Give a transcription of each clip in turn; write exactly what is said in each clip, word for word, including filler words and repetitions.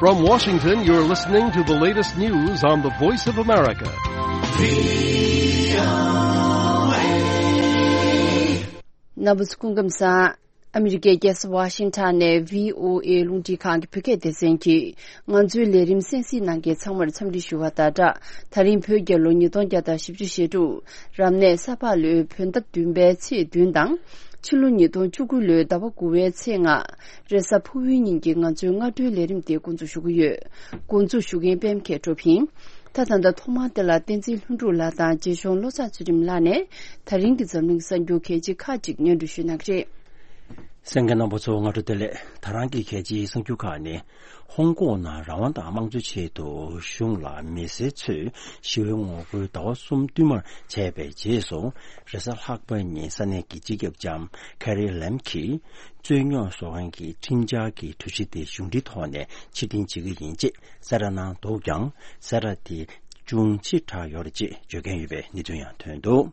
From Washington, you're listening to the latest news on the Voice of America. རྣམ་པ་ཚོ་སྐུ་ཁམས་བཟང་། ཨ་མི་རི་ཀའི་རྒྱལ་ས་ཝ་ཤིང་ཊོན་ནས་བྷི་ཨོ་ཨེ་རླུང་འཕྲིན་ཁང་གི་བོད་སྐད་སྡེ་ཚན་གྱིས་ང་ཚོའི་ལས་རིམ་གསན་གཟིགས་གནང་མཁན་ཚང་མར་འཚམས་འདྲི་ཞུ་བ་དང་སྦྲགས། ད་རིང་བོད་རྒྱལ་ལོ་ཉིས་སྟོང་བརྒྱ་དང་བཞི་བཅུ་ཞེ་དྲུག་རབ་གནས་ས་ཕག་ལོའི་བོད་ཟླ་བདུན་པའི་ཚེས་བདུན་དང་། ཕྱི་ལོ་ཉིས་སྟོང་བཅུ་དགུ་ལོའི་ཟླ་བ་དགུ་པའི་ཚེས་ལྔ། རེས་གཟའ་ཕུར་བུའི་ཉིན་གྱི་ང་ཚོའི་སྔ་དྲོའི་ལས་རིམ་དེ་འགོ་འཛུགས་ཞུ་གི་ཡོད། འགོ་འཛུགས་ཞུ་མཁན་པད་མ་མཁས་གྲུབ་ཡིན། ད་ད་ལྟ་ཐོག་མར་དེ་ལ་བསྟན་འཛིན་ལྷུན་གྲུབ་ལགས་དང་རྗེ་གཞུང་བློ་བཟང་ཚུལ་ཁྲིམས་ལགས་ནས་ད་རིང་གི་འཛམ་གླིང་གསར་འགྱུར་གལ་ཆེ་ཁག་ཅིག་སྙན་སྒྲོན་ཞུ་གནང་གི་རེད། གསན་མཁན་རྣམ་པ་ཚོ་སྔ་དྲོ་བདེ་ལེགས། ད་རང་གི་གལ་ཆེའི་གསར་འགྱུར་ཁག་ནི། ཧོང་ཀོང་ནང་རང་དབང་དང་དམངས་གཙོའི་ཆེད་དུ་གཞུང་ལ་མི་སེར་ཚོས་ཞི་བའི་ངོ་རྒོལ་ཟླ་བ་གསུམ་བསྟུད་མར་བྱས་པའི་རྗེས་སུ། རེས་གཟའ་ལྷག་པ་ཉིན་ས་གནས་ཀྱི་སྤྱི་ཁྱབ་ལྕམ་ཁེ་རི་ལེམ་གྱིས་རྩོད་རྙོག་བཟོ་མཁན་གྱི་ཁྲིམས་འཆར་གྱི་གྲོས་གཞི་དེ་གཞུང་འབྲེལ་ཐོག་ནས་ཕྱིར་འཐེན་བྱེད་ཀྱི་ཡིན་ཅེས་གསལ་བསྒྲགས་གནང་འདུག་ཀྱང་། གསལ་བསྒྲགས་དེ་ཅུང་ཕྱིར་བསྒྲགས་ཡོད་རེད་ཅེས་བརྗོད་མཁན་ཡོད་པའི་གནས་ཚུལ་ཡང་ཐོན་འདུག་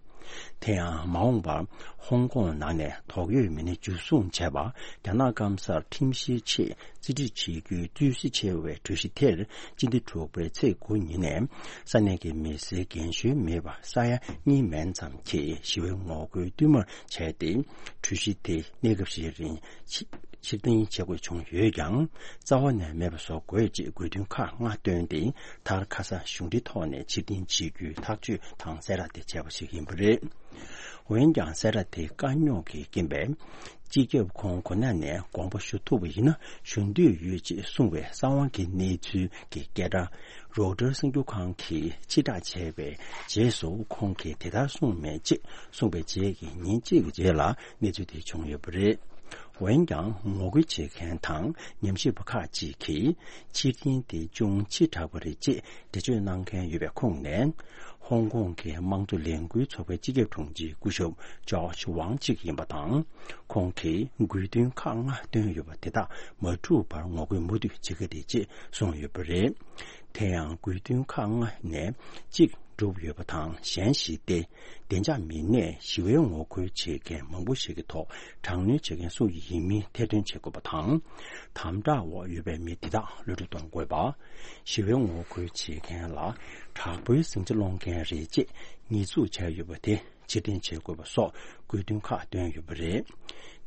དེ་ཡང་མ་འོངས་པར་ཧོང་ཀོང་ནང་ནས་དོགས་ཡོད་མི་སྣ་འཇུ་བཟུང་བྱས་པ། རྒྱ་ནག་སྐམ་སར་ཁྲིམས་བཤེར་ཆེད་རྩིས་སྤྲོད་བྱེད་རྒྱུའི་རྩོད་གཞི་ཆེ་བའི་གྲོས་གཞི་དེར་སྤྱི་ཟླ་དྲུག་པའི་ཚེས་དགུ་ཉིན་ནས་ས་གནས་ཀྱི་མི་སེར་རྒན་གཞོན་མེད་པར་ས་ཡ་གཉིས་མན་ཙམ་གྱིས་ཞི་བའི་ངོ་རྒོལ་བསྟུད་མར་བྱས་ཏེ། གྲོས་གཞི་དེ་གནས་སྐབས་ཤིག་རིང་ཕྱི་ཕྱིར་འཐེན་བྱེད་དགོས་བྱུང་ཡོད་ཀྱང་། རྩ་བ་ནས་མེད་པ་བཟོ་དགོས་ཅེས་དགོས་འདུན་ཁག་ལྔ་བཏོན་ཏེ། མཐར་ཁ་སང་གཞུང་འབྲེལ་ཐོག་ནས་ཕྱིར་འཐེན་བྱེད་རྒྱུའི་ཐག་གཅོད་དང་གསལ་བསྒྲགས་དེ་བྱས་པ་ཞིག་ཡིན་པ་རེད། འོན་ཀྱང་གསལ་བསྒྲགས་དེ་དཀའ་རྙོག་གི་རྐྱེན་པས། སྤྱི་ཁྱབ་ཁོང་གོ་གནས་ནས་དགོངས་པ་ཞུ་ཐུབ་པ་ཡིན་ན་ཞུ་འདོད་ཡོད་ཅེས་གསུངས་པའི་གསང་བ་གི་གནས་ཚུལ་གྱི་སྐད་སྒྲ་རོའུ་ཊར་གསར་འགྱུར་ཁང་གིས་ཕྱིར་བསྒྲགས་བྱས་པའི་རྗེས་སུ། ཁོང་གིས་དེ་ལྟར་གསུངས་མེད་ཅེས་གསུངས་པའི་རྗེས་ཀྱི་ཉིན་གཅིག་གི་རྗེས་ལ་གནས་ཚུལ་དེ་བྱུང་ཡོད་པ་རེད། འོན་ཀྱང་ངོ་རྒོལ་བྱེད་མཁན་དང་ཉམས་ཞིབ་པ་ཁག་ཅིག་གིས་ཕྱིར་འཐེན་དེ་ཅུང་ཕྱིར་བསྒྲགས་པ་རེད་ཅེས་འགྲེལ་བརྗོད་གནང་མཁན་ཡོད་པའི་ཁོངས་ནས། ཧོང་ཀོང་གི་དམངས་གཙོ་ལས་འགུལ་ཚོགས་པའི་སྤྱི་ཁྱབ་དྲུང་ཆེ་སྐུ་ཞབས་ཇོརྗ་ཝང་གཅིག་ཡིན་པ་དང་། ཁོང་གིས་དགོས་འདུན་ཁག་ལྔ་བཏོན་ཡོད་པ་དེ་དག་མ་འགྲུབ་པར་ངོ་རྒོལ་མུ་མཐུད་བྱེད་ཀྱི་རེད་ཅེས་གསུངས་ཡོད་པ་རེད། དེ་ཡང་དགོས་འདུན་ཁག་ལྔ་ནས་གཅིག་འགྲུབ་ཡོད་པ་དང་། གཞན་ཞིག་སྟེ། བདེ་འཇགས་མི་སྣས་ཞི་བའི་ངོ་རྒོལ་བྱེད་མཁན་མང་པོ་ཞིག་གི་ཐོག་དྲག་གནོན་བྱེད་མཁན་སུ་ཡིན་མིན་ཐེར་འདོན་བྱེད་དགོས་པ་དང་། དམ་དྲག་འོག་ཡོད་པའི་མི་དེ་དག་གློད་གྲོལ་གཏོང་དགོས་པ། ཞི་བའི་ངོ་རྒོལ་བྱེད་མཁན་ལ་དྲག་པོའི་ཟིང་ཆ་སློང་མཁན་རེད་ཅེས་ཉེས་འཛུགས་བྱས་ཡོད་པ་དེ་ཕྱིར་འཐེན་བྱེད་དགོས་པ་སོགས་དགོས་འདུན་ཁག་བཏོན་ཡོད་པ་རེད།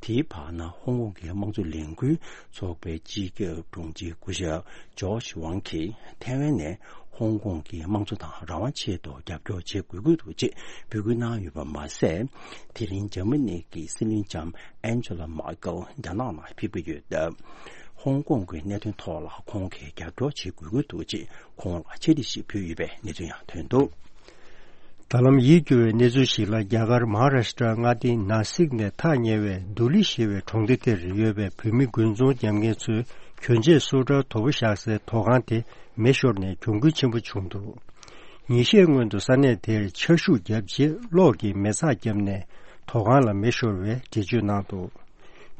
དེའི་བར་ན་ཧོང་ཀོང་གི་དམངས་གཙོ་ལས་འགུལ་ཚོགས་པའི་སྤྱི་ཁྱབ་དྲུང་ཆེ་སྐུ་ཞབས་ཇོརྗ་ཝང་གིས་ཐའེ་ཝན་ནས་ཧོང་ཀོང་གི་དམངས་གཙོ་དང་རང་དབང་ཆེད་དུ་རྒྱབ་སྐྱོར་བྱེད་དགོས་ཀྱི་འདུག་ཅེས་འབོད་སྐུལ་གནང་ཡོད་པ་མ་ཟད། དེ་རིང་འཇར་མ་ནི་གི་སྲིད་བློན་ལྕམ་ཨན་ཇེ་ལ་མར་ཀལ་རྒྱ་ནག་ནང་ཕེབས་ཀྱི་ཡོད་སྟབས། ཧོང་ཀོང་གི་གནད་དོན་ཐོག་ལ་ཁོང་གིས་རྒྱབ་སྐྱོར་བྱེད་དགོས་ཀྱི་འདུག་ཅེས་ཁོང་ལ་ཕྱག་བྲིས་ཤིག་ཕུལ་ཡོད་པའི་གནས་ཚུལ་ཡང་ཐོན་འདུག། ད་ལམ་ཡིད་སྐྱོ་བའི་གནས་ཚུལ་ཞིག་ལ། རྒྱ་གར་མ་ཧཱ་རཱ་ཤི་ཏྲ་མངའ་སྡེའི་ནཱ་སིག་ནས་ཐག་ཉེ་བའི་དུ་ལི་ཞེས་པའི་གྲོང་སྡེ་དེར་ཡོད་པའི་བོད་མི་དགུན་ཚོང་རྒྱག་མཁན་ཚོས་གྱོན་ཆས་སོ་ཊར་དོ་པོ་བཞག་སའི་དོ་ཁང་དེ་མེ་ཤོར་ནས་གྱོང་གུན་ཆེན་པོ་བྱུང་འདུག། ཉིན་ཤས་སྔོན་དུ་ས་གནས་དེར་ཆར་ཤུགས་བརྒྱབ་རྗེས་གློག་གིས་མེ་ཚགས་བརྒྱབ་ནས་དོ་ཁང་ལ་མེ་ཤོར་བའི་འགྲེལ་བརྗོད་གནང་འདུག།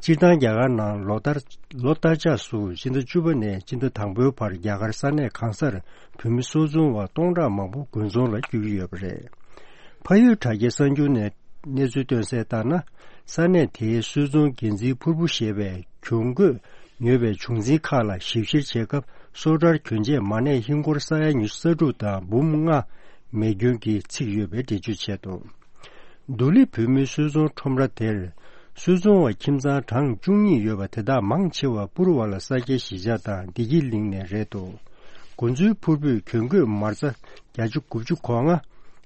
སྤྱིར་བཏང་རྒྱ་གར་ནང་ལོ་ལྟར་ལོ་ལྟར་ཆགས་སུ་སྤྱི་ཟླ་བཅུ་པ་ནས་སྤྱི་ཟླ་དང་པོའི་བར་རྒྱ་གར་ས་གནས་གང་སར་བོད་མི་སོ་བཙོང་བ་སྟོང་ཕྲག་མང་པོ་དགུན་ཚོང་ལ་བསྐྱོད་ཀྱི་ཡོད་པ་རེད། ཕ་ཡུལ་དྲ་རྒྱའི་གསར་འགྱུར་ནས་གནས་ཚུལ་བཏོན་གསལ་ལྟར་ན། ས་གནས་དེའི་སོ་བཙོང་འགན་འཛིན་ཕུར་བུ་ཞེས་པས་གྱོང་གོད་ཉོས་པའི་བྱུང་འཛིན་ཁག་ལ་ཞིབ་བཤེར་བྱེད་སྐབས་སོ་ཊར་གྱོན་ཆས་མ་གནས་ཧིན་སྒོར་ས་ཡ་ཉི་ཤུ་རྩ་དྲུག་དང་འབུམ་ལྔ་མེ་སྐྱོན་གྱིས་ཚིག་ཡོད་པའི་འགྲེལ་བརྗོད་བྱས་འདུག། དུ་ལི་བོད་མིའི་སོ་བཙོང་ཁྲོམ་ར་དེར། སོ་བཙོང་བ་ཁྱིམ་ཚང་གྲངས་བཅུ་གཉིས་ཡོད་པ་དེ་དག་མང་ཆེ་བ་པུར་བ་ལ་ས་སྐྱའི་གཞིས་ཆགས་དང་བདེ་སྐྱིད་གླིང་ནས་རེད་འདུག། དགོན་ཚུལ་ཕུར་བུས་གྱོན་གོས་མ་རྩ་བརྒྱ་ཆ་དགུ་བཅུ་གོ་ལྔ།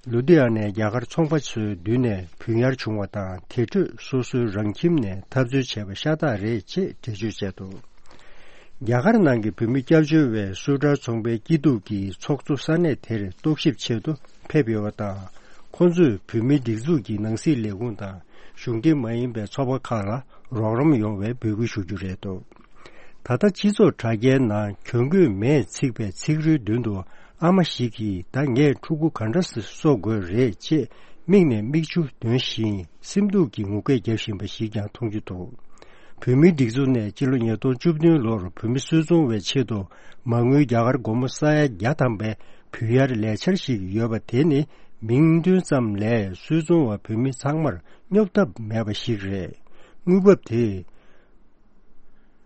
ལུ་དྷི་ཡ་ནས་རྒྱ་གར་ཚོང་པ་ཚོའི་མདུན་ནས་བུད་ཉར་བྱུང་བ་དང་། དེ་འཕྲོས་སོ་སོའི་རང་ཁྱིམ་ནས་འཐབ་རྩོད་བྱས་པ་ཤ་སྟག་རེད་ཅེས་འགྲེལ་བརྗོད་བྱས་འདུག། རྒྱ་གར་ནང་གི་བོད་མི་སྐྱབས་བཅོལ་བའི་སུ་ཊར་ཚོང་པའི་སྐྱིད་སྡུག་གི་ཚོགས་གཙོ་ས་གནས་དེར་རྟོག་ཞིབ་ཆེད་དུ་ཕེབས་ཡོད་པ་དང་། ཁོང་ཚོས་བོད་མིའི་སྒྲིག་འཛུགས་ཀྱི་ནང་སྲིད་ལས་ཁུངས་དང་གཞུང་འབྲེལ་མ་ཡིན་པའི་ཚོགས་པ་ཁག་ལ་རོགས་རམ་ཡོང་བའི་འབོད་སྐུལ་ཞུ་རྒྱུ་རེད་འདུག། ད་ལྟ་སྤྱི་ཚོགས་དྲ་རྒྱའི་ནང་གྱོང་གོད་མེད་ཚིག་པའི་ཚིག་རུའི་མདུན་དུ། ཨ་མ་ཞིག་གིས་ད་ངས་ཕྲུ་གུ་ག་འདྲ་སེ་གསོ་དགོས་རེད་ཅེས་མིག་ནས་མིག་ཆུ་འདོན་བཞིན་སེམས་སྡུག་གི་ངུ་སྐད་བརྒྱབ་བཞིན་པ་ཞིག་ཀྱང་མཐོང་རྒྱུ་འདུག། བོད་མིའི་སྒྲིག་འཛུགས་ནས་སྤྱི་ལོ་ཉིས་སྟོང་བཅུ་བདུན་ལོར་བོད་མི་སུད་ཚོང་བའི་ཆེད་དུ་མ་དངུལ་རྒྱ་གར་སྒོར་མོ་ས་ཡ་བརྒྱ་ཐམ་པའི་བུད་ཡར་ལས་འཆར་ཞིག་ཡོད་པ་དེ་ནི་མིང་འདོན་ཙམ་ལས་སུད་ཚོང་བ་བོད་མི་ཚང་མར་སྙོབ་ཐབས་མེད་པ་ཞིག་རེད། དངུལ་འབབ་དེ་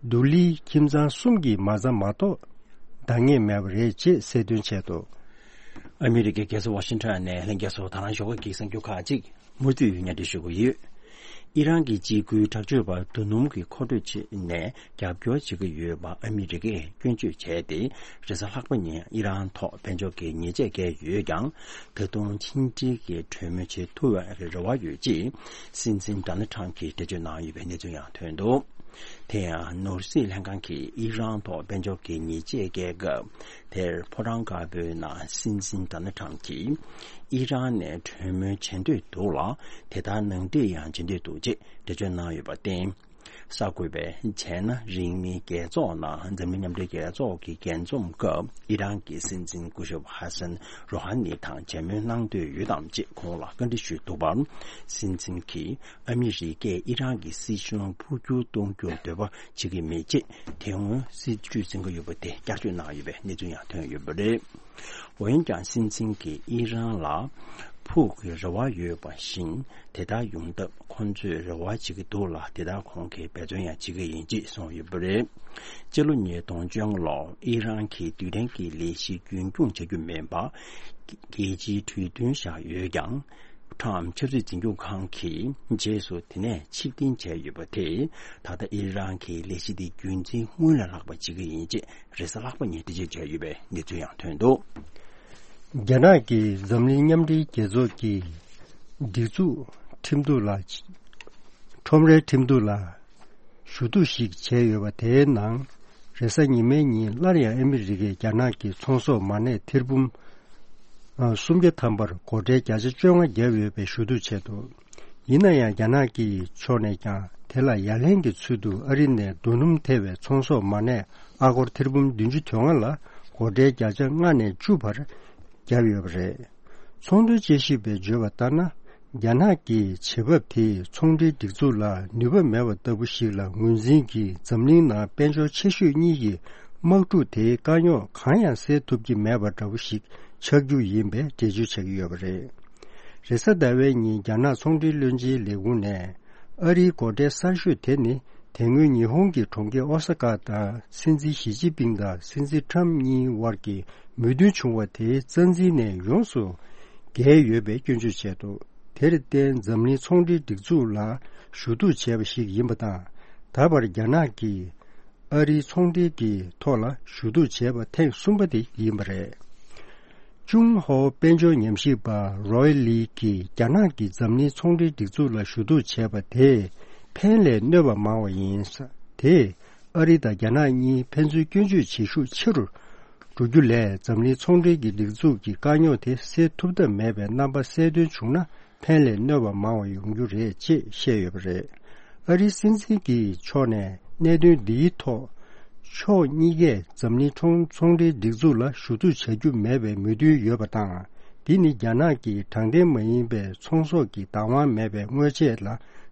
དུ་ལིའི་ཁྱིམ་ཚང་གསུམ་གྱི་མ་རྩ་མ་གཏོགས་ འདང་ངེས་མེད་པ་རེད་ཅེས་གསལ་སྟོན་བྱས་འདུག་ཨ་མི་རི་ཀའི་རྒྱལ་ས་ཝ་ཤིང་ཊོན་ནས་ལྷན་རྒྱས་ཚོ་ད་རང་ཞོགས་ཀ་གི་གསར་འགྱུར་ཁག་ཅིག་མུ་མཐུད་སྙན་སྒྲོན་ཞུ་གི་ཡོད། ཨི་རན་གྱི་འཇིགས་སྐུལ་དྲག་སྤྱོད་པར་རྡོ་སྣུམ་གྱི་མཁོ་སྤྲོད་བྱས་ནས་རྒྱབ་སྐྱོར་བྱེད་ཀྱི་ཡོད་པ་ཨ་མི་རི་ཀས་སྐྱོན་བརྗོད་བྱས་ཏེ། རེས་གཟའ་ལྷག་པ་ཉིན་ཨི་རན་ཐོག་དཔལ་འབྱོར་གྱི་ཉེས་ཆད་བཀལ་ཡོད་ཀྱང་། ད་དུང་ཕྱི་འབྲེལ་གྱི་གྲོས་མོལ་བྱེད་ཐུབ་པའི་རེ་བ་ཡོད་ཅེས་སྲིད་འཛིན་ཌོ་ནལ་ཊམ་གྱིས་འགྲེལ་བརྗོད་གནང་ཡོད་པའི་གནས་ཚུལ་ཡང་ཐོན་འདུག་དེ་ཡང་ནོར་སྲིད་ལྷན་ཁང་གིས་ཨི་རན་ཐོག་དཔལ་འབྱོར་གྱི་ཉེས་ཆད་བཀལ་སྐབས། དེར་ཕོ་བྲང་དཀར་པོའི་ནང་སྲིད་འཛིན་ཌོ་ནལ་ཊམ་གྱིས་ཨི་རན་ནས་གྲོས་མོལ་བྱེད་འདོད་འདུག་ལ། དེ་ལྟར་ནང་འགྲིག་ཡང་བྱེད་འདོད་འདུག་ཅེས་འགྲེལ་བརྗོད་གནང་ཡོད་པར་བརྟེན། གསར་འགོད་པས་བྱས་ན་རིང་མིན་རྒྱལ་ཚོགས་ནང་འཛམ་གླིང་མཉམ་འབྲེལ་རྒྱལ་ཚོགས་ཀྱི་རྒྱས་འཛོམས་སྐབས་ཨི་རན་གྱི་སྲིད་འཛིན་སྐུ་ཞབས་ཧ་སན་རོ་ཧ་ནི་དང་མཇལ་མོལ་གནང་འདོད་ཡོད་དམ་ཅེས་ཁོང་ལ་བཀའ་འདྲི་ཞུས་འདུག་པར། སྲིད་འཛིན་གྱིས་ཨ་མི་རི་ཀས་ཨི་རན་གྱི་སྲིད་གཞུང་འཕོ་འགྱུར་གཏོང་རྒྱུར་འདོད་པ་བྱེད་ཀྱི་མེད་ཅེས་དེ་སྔོན་སྲིད་ཇུས་འཛིན་གྱི་ཡོད་པ་དེ་བསྐྱར་བཅོས་གནང་ཡོད་པའི་གནས་ཚུལ་ཡང་ཐོན་ཡོད་པ་རེད། འོན་ཀྱང་སྲིད་འཛིན་གྱིས་ཨི་རན་ལ་ཕུགས་ཀྱི་རེ་བ་ཡོད་པ་བཞིན་དེ་ལྟར་ཡོང་ཐབས་ཁོང་ཚོས་རེ་བ་བྱེད་ཀྱི་འདུག་ལ། དེ་ལྟར་ཁོང་གིས་འབད་བརྩོན་ཡང་བྱེད་ཀྱི་ཡིན་ཅེས་གསུངས་ཡོད་པ་རེད། སྤྱི་ལོ་ཉིས་སྟོང་བཅོ་ལྔ་ལོར་ཨི་རན་གྱིས་རྡུལ་ཕྲན་གྱི་ལས་གཞི་རྒྱུན་འཁྱོངས་བྱ་རྒྱུ་མིན་པར་རྒྱལ་སྤྱིའི་གྲོས་མཐུན་བཞག་ཡོད་ཀྱང་། ཁྲམ་ཆབ་སྲིད་འཛིན་སྐྱོང་ཁང་གིས་རྗེས་སུ་དེ་ནས་ཕྱིར་འཐེན་བྱས་ཡོད་པ་དེས་ད་ལྟ་ཨི་རན་གྱི་ལས་གཞི་དེ་རྒྱུན་འཛིན་སྔོན་ལ་ལྷག་པ་བྱེད་ཀྱི་ཡིན་ཅེས་རེས་གཟའ་ལྷག་པ་ཉིན་འགྲེལ་བརྗོད་བྱས་ཡོད་པའི་གནས་ཚུལ་ཡང་ཐོན་འདུག་རྒྱ་ནག་གིས་འཛམ་གླིང་མཉམ་འབྲེལ་རྒྱལ་ཚོགས་ཀྱི་སྒྲིག་འཛུགས་ཁྲིམས་གཏུག་ལ་ཁྲོམ་རའི་ཁྲིམས་གཏུག་ལ་ཞུ་གཏུག་ཞིག་བྱས་ཡོད་པ་དེའི་ནང་། རེས་གཟའ་ཉི་མའི་ཉིན་སླར་ཡང་ཨ་མི་རི་ཀས་རྒྱ་ནག་གི་ཚོང་ཟོག་མ་གནས་ཐེར་འབུམ་སུམ་བརྒྱ་ཐམ་པར་སྒོ་ཁྲལ་བརྒྱ་ཆ་བཅོ་ལྔ་བརྒྱབ་ཡོད་པའི་ཞུ་གཏུག་བྱས་འདུག་ཡིན་ན་ཡང་རྒྱ་ནག་གི་ཕྱོགས་ནས་ཀྱང་དེ་ལ་ཡ་ལན་གྱི་ཚུལ་དུ་ཨ་རི་ནས་རྡོ་སྣུམ་ཐེ་བའི་ཚོང་ཟོག་མ་གནས་ཨ་སྒོར་ཐེར་འབུམ་བདུན་ཅུ་དོན་ལྔ་ལ་སྒོ་ཁྲལ་བརྒྱ་ཆ་ལྔ་ནས་བཅུ་བར་བརྒྱབ་ཡོད་པ་རེད། ཚོང་དོན་དཔྱད་ཞིབ་པས་བརྗོད་པ་ལྟར་ན། རྒྱ་ནག་གི་བྱེད་བབ་དེས་ཚོང་འབྲེལ་སྒྲིག་འཛུགས་ལ་ནུས་པ་མེད་པ་ལྟ་བུ་ཞིག་ལ་ངོས་འཛིན་གྱིས་འཛམ་གླིང་ནང་དཔལ་འབྱོར་ཆེ་ཤོས་གཉིས་ཀྱི་དམག་འཁྲུག་དེའི་དཀའ་རྙོག་གང་ཡང་སེལ་ཐུབ་ཀྱི་མེད་པ་འདྲ་བོ་ཞིག་ཆགས་རྒྱུ་ཡིན་པའི་འགྲེལ་བརྗོད་བྱ་གི་ཡོད་པ་རེད། རེས་གཟའ་ཟླ་བའི་ཉིན་རྒྱ་ནག་ཚོང་འབྲེལ་བློན་ཆེན་ལས་ཁུངས་ནས། ཨ་རིའི་སྒོ་ཁྲལ་གསར་ཤོས་དེ་ནི། དེ་སྔོན་ཉི་ཧོང་གི་གྲོང་ཁྱེར་ཨོ་ས་ཀ་དང་སྲིད་འཛིན་ཞི་ཅིན་ཕིང་དང་སྲིད་འཛིན་ཁྲམ་གཉིས་དབར་གྱི་མོས་མཐུན་བྱུང་བ་དེའི་རྩ་འཛིན་ནས་ཡོངས་སུ་བརྒལ་ཡོད་པའི་སྐྱོན་བརྗོད་བྱས་འདུག་དེར་བརྟེན་འཛམ་གླིང་ཚོང་འབྲེལ་སྒྲིག་འཛུགས་ལ་ཞུ་གཏུག་བྱས་པ་ཞིག་ཡིན་པ་དང་། ད་བར་རྒྱ་ནག་གིས་ཨ་རིའི་ཚོང་འབྲེལ་གྱི་ཐོག་ལ་ཞུ་གཏུག་བྱས་པ་ཐེངས་གསུམ་པ་དེ་ཡིན་པ་རེད། ཅུང་ཧོ་དཔལ་འབྱོར་ཉམས་ཞིབ་པ་རོའི་ལི་གིས་རྒྱ་ནག་གིས་འཛམ་གླིང་ཚོང་འབྲེལ་སྒྲིག་འཛུགས་ལ་ཞུ་གཏུག་བྱས་པ་དེས་ཕན་ལས་གནོད་པ་མང་བ་ཡིན། དེས་ཨ་རི་དང་རྒྱ་ནག་གཉིས་ཕན་ཚུན་སྐྱོན་བརྗོད་བྱེད་ཤུགས་ཆེ་རུ་འགྲོ་རྒྱུ་ལས་འཛམ་གླིང་ཚོང་འབྲེལ་གྱི་སྒྲིག་འཛུགས་ཀྱི་དཀའ་རྙོག་དེ་སེལ་ཐུབ་ཐབས་མེད་པའི་རྣམ་པ་གསལ་སྟོན་བྱུང་ན། ཕན་ལས་གནོད་པ་མང་བ་ཡོང་རྒྱུ་རེད་ཅེས་བཤད་ཡོད་པ་རེད། ཨ་རིའི་སྲིད་འཛིན་གྱི་ཕྱོགས་ནས་གནད་དོན་འདིའི་ཐོག་ཕྱོགས་གཉིས་ཀས་འཛམ་གླིང་ཚོང་ཚོང་འབྲེལ་སྒྲིག་འཛུགས་ལ་ཞུ་གཏུག་བྱ་རྒྱུ་མེད་པའི་མོས་མཐུན་ཡོད་པ་དང་། འདི་ནི་རྒྱ་ནག་གིས་དྲང་བདེན་མ་ཡིན་པའི་ཚོང་ཟོག་གི་བདག་དབང་མེད་པའི་དངོས་ཆས་ལ་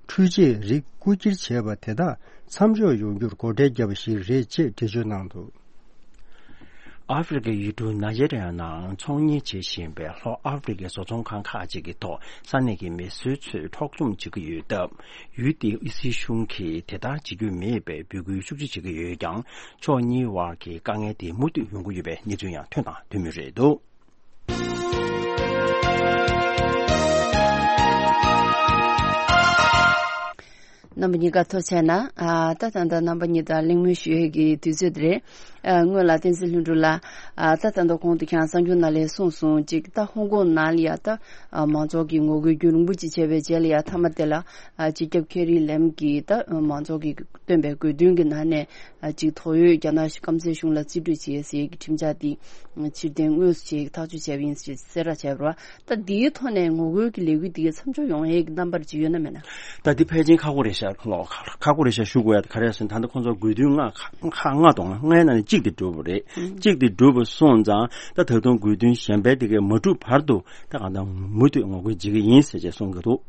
འཕྲུལ་ཆས་རིགས་རྐུ་འཁྱེར་བྱས་པ་དེ་དག་མཚམས་འཇོག་ཡོང་རྒྱུར་སྒོ་ཁྲལ་བརྒྱབ་པ་ཞིག་རེད་ཅེས་འགྲེལ་བརྗོད་གནང་འདུག་ཨ་ཧྥེ་རི་ཁའི་ཡུལ་གྲུ་ནཱི་ཇེ་རི་ཡ་ནང་ཚོང་གཉེར་བྱེད་བཞིན་པའི་ལྷོ་ཨ་ཧྥེ་རི་ཁའི་བཟོ་ཚོང་ཁང་ཁག་ཅིག་གི་ཐོག་ས་གནས་ཀྱི་མི་སེར་ཚོས་འཕྲོག་བཅོམ་བྱེད་ཀྱི་ཡོད་སྟབས། ཡུལ་དེའི་སྲིད་གཞུང་གིས་དེ་ལྟར་བྱེད་རྒྱུ་མེད་པའི་འབོད་སྐུལ་ཤུགས་ཆེ་བྱེད་ཀྱི་ཡོད་ཀྱང་། ཕྱོགས་གཉིས་དབར་གྱི་དཀའ་ངལ་དེ་མུ་མཐུད་ཡོང་གི་ཡོད་པའི་གནས་ཚུལ་ཡང་ཐོན་དང་ཐོན་མུས་རེད་འདུག་རྣམ་པ་གཉིས་ཀ་ཐུགས་རྗེ་གནང་། ཨ། ད་ད་ལྟ་རྣམ་པ་གཉིས་དང་གླེང་མོལ་ཞུ་ཡས་ཀྱི་དུས་ཚོད་དེ་རེད། ཨ། སྔོན་ལ་བསྟན་འཛིན་ལྷུན་གྲུབ་ལགས། ཨ། ད་ད་ལྟ་གོང་དུ་ཁྱེད་རང་གསར་འགྱུར་ནང་ལ་གསུངས་སོང་། ཅིག་ད་ཧོང་ཀོང་ནང་ལ་ཡ་ད། ཨ། མང་ཚོགས་ཀྱི་ངོ་རྒོལ་རྒྱུན་རིང་པོ་ཅིག་བྱས་པའི་རྗེས་ལ་ཡ་མཐའ་མ་དེ་ལ། ཨ། སྤྱི་ཁྱབ་ཁེ་རི་ལེམ་གྱིས་ད་མང་ཚོགས་ཀྱིས་བཏོན་པའི་དགོས་འདུན་གྱི་ནང་ནས། ཨ། ཅིག་ཐོ་ཡོད་རྒྱ་ནག་སྐམ་སའི་གཞུང་ལ་རྩིས་སྤྲོད་བྱེད་ཟེར་གྱི་ཁྲིམས་འཆར་དེ་ཕྱིར་འཐེན་དངོས་སུ་བྱེད་ཐག་གཅོད་བྱས་པ་ཡིན་ཞེས་གསལ་བསྒྲགས་བྱས་པ་རེད་བ། ད་འདིའི་ཐོག་ནས་ངོ་རྒོལ་གྱི་ལས་འགུལ་འདི་གའི་མཚམས་འཇོག་ཡོང་ཡས་ཀྱི་རྣམ་པར་ཅིག་ཡོད་ན་མེད་ན། ད་འདི་ཕལ་ཆེར་ཁག་པོ་རེད་ཤག་ལོ། ཁག་པོ་རེད་ཤག་ཞུ་དགོས་ཡ་ག་རེ་ཟེར་ན། ད་ལྟ་ཁོང་ཚོ་དགོས་འདུན་ལྔ་ཁག་ལྔ་དང་ལྔའི་ནང་ནས་གཅིག་དེ་འགྲུབ་པ་རེད། གཅིག་དེ་འགྲུབ་པ་སོང་ཙང་ད་ད་དུང་དགོས་འདུན་གཞན་པའི་དེ་གའི་མ་འགྲུབ་བར་དུ་ད་གང་ལྟར་མུ་མཐུད་ངོ་རྒོལ་བྱེད་ཀྱི་ཡིན་ཟེར་བྱས་གསུང་གི་འདུག་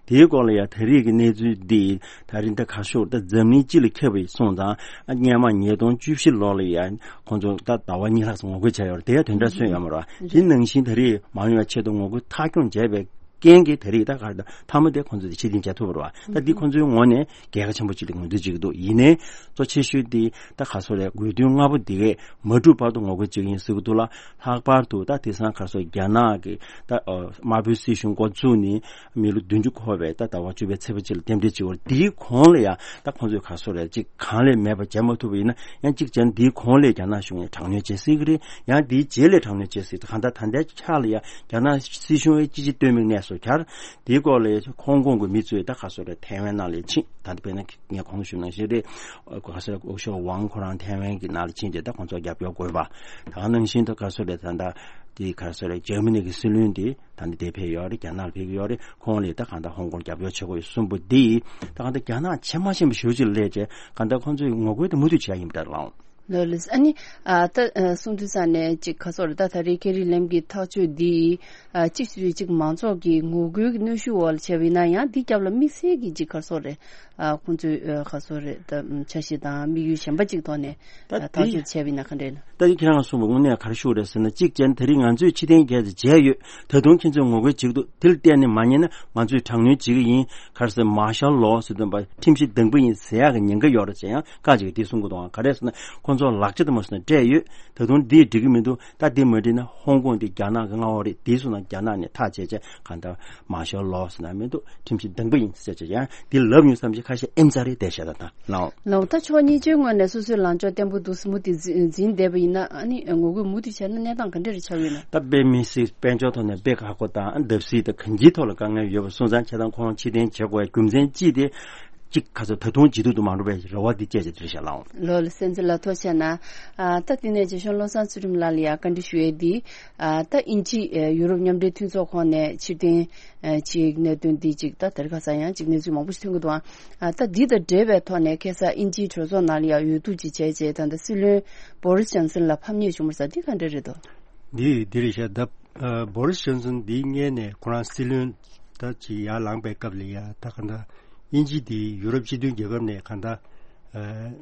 དེའི་སྐོར་ལ་ཡ་ད་རེས་ཀྱི་གནས་ཚུལ་འདི་ད་རིང་ད་ག་ཤོག་ད་འཛམ་གླིང་སྤྱི་ལ་ཁྱབ་པ་སོང་ཙང་ཨ་སྔོན་མ་ཉིས་སྟོང་བཅུ་བཞི་ལོ་ལ་ཡ་ཁོང་ཚོ་ད་ཟླ་བ་གཉིས་ལྷག་ཙམ་ངོ་རྒོལ་བྱས་ཡོད་རེད། དེ་ཡ་དེ་འདྲ་སོན་ཡོད་མ་རེད། དེ་ནང་བཞིན་ད་རེས་མ་ཡོང་བའི་ཆེད་དུ་ངོ་རྒོལ་མཐའ་འཁྱོངས་བྱས་པའི་ རྐྱེན་གྱིས་དེ་རིང་ད་ག་རེ་ད་མཐའ་མ་དེ་ཁོང་ཚོས་ཕྱིར་འཐེན་བྱ་ཐུབ་པ་རེད་བ། ད་འདི་ཁོང་ཚོའི་ངོས་ནས་རྒྱལ་ཁ་ཆེན་པོ་གཅིག་ལ་ངོས་འཛིན་བྱེད་ཀྱི་འདུག་ཡིན་ནའི་གཙོ་ཆེ་ཤོས་དེ་ད་ག་སོ་རེད། དགོས་འདུན་ལྔ་པོ་འདི་གས་མ་འགྲུབ་བར་དུ་ངོ་རྒོལ་བྱེད་ཀྱི་ཡིན་ཟེར་གྱི་འདུག་ལ། ལྷག་པར་དུ་ད་དེང་སང་ག་སོ་རྒྱ་ནག་གི་ད་དམར་པོའི་སྲིད་གཞུང་འགོ་བཙུགས་ནས་མི་ལོ་བདུན་ཅུ་འཁོར་བའི་ད་ཟླ་བ་བཅུ་པའི་ཚེས་པ་གཅིག་ལ་རྟེན་འབྲེལ་བྱེད་པར། དེའི་གོང་ལ་ཡང་ད་ཁོང་ཚོས་ག་སོ་རེད། གཅིག་གང་ལས་མེད་པ་བྱས་མ་ཐུབ་པ་ཡིན་ན། ཡང་གཅིག་བྱས་ན་དེའི་གོང་ལས་རྒྱ་ནག་གཞུང་ཡང་དྲག་གནོན་བྱེད་སྲིད་ཀྱི་རེད། ཡང་དེའི་རྗེས་ལས་དྲག་གནོན་བྱེད་སྲིད། གང་ལྟར་ད་ལྟའི་ཆ་ལ་ཡང་རྒྱ་ནག་སྲིད་གཞུང་ཡང་ཅི་ཅི་སྟོན་མིག་གནས་སོ་ཁྱར། དེའི་སྐོར་ལ་ཧོང་ཀོང་གི་མི་ཚོས་ད་ག་སོ་རེད། ཐའེ་ཝན་ནང་ལ་ཕྱིན། ད་ལྟ་དཔེར་ན་ངས་གོང་ཞུས་ནང་བཞིན་རེད། ག་སོ་རེད། སྐུ་ཞབས་ཝང་ཁོ་རང་ཐའེ་ཝན་གྱི་ནང་ལ་ཕྱིན་རྗེས་ད་ཁོང་ཚོ་རྒྱབ་སྐྱོར་དགོས་པ། ད་ག་ནང་བཞིན་ད་ག་སོ་རེད། ད་ལྟ་དེ་ག་སོ་རེད། འཇར་མ་ནི་གི་སྲིད་བློན་དེ་ད་ནི་དེ་ཕེབས་ཡོད་རེད། རྒྱ་ནག་ལ་ཕེབས་ཀྱི་ཡོད་རེད། ཁོང་ལ་ད་གང་ལྟར་ཧོང་ཀོང་རྒྱབ་སྐྱོར་བྱེད་དགོས་ཡོད་གསུངས་པ་འདི་ད་གང་ལྟར་རྒྱ་ནག་ཆེ་མ་ཆེན་པོ་ཞེ་པོ་ཅིག་སླེབས་བྱས། གང་ལྟར་ཁོང་ཚོས་ངོ་རྒོལ་དེ་མུ་མཐུད་བྱས་ཡིན་པ་འདྲ་ལགས། ལགས་ལགས། ཨ་ནི་ཨ་ད་ཨ་གསུང་དུས་ས་ནས་ཅིག་ག་སོགས་རེད། ད་ད་རེས་ཁེ་རི་ལེམ་གྱི་ཐག་གཅོད་འདི་ཨ་གཅིག་སུ་ཅིག་མང་ཚོགས་ཀྱི་ངོ་རྒོལ་གྱི་གནོན་ཤུགས་འོག་ལ་བྱས་པ་ཡིན་ན། ཡང་འདི་རྒྱབ་ལ་དམིགས་བསལ་གྱི་ཅིག་ག་སོགས་རེད། ཨ་ཁོང་ཚོས་ཨ་ག་སོགས་རེད། ད་འཆར་གཞི་དང་དམིགས་ཡུལ་གཞན་པ་ཅིག་ཐོག་ནས་ད་ཨ་ཐག་དེ་གཅོད་བྱས་པ་ཡིན་ན་ག་འདྲ་ཡིན་ན། ད་ཁྱེད་རང་གསུངས་པ་དངོས་གནས་ག་རེ་ཤོག་རེད་ཟེར་ན། གཅིག་བྱས་ན་དེ་རིང་ང་ཚོས་ཕྱིར་འཐེན་བརྒྱབ་སྟེ་བྱས་ཡོད། ད་དུང་ཁྱེད་ཚོས་ངོ་རྒོལ་བྱེད་ཀྱི་འདུག་དེ་ལ་བརྟེན་ནས་མ་ཉན་ན་ང་ཚོས་དྲག་གནོན་བྱེད་ཀྱི་ཡིན། ག་རེ་ཟེར། མར་ཤལ་ལོ་ཟེར་དུས་ཁྲིམས་གཞི་དང་པོ་ཡིན་ཟེར་ཡག་གི་ཉེན་ཁ་ཡོད་རེད་ཟེར་ཡང་བཀག་ཅིག་འདི་གསུང་གི་འདུག་ཨང་། ག་རེ་ཟེར་ན་ཁོང་ཚོ་ལག་ཆ་དེ་མ་སོང་ན་སྤྲད་ཡོད། ད་དུང་འདི་འགྲིག་གི་མི་འདུག་ད་འདི་མ་འགྲིག་ན་ཧོང་ཀོང་འདི་རྒྱ་ནག་གི་མངའ་འོག་རེད། འདི་སོང་ན་རྒྱ་ནག་ནས་ཐག་བཅད་བྱས། གང་ལྟར་མར་ཤལ་ལོ་ཟེར་ན་མི་འདུག་ཁྲིམས་གཞི་དང་པོ་ཡིན་ཟེར་བྱས་ཡང་འདི་ལབ་མྱོང་བསམ་གྱི་ཁ་ཤས་ཨེམ་ཚ་རེད་བསྡད་བཞག་ད་ལྟ་ལའོ། ལའོ། ད་ཕྱོགས་གཉིས་ཀྱི་ངོས་ནས་སོ་སོའི་ལངས་ཕྱོགས་བརྟན་པོ་འདུག་མུ་མཐུད་འཛིན་བསྡད་པ་ཡིན་ན། ཨ་ནི་ངོ་རྒོལ་མུ་མཐུད་བྱས་ན་གནས་སྟངས་ག་འདྲ་རེ་ཆགས་ཡོད་ན། ད་དཔེ་མི་སྲིད་དཔལ་འབྱོར་ཐོག་ནས་དཔེ་ཁག་པོ་དང་བརྡབ་གསིག་དང་གང་ཅིའི་ཐོག་ལ་དཀའ་ངལ་ཡོད་པ་སོང་ཙང་། བྱས་ཙང་ཁོང་ཕྱིར་འཐེན་བྱེད་དགོས་རྒྱུ་མཚན་གཅིག་དེ། གཅིག་ག་ཚོད་ད་དུང་བྱེད་ཐུབ་ཏུ་མ་འགྲོ་བའི་རེ་བ་འདི་བཅས་ཀྱི་དེར་བཞག་ལའོ། ལོ་ལ་སེམས་ཚེ་ལ་ཐོག་བྱས་ན། ཨ་ད་དེ་ནས་རྗེ་གཞུང་བློ་བཟང་ཚུལ་ཁྲིམས་ལགས་ལ་ཡང་བཀའ་འདྲི་ཞུ་ཡས་འདི། ཨ་ད་དབྱིན་ཇི་ཨ་ཡུ་རོབ་མཉམ་འབྲེལ་མཐུན་ཚོགས་ཁོངས་ནས་ཕྱིར་འཐེན་ཨ་བྱེད་ཀྱི་གནད་དོན་འདི་ཅིག་ད་དེར་ཁ་ས་ཡང་ཅིག་གནས་ཚུལ་མང་པོ་ཞིག་ཐོན་གྱི་འདུག་ཨ་ད་འདི་དང་འབྲེལ་བའི་ཐོག་ནས་ཁ་སང་དབྱིན་ཇིའི་གྲོས་ཚོགས་ནང་ལ་ཡང་འོས་བསྡུ་ཅིག་བྱས་རྗེས་ད་ལྟ་སྲིད་བློན་བོ་རིས་ཇོན་སན་ལ་ཕམ་ཉེས་བྱུང་བ་རེད་ཟེར། འདི་ག་འདྲ་རེད་དོ། འདི་འདི་རེད་ཤག་ད་ཨ་བོ་རིས་ཇོན་སན་འདི་སྔོན་ནས་ཁོ་རང་སྲིད་བློན་ད་ཅིག་ཡར་ལངས་པའི་སྐབས་ལ་ཡ། ད་ག་འདྲ་དབྱིན་ཇི་འདི་ཡུ་རོབ་སྤྱི་མཐུན་རྒྱལ་ཁབ་ནས་ག་འདྲ་ཨ་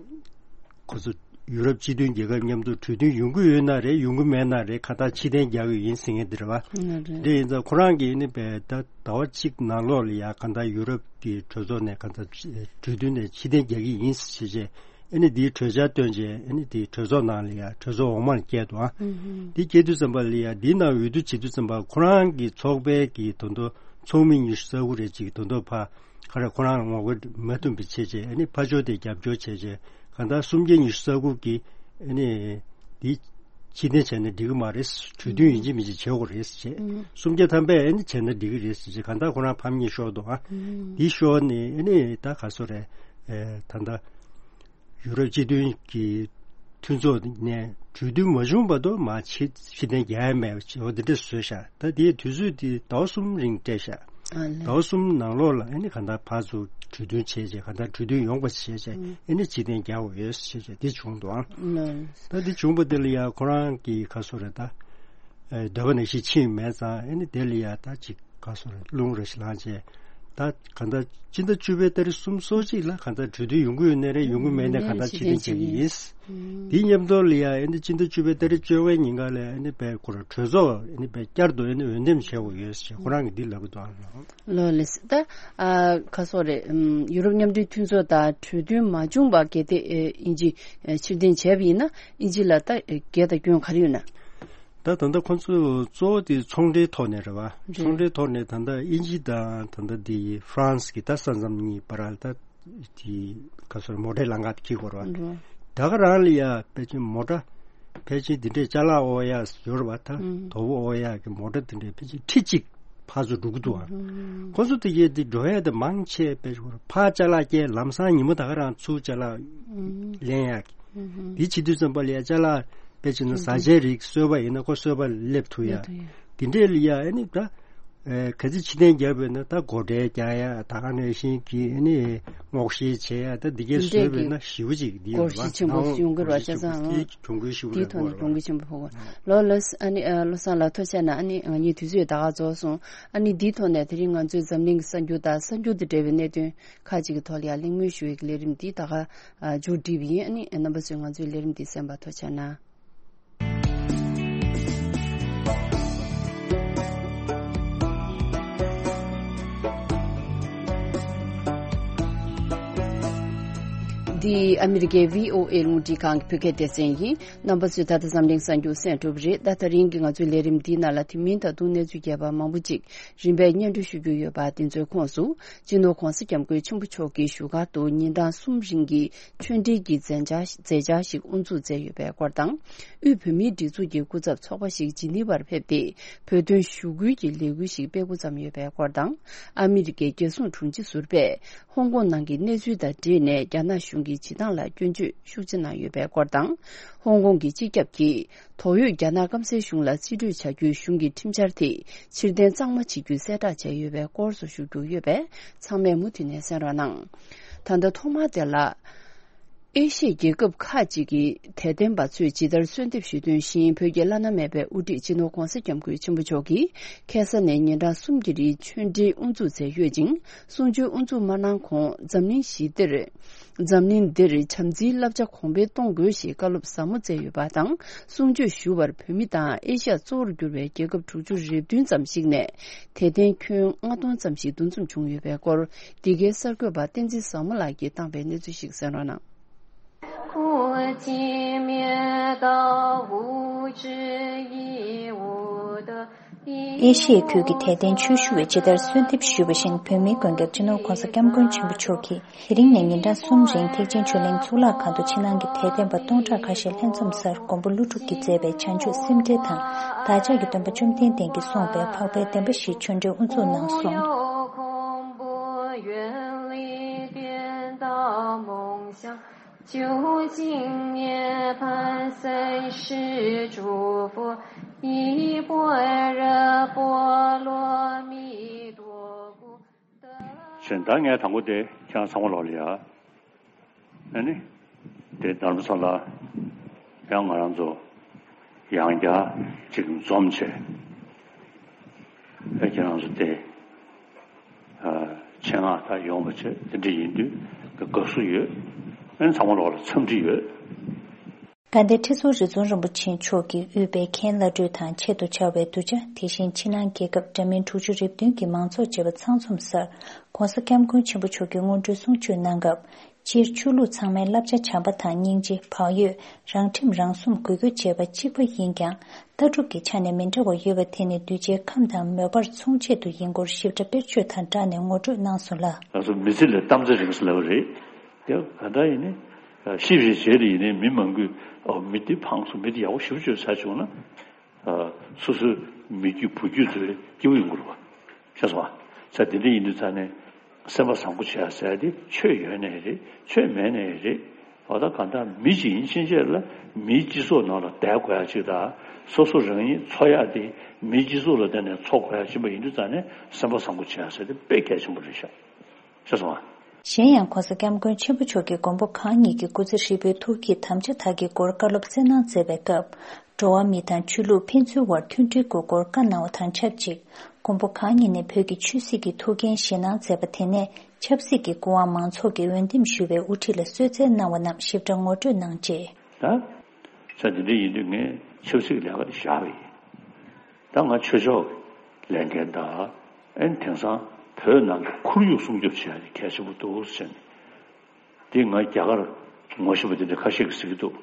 ཁོ་ཚོ་ཡུ་རོབ་སྤྱི་མཐུན་རྒྱལ་ཁབ་མཉམ་དུ་གྲོས་མཐུན་ཡོང་གི་ཡོད་ན་རེད། ཡོང་གི་མེད་ན་རེད། ཁ་ཐག་ཕྱིར་འཐེན་རྒྱག་གི་ཡིན་ཟེར་མཁན་འདི་རེད་བ། ཨ་རེད། འདི་ཡིན་ཙང་ཁོ་རང་གིས་ནི་བས་ད་ཟླ་བ་གཅིག་ནང་ལོགས་ལ་ཡ་ག་འདྲ་ཡུ་རོབ་ཀྱི་གྲོས་ཚོགས་ནས་ག་འདྲ་གྲོས་མཐུན་ནས་ཕྱིར་འཐེན་རྒྱག་གི་ཡིན་ཟེར་བྱས། ཨ་ནི་དེའི་གྲོས་འཆར་བཏོན་རྗེས། ཨ་ནི་དེའི་གྲོས་ཚོགས་ནང་ལ་ཡ་གྲོས་ཚོགས་འོག་མར་བསྐྱལ་འདུག་ཨ། ཨུ་ཧུམ། དེ་བསྐྱལ་དུས་ཙམ་པ་ལ་ཡ་དེའི་ནང་འོས་བསྡུ་བྱེད་དུས་ཙམ་པ་ཁོ་རང་གི་ཚོགས་པའི་གི་དོན་དུ་ཚོགས་མི་ཉི་ཤུ་རྩ་དགུ་རེ་ཅིག་དོན་དུ་ཕ་ག་རེ་ཁོ་རང་ལ་ངོ་རྒོལ་མ་ཐུབ་པའི་ཆེད་བྱས། ཨ་ནི་ཕར་ཕྱོགས་དེ་རྒྱབ་སྐྱོར་བྱས་རྗེས་གང་ལྟར་སུམ་བརྒྱ་ཉི་ཤུ་རྩ་དགུ་གིས་ཨ་ནི་དེ་ཕྱིར་འཐེན་བྱས་ན་འགྲིག་གི་མ་རེད། གྲོས་མཐུན་ཡིན་གཅིག་མིན་གཅིག་བྱེད་དགོས་རེད་ཟེར་བྱས། ཨུ་ཧུམ། སུམ་བརྒྱ་ཐམ་པས་ཨ་ནི་བྱས་ན་འགྲིག་གི་རེད་ཟེར་བྱས། གང་ལྟར་ཁོ་རང་ཕམ་ཉེས་ཤོར་འདུག་ཨ། ཨུ་ཧུམ། དེ་ཤོར་ནས་ཨ་ནི་ད་ག་སོ་རེད། ཨེ་ད་ལྟ་ཡུ་རོབ་སྤྱི་མཐུན་གྱི་མཐུན་ཚོགས་ནས་གྲོས་མཐུན་མ་བྱུང་བར་དུ་མར་ཕྱིར་ཕྱིར་འཐེན་རྒྱག་ཡ་མེད་པ་འོ་དེ་འདྲ་བཟོས་ཤག་ད་དེའི་དུས་ཚོད་དེ་ཟླ་བ་གསུམ་རིང་སྤྲད་ཤག་ཨ་ལས། ཟླ་བ་གསུམ་ནང་ལོགས་ལ་ཨ་ནི་གང་ལྟར་ཕར་ཚུར་གྲོས་མཐུན་བྱས་རྗེས། གང་ལྟར་གྲོས་མཐུན་ཡོང་པ་བྱས་རྗེས། ཨ་ནི་ཕྱིར་འཐེན་རྒྱག་དགོས་ཡོད་ཟེར་བྱས་དེ་བྱུང་འདུག་ཨང་། ལས། ད་དེ་བྱུང་བ་དེ་ལ་ཡ་ཁོ་རང་གི་ག་སོ་རེད་ད། ཨེ་འདོད་པ་ནང་བཞིན་ཕྱིན་མེད་ཙང་། ཨ་ནི་དེ་ལ་ཡ་ད་ཅིག་ག་སོ་རེད། རླུང་རེ་ཞིག་ལངས་བྱས། ད་གང་ལྟར་སྤྱི་ཟླ་བཅུ་པའི་ཏ་རིག་གསུམ་སོ་གཅིག་ལ་གང་ལྟར་གྲོས་མཐུན་ཡོང་གི་ཡོད་ནའི་རེད། ཡོང་གི་མེད་ནའི་གང་ལྟར་ཕྱིར་འཐེན་བྱེད་ཀྱི་ཡིན། དེའི་མཉམ་དུ་ལ་ཡ་ཨ་ནི་སྤྱི་ཟླ་བཅུ་པའི་ཏ་རིག་བཅོ་ལྔའི་ཉིན་ཀ་ལ་ཨ་ནི་དཔེ་ཁོ་རང་གྲོས་ཚོགས་ཨ་ནི་དཔེ་བསྐྱར་དུ་ཨ་ནི་འོས་འདེམས་བྱེད་དགོས་ཡོད་ཟེར་ཁོ་རང་གིས་འདི་ལབ་ཀྱི་འདུག་ཨ། ལོ་ལེ་སི་ད། ཨ་ག་སོ་རེད། ཨམ་ཡུ་རོབ་མཉམ་འབྲེལ་མཐུན་ཚོགས་དང་གྲོས་མཐུན་མ་བྱུང་བར་གལ་ཏེ་ཨེ་དབྱིན་ཇི་ཨེ་ཕྱིར་འཐེན་བྱས་པ་ཡིན་ན། དབྱིན་ཇི་ལ་ད་ཨེ་འགལ་དང་སྐྱོན་ག་རེ་ཡོད་ན། ད་ད་ལྟ་ཁོང་ཚོས་གཙོ་བོ་དེ་ཚོང་འབྲེལ་ཐོག་ནས་རེད་བ། རེད། ཚོང་འབྲེལ་ཐོག་ནས་ད་ལྟ་དབྱིན་ཇི་དང་ད་ལྟ་དེ་ཧྥ་རན་སི་གི་ད་ས་མཚམས་གཉིས་བར་ལ་ད་དེ་ག་སོ་རེད། མོ་ཊའི་ལམ་ཁ་དེ་འཁྱེར་དགོས་རེད་བ། རེད། ད་ག་རང་ལ་ཡ་ཕལ་ཆེར་མོ་ཊ་ཕལ་ཆེར་འདི་འདྲའི་ཅ་ལག་འོ་ཡ་ཡོད་རེད་བ། ད་ཨུ། དོ་པོ་འོ་ཡ་གི་མོ་ཊ་འདི་འདྲའི་ཕལ་ཆེར་ཁྲི་གཅིག་ཕར་ཚུར་འགྲོ་གི་འདུག་ཨ། ཨུ། ཁོ་ཚོ་དེ་གས་དེ་འགྲོ་ཡ་དེ་མང་ཆེ་ཕལ་ཆེར་ཕར་ཅ་ལག་སྐྱེལ། ལམ་སང་ཉིན་མོ་ད་ག་རང་ཚུར་ཅ་ལག་ཨུ། ལེན་ཡ་གི། ཨུ། དེ་བྱེད་དུས་ཙམ་པ་ལ་ཡ་ཅ་ལག་དཔེ་བྱས་ན་བཟའ་བཅའི་རིགས་གསོལ་བ་ཡིན་ན་ཁོ་གསོལ་བ་སླེབས་ཐུབ་ཡ། སླེབས་ཐུབ་ཡ། དེ་འདྲས་ལ་ཡ་ཨ་ནི་ད་ཨེ་ག་ཚོད་ཕྱིར་འཐེན་བརྒྱབ་པས་ན་ད་སྒོ་ཁྲལ་རྒྱག་ཡ། ད་ག་ནང་བཞིན་གྱི་ཨ་ནི་སྔོག་བཤེར་བྱེད་ཡ། ད་འདི་གས་བཟོས་པས་ན་ཞེ་པོ་ཅིག་འདི་ཡོད་རེད་བ། སྒོར་གཞི་ཆེན་པོ་ཡོང་གི་རེད་བ། བྱས་ཙང་དེ་གྱོང་གུན་ཞེ་པོ་དེའི་ཐོག་ནས་གྱོང་གུན་ཆེན་པོ་ཕོག་གི་རེད། ལོ་ལོས་ཨ་ནི་ཨ་བློ་བཟང་ལགས་ཐུགས་རྗེ་གནང་། ཨ་ནི་ང་གཉིས་དུས་ཚོད་ད་ག་རྫོགས་སོང་། ཨ་ནི་འདིའི་ཐོག་ནས་དེ་རིང་ང་ཚོའི་འཛམ་གླིང་གི་གསར་འགྱུར་དང་གསར་འགྱུར་དང་འབྲེལ་བའི་གནད་དོན་ཁག་ཅིག་གི་ཐོག་ལ་ཡང་གླེང་མོལ་ཞུ་བའི་ལས་རིམ་འདི་ད་ག་མཇུག་སྒྲིལ་བ་ཡིན། ཨ་ནི་རྣམ་པ་ཚོས་ང་ཚོའི་ལས་རིམ་འདི་གསན་པར་ཐུགས་རྗེ་གནང་། འདི་ཨ་མི་རི་ཀའི་བྷི་ཨོ་ཨེ་རླུང་འཕྲིན་ཁང་གི་བོད་སྐད་སྡེ་ཚན་ཡིན། རྣམ་པ་ཚོས་ད་ལྟ་འཛམ་གླིང་གསར་འགྱུར་གསན་གྲུབ་རེད། ད་དེ་རིང་གི་ང་ཚོའི་ལས་རིམ་འདིའི་ནང་ལ་དེ་མིན་ད་དུང་གནས་ཚུལ་རྒྱས་པ་མང་པོ་ཅིག་རིམ་པས་སྙན་སྒྲོན་ཞུ་རྒྱུ་ཡོད་པ། དེ་ཚོའི་ཁོངས་སུ། སྤྱི་ནོར་༧གོང་ས་༧སྐྱབས་མགོན་ཆེན་པོ་མཆོག་གིས་བཞུགས་སྒར་དུ་ཉིན་གྲངས་གསུམ་རིང་གི་ཆོས་འབྲེལ་གྱི་མཛད་འཆར་མཛད་འཆར་ཞིག་དབུ་འཛུགས་མཛད་ཡོད་པའི་སྐོར་དང་། དབུས་བོད་མིའི་སྒྲིག་འཛུགས་ཀྱི་སྐུ་ཚབ་ཚོགས་པ་ཞིག་ཇི་ནི་ཝར་ཕེབས་ཏེ། བོད་དོན་ཞུ་སྐུལ་གྱི་ལས་འགུལ་ཞིག་སྤེལ་འགོ་བརྩམས་ཡོད་པའི་སྐོར་དང་། ཨ་མི་རི་ཀའི་རྒྱལ་སྲུང་དྲུང་ཆེ་ཟུར་པས། ཧོང་ཀོང་ནང་གི་གནས་ཚུལ་དང་འབྲེལ་ནས། རྒྱ་ནག་གཞུང་གི་བྱེད་སྟངས་ལ་སྐྱོན་བརྗོད་ཤུགས་ཆེ་གནང་ཡོད་པའི་སྐོར་དང་། ཧོང་ཀོང་གི་སྤྱི་ཁྱབ་ཀྱིས། དོགས་ཡོད་རྒྱ་ནག་སྐམ་སའི་གཞུང་ལ་རྩིས་སྤྲོད་བྱ་རྒྱུའི་གཞུང་གི་ཁྲིམས་འཆར་དེ། ཕྱིར་འཐེན་གཙང་མ་བྱེད་རྒྱུའི་གསལ་བསྒྲགས་བྱས་ཡོད་པའི་སྐོར་སོགས་ཞུ་རྒྱུ་ཡོད་པས། ཚང་མས་མུ་མཐུད་ནས་གསན་རོགས་གནང་། ད་ལྟ་ཐོག་མར་དེ་ལ། ཨེ་ཤི་ཡའི་རྒྱལ་ཁབ་ཁག་ཅིག་གི་དད་ལྡན་པ་ཚོས་ཇི་ལྟར་གསོལ་འདེབས་ཞུས་དོན་བཞིན། བོད་ཀྱི་བླ་ན་མེད་པའི་དབུ་ཁྲིད་སྤྱི་ནོར་༧གོང་ས་༧སྐྱབས་མགོན་ཆེན་པོ་མཆོག་གིས། ཁ་སང་ནས་ཉིན་གྲངས་གསུམ་གྱི་རིང་ཆོས་འབྲེལ་དབུ་འཛུགས་མཛད་ཡོད་ཅིང་། གསུང་ཆོས་དབུ་འཛུགས་མ་གནང་གོང་། འཛམ་གླིང་ཞི་བདེར། འཛམ་གླིང་འདིར་བྱམས་བརྩེའི་བསླབ་བྱ་གོང་འཕེལ་གཏོང་དགོས་ཞེས་བཀའ་སློབ་ཟབ་མོ་སྩལ་ཡོད་པ་དང་། གསུང་ཆོས་ཞུ་བར་བོད་མི་དང་ཨེ་ཤ་ཡ་གཙོ་བོར་གྱུར་བའི་རྒྱལ་ཁབ་དྲུག་ཅུ་རེ་བདུན་ཙམ་ཞིག་ནས། དད་ལྡན་ཁྱོན་ལྔ་སྟོང་ཙམ་ཞིག་འདུ་འཛོམས་བྱུང་ཡོད་པའི་སྐོར། འདི་གའི་གསར་འགོད་པ་བསྟན་འཛིན་བཟང་མོ་ལགས་ཀྱིས་བཏང་པའི་གནས་ཚུལ་ཞིག་གསན་རོགས་གནང་། ཨེ་ཤི་ཡའི་ཁུལ་གྱི་དད་ལྡན་ཆོས་ཞུ་བས་ཇི་ལྟར་གསོལ་འདེབས་ཞུས་པ་བཞིན། བོད་མིའི་མགོན་སྐྱབས་སྤྱི་ནོར་༧གོང་ས་༧སྐྱབས་མགོན་ཆེན་པོ་མཆོག་གིས། དེ་རིང་ནས་ཉིན་གྲངས་གསུམ་རིང་ཐེག་ཆེན་ཆོས་གླིང་གཙུག་ལག་ཁང་དུ་ཕྱི་ནང་གི་དད་ལྡན་པ་སྟོང་ཕྲག་ཁ་ཤས་ལྷན་འཛོམས་སར། མགོན་པོ་ཀླུ་སྒྲུབ་ཀྱིས་མཛད་པའི་བྱང་ཆུབ་སེམས་འགྲེལ་དང་། བདག་ཅག་གི་སྟོན་པ་བཅོམ་ལྡན་འདས་ཀྱིས་གསུངས་པའི་འཕགས་པའི་བདེན་པ་བཞིའི་ཆོས་འབྲེལ་དབུ་འཛུགས་གནང་སོང་། ཅེས། ད་ངས་དང་པོ་དེ་ཁྱེད་རང་ཚང་མ་ལོག་ལ་ཡ། ཨ་ནི། དེ་རྡ་རམ་ས་ལ་ཡང་ང་རང་ཚོ་ཡང་བསྐྱར་ཅིག་འཛོམས་བྱས། ཨེ་ཁྱེད་རང་ཚོ་དེ་ཨ་ཆེད་མངགས་ད་ཡོང་བ་བྱས། དེ་འདྲ་ཡིན་དུས་དགའ་བསུ་ཡོད། ཨ་ནི་ཚང་མ་ལོག་ལ་འཚམས་འདྲི་ཡོད། དགའ་ལྡན་ཁྲི་ཟུར་རི་ཛོན་རིན་པོ་ཆེ་མཆོག་གིས་དབུས་པའི་མཁན་བླ་སྤྲུལ་དང་ཆེད་དུ་བཅར་བའི་གདུལ་བྱ། དེ་བཞིན་ཕྱི་ནང་རྒྱལ་ཁབ་འདྲ་མིན་དྲུག་ཅུ་རེ་བདུན་གྱི་མང་ཚོགས་བཅས་པ་ཚང་འཛོམས་སར། ྋགོང་ས་ྋསྐྱབས་མགོན་ཆེན་པོ་མཆོག་གིས་སྔོན་འགྲོའི་གསུང་ཆོས་གནང་སྐབས། སྤྱིར་ཆོས་ལུགས་ཚང་མའི་བསླབ་བྱ་བྱམས་པ་དང་སྙིང་རྗེ། བག་ཡོད། རང་ཁྲིམས་རང་སྲུང་། གུས་གུས་བཅས་པ་གཅིག་པ་ཡིན་ཀྱང་། ལྟ་གྲུབ་ཀྱི་ཆ་ནས་མི་འདྲ་བ་ཡོད་པ་དེ་ནི་གདུལ་བྱའི་ཁམས་དང་མོས་པར་མཚུངས་ཆེད་དུ་ཡིན་སྐོར་ཞིབ་ཕྲ་དཔེར་བརྗོད་དང་སྦྲགས་ནས་ངོ་སྤྲོད་གནང་སོང་ལ། ང་ཚོ་མི་ཚེ་ལས་གཏམ་ཚེ་རིང་ཟེར་ལབ་པ་རེད། དེ་ག་འདྲ་ཡིན་ནའི་ཤེས་བཞིན་བྱས་ཏེ་ཡིན་ནའི་མི་མང་པོས་ཨོ་མི་དེ་ཕངས་སོང་། མི་དེ་ཡག་པོ་ཞེ་པོ་ཅིག་བྱས་བྱུང་ན། སོ་སོའི་མི་རྒྱུད་བུ་རྒྱུད་ཚོའི་སྐྱིད་པོ་ཡོང་གི་རེད་པ། ཤེས་སོང་ཨ། ས་དེ་འདྲ་ཡིན་དུས་ཙང་ནས་སེམས་པ་བཟང་པོ་བྱེད་ཡ་ཟེར་ཡ་དེ་ཆོས་ཡོད་ནའི་རེད། ཆོས་མེད་ནའི་རེད། འོ་ད་གང་ལྟར་མི་ཞིག་ཡིན་ཕྱིན་ཆད་ལ་མིའི་སྤྱི་ཚོགས་ནང་ལ་བསྡད་དགོས་ཡ་ཅིག་དང་། སོ་སོ་རང་ཉིད་འཚོ་ཡ་དེ་མིའི་སྤྱི་ཚོགས་ལ་བརྟེན་ནས་འཚོ་དགོས་ཡ་ཅིག་ཡིན་དུས་ཙང་ནས་སེམས་པ་བཟང་པོ་བྱེད་ཡ་ཟེར་དེ་དཔེ་གལ་ཆེན་པོ་རེད་ཤག། ཤེས་སོང་ཨ། གཞན་ཡང་ྋགོང་ས་ྋསྐྱབས་མགོན་ཆེན་པོ་མཆོག་གིས་མགོན་པོ་གང་ཉིད་ཀྱི་སྐུ་ཚེ་ཧྲིལ་པོའི་ཐུགས་བསྐྱེད་དམ་བཅའ་དག་གི་སྐོར་བཀའ་སློབ་སྩལ་གནང་མཛད་པའི་སྐབས། འགྲོ་བ་མི་དང་ཆོས་ལུགས་ཕན་ཚུན་དབར་མཐུན་སྒྲིལ་དགོས་སྐོར་བཀའ་གནང་བ་དང་ཆབས་ཅིག། མགོན་པོ་གང་ཉིད་ནས་བོད་ཀྱི་ཆོས་སྲིད་ཀྱི་ཐུགས་འགན་བཞེས་གནང་མཛད་པ་དེ་ནས་ཆབ་སྲིད་ཀྱི་སྐུ་དབང་མང་ཚོགས་ཀྱིས་འོས་འདེམས་ཞུས་པའི་དབུ་ཁྲིད་ལ་གསོལ་སྩལ་གནང་བ་རྣམས་ཞིབ་ཕྲ་ངོ་སྤྲོད་གནང་རྗེས། ད་ཆ་དེ་འདྲ་ཡིན་དུས་ངས་ཆབ་སྲིད་ཀྱི་ལས་ཀ་དེ་བཞག་པ་ཡིན། ད་ང་ཆོས་ཕྱོགས་ཀྱི་ལས་འགན་དང་། ཨན་དེང་སང་བོད་ནང་གི་ཁོར་ཡུག་སྲུང་སྐྱོབ་བྱེད་ཡ་དེ་གལ་ཆེན་པོ་འདུག་ཟེར་ནས། འདི་ང་རྒྱ་གར་ངོ་ཤེས་པ་དེ་འདྲ་ཁ་ཤས་ཀྱིས་ཟེར་གྱི་འདུག།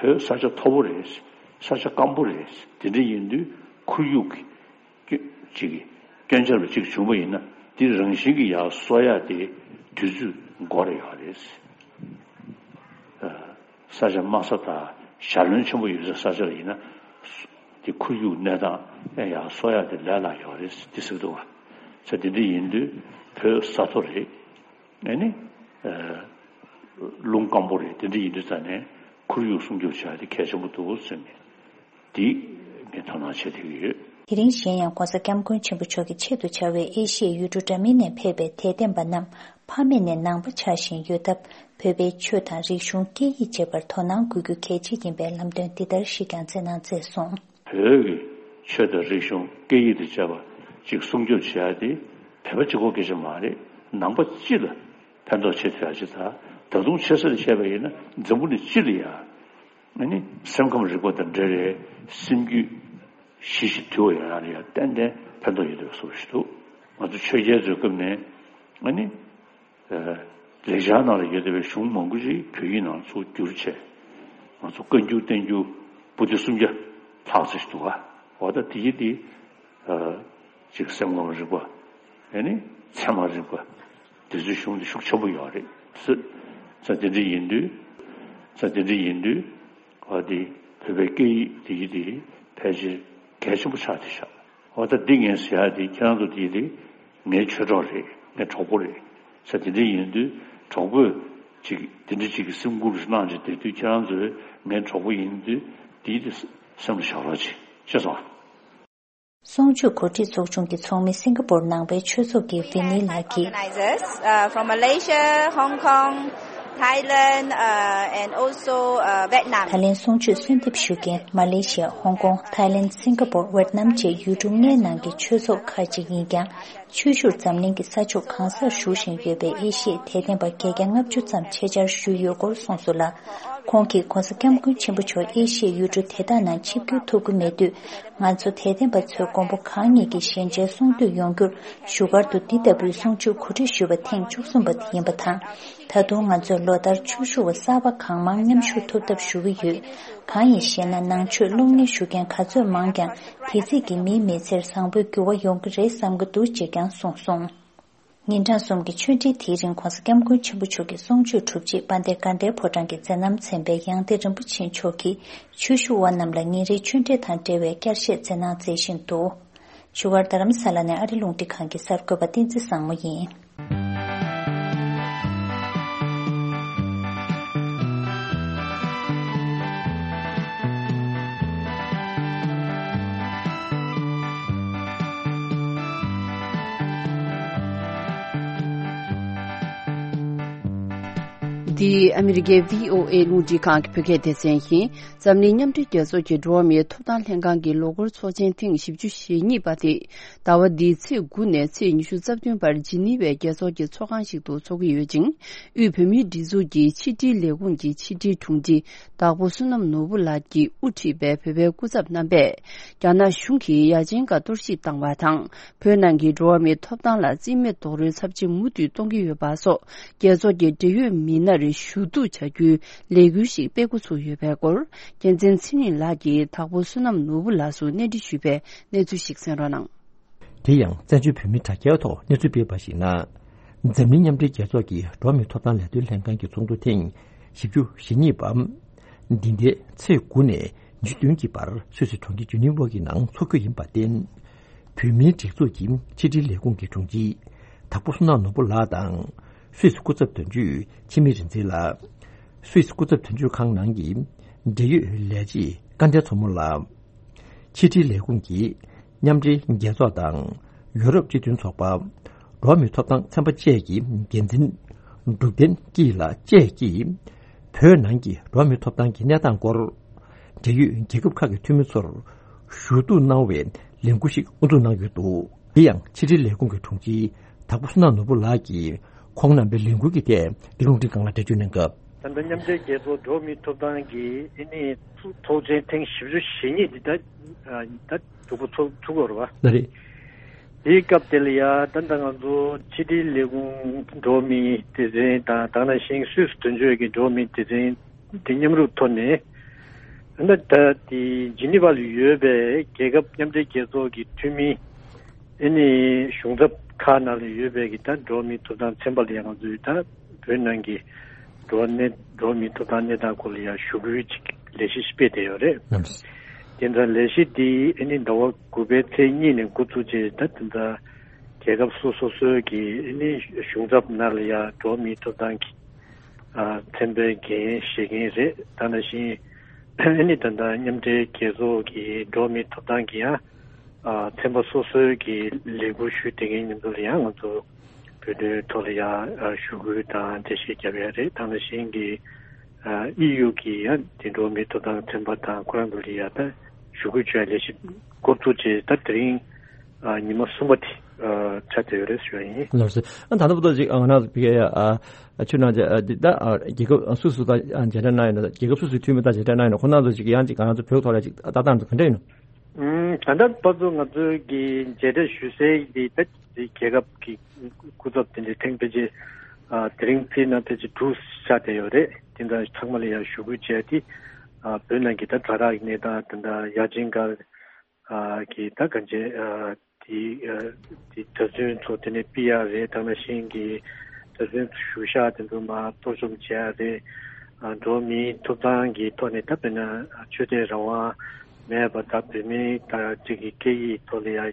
བོད་ས་ཆ་མཐོ་པོ་རེད། ས་ཆ་སྐམ་པོ་རེད། དེ་འདྲ་ཡིན་དུས་ཁོར་ཡུག་གི་སྐྱོན་ཅིག་གི་སྐྱོན་ཆ་རུ་ཅིག་བྱུང་པ་ཡིན་ན། འདི་རང་བཞིན་གྱིས་ཡར་གསོ་ཡ་དེ་དུས་ཚོད་འགོར་ཡོད་རེད། ས་ཆ་དམའ་ས་དང་ཞྭ་རློན་ཆེན་པོ་ཡོད་ས་ས་ཆ་ལ་ཡིན་ན། དེ་ཁོར་ཡུག་གནས་སྟངས་ཡང་ཡར་གསོ་ཡ་དེ་ལས་སླ་ཡོད་རེད་དེ་ཟེར་གྱི་འདུག་བ། ས་དེ་འདྲ་ཡིན་དུས་བོད་ས་མཐོ་རེད། ཨ་ནི། ཨ། རླུང་སྐམ་པོ་རེད། དེ་འདྲ་ཡིན་དུས་ཙང་ནས་ཁོར་ཡུག་སྲུང་སྐྱོབ་བྱ་ཡ་དེ་གལ་ཆེན་པོ་འདུག་ཟེར་ནས། འདི་ངས་དོ་སྣང་བྱེད་བསྡད་ཀྱི་ཡོད། དེ་རིང་གཞན་ཡང་ྋགོང་ས་ྋསྐྱབས་མགོན་ཆེན་པོ་མཆོག་གི་ཆེད་དུ་བཅར་བའི་ཨེ་ཤི་ཡའི་ཡུལ་གྲུ་འདྲ་མིན་ནས་ཕེབས་པའི་དད་ལྡན་པ་རྣམས་ཕ་མེས་ནས་ནང་པ་ཆགས་བཞིན་ཡོད་སྟབས། བོད་པའི་ཆོས་དང་རིག་གཞུང་སྐད་ཡིག་བཅས་པར་དོ་སྣང་དགོས་རྒྱུ་གལ་ཆེ་ཡིན་པའི་ལམ་སྟོན་འདི་ལྟར་ཞིག་ཀྱང་སྩལ་གནང་མཛད་སོང་། བོད་ཀྱི་ཆོས་དང་རིག་གཞུང་སྐད་ཡིག་དང་བཅས་པ་ཅིག་སྲུང་སྐྱོབ་བྱེད་ཡ་དེ་བོད་པ་གཅིག་པོ་སྐད་ཆ་མ་རེད། ནང་པ་སྤྱི་ལ་ཕན་ཐོགས་བྱེད་ཐུབ་ཡ་ཅིག་དང་། ད་དུང་ཆེ་ས་ནས་བཤད་པ་ཡིན་ན་འཛམ་བུ་གླིང་སྤྱི་ལ་ཡ། ཨ་ནི་སེམས་ཁམས་རིག་པ་དང་འབྲེལ་བའི་སེམས་རྒྱུད་ཞི་ཞིང་དུལ་བ་ཡོང་ཡ་ལ་ཡ་ཏན་ཏན་ཕན་ཐོགས་ཡོད་པའི་བཟོ་འདྲ་ཞིག་འདུག། ང་ཚོ་ཆོས་རྒྱལ་ཚོའི་སྐབས་ནས་ཨ་ནི། ཨ། ལེགས་སྦྱར་ནང་ལ་ཡོད་བསྡད་པའི་གཞུང་མང་པོ་ཞིག་བོད་ཡིག་ནང་ཚུར་བསྒྱུར་བྱས། ང་ཚོ་བཀའ་འགྱུར་བསྟན་འགྱུར་པོ་ཏི་སུམ་བརྒྱ་ལྷག་ཙམ་ཞིག་འདུག་ག་འོ་ད་དེ་ཡི་དེ། ཅིག་སེམས་ཁམས་རིག་པ། ཨེ་ནི་ཚད་མ་རིག་པ། དེ་ཚོའི་གཞུང་དེ་ཤུགས་ཆེན་པོ་ཡོད་རེད་ཟེར། ས་དེ་འདྲ་ཡིན་དུས། ས་དེ་འདྲ་ཡིན་དུས། འོ་དེ་བོད་པའི་སྐད་ཡིག་དེ་ཡི་དེ་ཕལ་ཆེར་གལ་ཆེན་པོ་ཆགས་བསྡད་ཤག་འོ་ད་འདི་ངས་ཟེར་ཡ་དེ་ཁྱེད་རང་ཚོ་དེ་ཡི་དེ་ངའི་ཆོས་གྲོགས་རེད། ངའི་གྲོགས་པོ་རེད། ས་དེ་འདྲ་ཡིན་དུས་གྲོགས་པོས་ཅིག་དེ་འདྲ་ཅིག་གི་སེམས་ཁུར་གནང་བྱས་བསྡད་དུས་ཁྱེད་རང་ཚོས་ངའི་གྲོགས་པོ་ཡིན་དུས་དེ་ཡི་དེ་སེམས་ལ་བཞག་རོགས་གྱིས། ཤེས་སོང་ཨ། གསུང་ཆོས་གོ་སྒྲིག་ཚོགས་ཆུང་གི་ཚོགས་མི། སིང་ག་པོར་ནང་པའི་ཆོས་ཚོགས་ཀྱི་ཝི་ནི་ལགས་ཀྱིས། Organizers, uh, from Malaysia, Hong Kong, Thailand, uh, and also, uh, Vietnam. ད་ལན་གསུང་ཆོས་གསོལ་འདེབས་ཞུ་མཁན་མ་ལེ་ཤི་ཡ། ཧོང་ཀོང་། ཐའི་ལེན། སིང་ག་པོར། ཝེད་ནམ་བཅས་ཡུལ་གྲུ་ལྔའི་ནང་གི་ཆོས་ཚོགས་ཁག་ཅིག་ཡིན་ཀྱང་། ཆོས་ཞུར་འཛམ་གླིང་གི་ས་ཕྱོགས་གང་སར་བཞུགས་བཞིན་ཡོད་པའི་ཨེ་ཤི་ཡའི་དད་ལྡན་པ་བརྒྱད་བརྒྱ་ལྔ་བཅུ་ཙམ་ཆེད་བཅར་ཞུས་ཡོད་སྐོར་གསུངས་སོང་ལ། ཁོང་གིས་༸གོང་ས་༸སྐྱབས་མགོན་ཆེན་པོ་མཆོག་ཨེ་ཤི་ཡའི་ཡུལ་གྲུ་དེ་དག་ནང་ཆིབས་བསྒྱུར་ཐུབ་ཀྱི་མེད་དུས། ང་ཚོ་དད་ལྡན་པ་ཚོས་མགོན་པོ་གང་ཉིད་ཀྱི་ཞལ་མཇལ་གསུང་འདུས་ཡོང་རྒྱུར་བཞུགས་སྒར་དུ་འདི་ལྟ་བུའི་གསུང་ཆོས་གོ་སྒྲིག་ཞུས་པ་ཐེངས་བཅུ་གསུམ་པ་དེ་ཡིན་པ་དང་། ད་དུང་ང་ཚོས་ལོ་ལྟར་ཆོས་ཞུ་བ་གསར་པ་གང་མང་མཉམ་ཞུགས་ཐུབ་ཐབས་ཞུ་གི་ཡོད། གང་ཡིན་ཞེ་ན། ནང་ཆོས་སློབ་གཉེར་ཞུ་མཁན་ག་ཚོད་མང་ཀྱང་། དེ་ཚིག་གིས་མིའི་མི་ཚེར་བཟང་པོའི་འགྱུར་བ་ཡོང་གི་རེད་བསམ་གྱི་འདུག་ཅེས་ཀྱང་གསུངས་སོང་། ཉིན་གྲངས་གསུམ་གྱི་ཆོས་འབྲེལ་དེའི་རིང་༸གོང་ས་༸སྐྱབས་མགོན་ཆེན་པོ་མཆོག་གི་གསུང་ཆོས་གྲུབ་རྗེས་དཔལ་ལྡན་དགའ་ལྡན་ཕོ་བྲང་གི་མཛད་རྣམ་ཚན་པའི་ཡང་སྟེང་རིན་པོ་ཆེ་མཆོག་གིས་ཆོས་ཞུ་བ་རྣམས་ལ་ཉིན་རེའི་ཆོས་འབྲེལ་དང་འབྲེལ་བའི་བསྐྱར་བཤད་མཛད་གནང་མཛད་བཞིན་འདུག་བཞུགས་སྒར་རྡ་རམ་ས་ལ་ནས་ཨ་རི་རླུང་འཕྲིན་ཁང་གི་གསར་འགོད་པ་བསྟན་འཛིན་བཟང་མོ་ཡིན། འདི་ཨ་མི་རི་ཀའི་བྷི་ཨོ་ཨེ་རླུང་འཕྲིན་ཁང་གི་བོད་སྐད་སྡེ་ཚན་ཡིན། འཛམ་གླིང་མཉམ་འབྲེལ་རྒྱལ་ཚོགས་ཀྱི་འགྲོ་བ་མིའི་ཐོབ་ཐང་ལྷན་ཁང་གི་ལོ་འཁོར་ཚོགས་ཆེན་ཐེངས་བཞི་བཅུ་ཞེ་གཉིས་པ་དེ་ཟླ་བ་འདིའི་ཚེས་དགུ་ནས་ཚེས་ཉི་ཤུ་རྩ་བདུན་བར་ཇི་ནི་ཝའི་རྒྱལ་ཚོགས་ཀྱི་ཚོགས་ཁང་ཞིག་ཏུ་འཚོགས་ཀྱི་ཡོད་ཅིང་། དབུས་བོད་མིའི་སྒྲིག་འཛུགས་ཀྱི་ཕྱི་དྲིལ་ལས་ཁུངས་ཀྱི་ཕྱི་དྲིལ་དྲུང་ཆེ་དྭགས་པོ་བསོད་ནམས་ནོར་བུ་ལགས་ཀྱིས་དབུ་ཁྲིད་པའི་བོད་པའི་སྐུ་ཚབ་རྣམ་པས། རྒྱ་ནག་གཞུང་གིས་ཡ་ཆེན་ཁག་གཏོར་བཤིག་བཏང་བ་དང་། བོད་ནང་གི་འགྲོ་བ་མིའི་ཐོབ་ཐང་ལ་རྩིས་མེད་རྡོག་རོལ་ཚབས་ཆེན་མུ་མཐུད་གཏོང་གི་ཡོད་པ་སོགས། རྒྱལ་ཚོགས་ཀྱི་འབྲེལ་ཡོད་མི་སྣར་ཞུ་གཏུག་བྱ་རྒྱུའི་ལས་འགུལ་ཞིག་སྤེལ་འགོ་ཚུགས་ཡོད་པའི་སྐོར། རྒྱལ་མཚན་ཚེ་རིང་ལགས་ཀྱིས་དྭགས་པོ་བསོད་ནམས་ནོར་བུ་ལགས་སུ་གནས་འདྲི་ཞུས་པའི་གནས་ཚུལ་ཞིག་གསན་རོགས་གནང་། དེ་ཡང་བཙན་བྱོལ་བོད་མིའི་དྲ་རྒྱའི་ཐོག་གནས་ཚུལ་སྤེལ་བར་གཞིགས་ན། འཛམ་གླིང་མཉམ་འབྲེལ་རྒྱལ་ཚོགས་ཀྱི་འགྲོ་བ་མིའི་ཐོབ་ཐང་ལས་དོན་ལྷན་ཁང་གི་ཚོགས་འདུ་ཐེངས་བཞི་བཅུ་ཞེ་གཉིས་པ། འདི་ཟླའི་ཚེས་དགུ་ནས་ཉི་ཤུ་བདུན་གྱི་བར་སུད་སི་གྲོང་ཁྱེར་ཇི་ནི་ཝ་གི་ནང་འཚོགས་རྒྱུ་ཡིན་པར་བརྟེན། བོད་མིའི་སྒྲིག་འཛུགས་ཀྱི་ཕྱི་དྲིལ་ལས་ཁུངས་ཀྱི་དྲུང་ཆེ་དྭགས་པོ་བསོད་ནམས་ནོར་བུ་ལགས་དང་། སུད་སི་སྐུ་ཚབ་དོན་གཅོད་འཆི་མེད་རིག་འཛིན་ལགས། སུད་སི་སྐུ་ཚབ་དོན་གཅོད་ཁང་ནང་གི་འབྲེལ་ཡོད་ལས་བྱེད་སྐལ་ལྡན་མཚོ་མོ་ལགས། ཕྱི་དྲིལ་ལས་ཁུངས་ཀྱི་མཉམ་འབྲེལ་རྒྱལ་ཚོགས་དང་ཡུ་རོབ་སྤྱི་མཐུན་ཚོགས་པ། འགྲོ་བ་མིའི་ཐོབ་ཐང་ཚན་པ་བཅས་ཀྱི་འགན་འཛིན་འབྲུག་བསྟན་སྐྱིད་ལགས་བཅས་ཀྱིས། བོད་ནང་གི་འགྲོ་བ་མིའི་ཐོབ་ཐང་གི་གནས་སྟངས་སྐོར། འབྲེལ་ཡོད་རྒྱལ་ཁབ་ཁག་གི་འཐུས་མི་ཚོར་ཞུ་གཏུག་གནང་བའི་ལས་འགུལ་ཞིག་དབུ་འཛུགས་གནང་ཡོད་འདུག་དེ་ཡང་ཕྱི་དྲིལ་ལས་ཁུངས་ཀྱི་དྲུང་ཆེ་དྭགས་པོ་བསོད་ནམས་ནོར་བུ་ལགས་ཀྱིས་ཁོང་རྣམ་པའི་ལས་འགུལ་གྱི་ཐད་འདི་རླུང་འཕྲིན་ཁང་ལ་འགྲེལ་བརྗོད་གནང་སྐབས། ད་ལྟ་མཉམ་འབྲེལ་རྒྱལ་ཚོགས་འགྲོ་བ་མིའི་ཐོབ་ཐང་གི་ཨ་ནི་ཚོགས་ཆེན་ཐེངས་བཞི་བཅུ་ཞེ་གཉིས་འདི་ད་ད་གྲུབ་པ་ཚོགས་ཚུགས་པ་རེད་བ། ལགས་རེད། དེའི་སྐབས་དེ་ལ་ཡ་ད་ལྟ་ང་ཚོ་ཕྱི་དྲིལ་ལས་ཁུངས་འགྲོ་བ་མིའི་སྡེ་ཚན་དང་དེ་ནང་བཞིན་སུད་སི་དོན་གཅོད་ཀྱི་འགྲོ་བ་མིའི་སྡེ་ཚན་དེ་མཉམ་རུབ་ཐོག་ནས། ད་ལྟ་དེ་ཇི་ནི་ཝ་ལ་ཡོད་པའི་རྒྱལ་ཁབ་མཉམ་འབྲེལ་རྒྱལ་ཚོགས་ཀྱི་འཐུས་མི་ཨ་ནི་གཞུང་ཚབ་ཁག་ནང་ལ་ཡོད་པའི་གི་ད་འགྲོ་བ་མིའི་ཐོབ་ཐང་ཚན་པ་ལ་ཡང་ང་ཚོས་ད་བོད་ནང་གི་འགྲོ་བ་གནས་འགྲོ་བ་མིའི་ཐོབ་ཐང་གནས་སྟངས་སྐོར་ལ་ཡང་ཞུ་སྐུལ་ཅིག་ལས་གཞི་ཞིག་སྤེལ་བསྡད་ཡོད་རེད། ལགས་སོ། དེ་འདྲ་ལས་གཞི་འདི་ཨ་ནི་ཟླ་བ་དགུ་པའི་ཚེས་གཉིས་ནས་འགོ་བཙུགས་རྗེས་ད་དེ་འདྲ་རྒྱལ་ཁབ་སོ་སོ་སོའི་གི་ཨ་ནི་གཞུང་ཚབ་ནང་ལ་ཡང་འགྲོ་བ་མིའི་ཐོབ་ཐང་གི་ཚན་པའི་འགན་བཞེས་མཁན་རེད། ད་ནང་བཞིན་ཨ་ནི་ད་ལྟ་མཉམ་འབྲེལ་རྒྱལ་ཚོགས་ཀྱི་འགྲོ་བ་མིའི་ཐོབ་ཐང་གི་ཡང་ཚན་པ་སོ་སོའི་གི་ལས་འགུལ་ཞུ་བསྡད་མཁན་མཉམ་དུ་ལ་ཡང་ང་ཚོ་བོད་དོན་ཐོག་ལ་ཡང་ཞུ་སྐུལ་དང་འགྲེལ་བཤད་བརྒྱབ་ཡ་རེད། ད་ནང་བཞིན་གི་ཨི་ཡུ་གི་ཡང་དེ་འགྲོ་བ་མིའི་ཐོབ་ཐང་ཚན་པ་དང་ཁོ་རང་ཚོ་ལ་ཡང་ད་ཞུ་སྐུལ་བྱ་ཡ་ལས་གཞི་འགོ་བཙུགས་བྱས་ད་དེ་རིང་ཨ་ཉི་མ་གསུམ་པ་དེ་ཨ་ཆགས་བསྡད་ཡོད་རེད་ཞུ་ཡ་ཡིན། ལགས་སོ། ཨ་ད་ལྟ་བར་དུ་ཅིག་ཨ་ང་རང་ཚོ་ཕ་གིའི་ཨ་ཆུ་ནང་ཅིག་ཨ་འདི་ད་ཨ་རྒྱལ་ཁབ་སོ་སོ་དང་ཨ་མཇལ་འཕྲད་གནང་ཡོད་ན་རྒྱལ་ཁབ་སོ་སོའི་འཐུས་མི་དང་མཇལ་འཕྲད་གནང་ཡོད་ན་ཁོང་རྣམ་ཚོ་ཅིག་ཡང་ཅིག་ང་རང་ཚོ་བོད་ཐོག་ལ་ཅིག་ལྟ་སྟངས་ཚོ་ག་འདྲ་ཡིན་ནམ། ཨུམ་ད་ལྟ་བར་དུ་ང་ཚོའི་གི་མཇལ་འཕྲད་ཞུ་སའི་འདི་ད་འདི་རྒྱལ་ཁབ་ཀྱི་སྐུ་ཚབ་དེ་འདྲའི་ཐེངས་ཕལ་ཆེར་ ཨ་དེ་རིང་དཔེར་ན་ཕལ་ཆེར་དྲུག་ཆགས་བསྡད་ཡོད་རེད། དེ་འདྲ་ཚང་མ་ལ་ཡང་ཞུ་སྐུལ་བྱས་ཏེ། ཨ་བོད་ནང་གི་ད་དྲ་རྒྱ་གི་གནས་སྟངས་དེ་འདྲ་ཡ་ཆེན་སྒར་ཨ་གི་ད་གང་ཅི་ཨ་དེ་ཨ་དེ་གྲྭ་བཙུན་ཚོ་དེ་ནས་ཕུད་ཡག་རེད། དེ་ནང་བཞིན་གྱི་གྲྭ་བཙུན་གཞུང་ཞབས་དེ་ཚོ་མར་གཏོར་བཅོམ་བྱེད་ཡག་རེད། ཨ་འགྲོ་བ་མིའི་ཐོབ་ཐང་གི་ཐོག་ནས་ད་དཔེར་ན་ཆོས་དད་རང་དབང་མེད་པ། ད་བོད་མིའི་ད་ཅིག་གི་སྐད་ཡིག་ཐོག་ལ་ཡ་ཨ་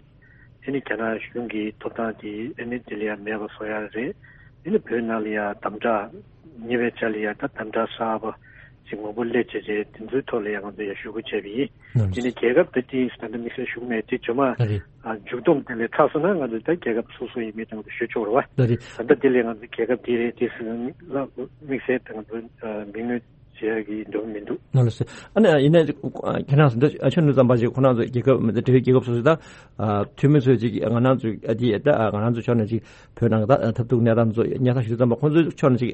ནི་རྒྱ་ནག་གཞུང་གི་ཐོབ་ཐང་དེ་ཨ་ནི་དེ་ལ་ཡ་མེད་པ་བཟོ་ཡག་རེད། ཨ་ནི་བོད་ནང་ལ་ཡ་དམ་དྲག་ཉེ་བའི་ཆར་ལ་ཡ་ད་དམ་དྲག་གསར་པ་ཅིག་མང་པོ་སླེབས་བྱས་བྱས་དེ་ཚོའི་ཐོག་ལ་ཡ་ང་ཚོ་ཡ་ཞུ་སྐུལ་བྱས་པ་ཡིན། ཨ་ནི་རྒྱལ་ཁབ་དེ་དེ་ད་ལྟ་དམིགས་བསལ་ཞུ་གི་མེད། དེ་ཇོ་མ་མཇུག་བསྡོམས་དེ་ལས་ཚར་སོང་ན་ང་ཚོ་ད་རྒྱལ་ཁབ་སོ་སོ་ཡིན་མིན་དང་དུ་ཞུ་ཆོག་རེད་བ། ད་ལྟ་དེ་ལས་ང་ཚོ་རྒྱལ་ཁབ་དེ་རེད་དེ་ཟེར་ན་དམིགས་བསལ་དང་དུ་མིང་ནི་བྱེད་ཡག་གི་འགྲོ་མི་འདུག། ནོར་ལ་སོ། ཨ་ནི་ཡིན་ནའི་ཁྱེད་རང་ཚོ་འདི་ཆོས་ནུས་ཙམ་པ་ཞིག་ཁོ་རང་ཚོ་རྒྱལ་ཁབ་འབྲེལ་ཡོད་རྒྱལ་ཁབ་སོ་སོ་ད་འཐུས་མི་ཚོས་ཅིག་ང་རང་ཚོ་འདི་ད་ང་རང་ཚོ་ཕྱོགས་ནས་ཅིག་བོད་ནང་ད་ཐབས་སྡུག་གནས་སྟངས་ཚོ་སྙན་སེང་ཞུ་ཙམ་པ་ཁོ་ཚོའི་ཕྱོགས་ནས་ཅིག་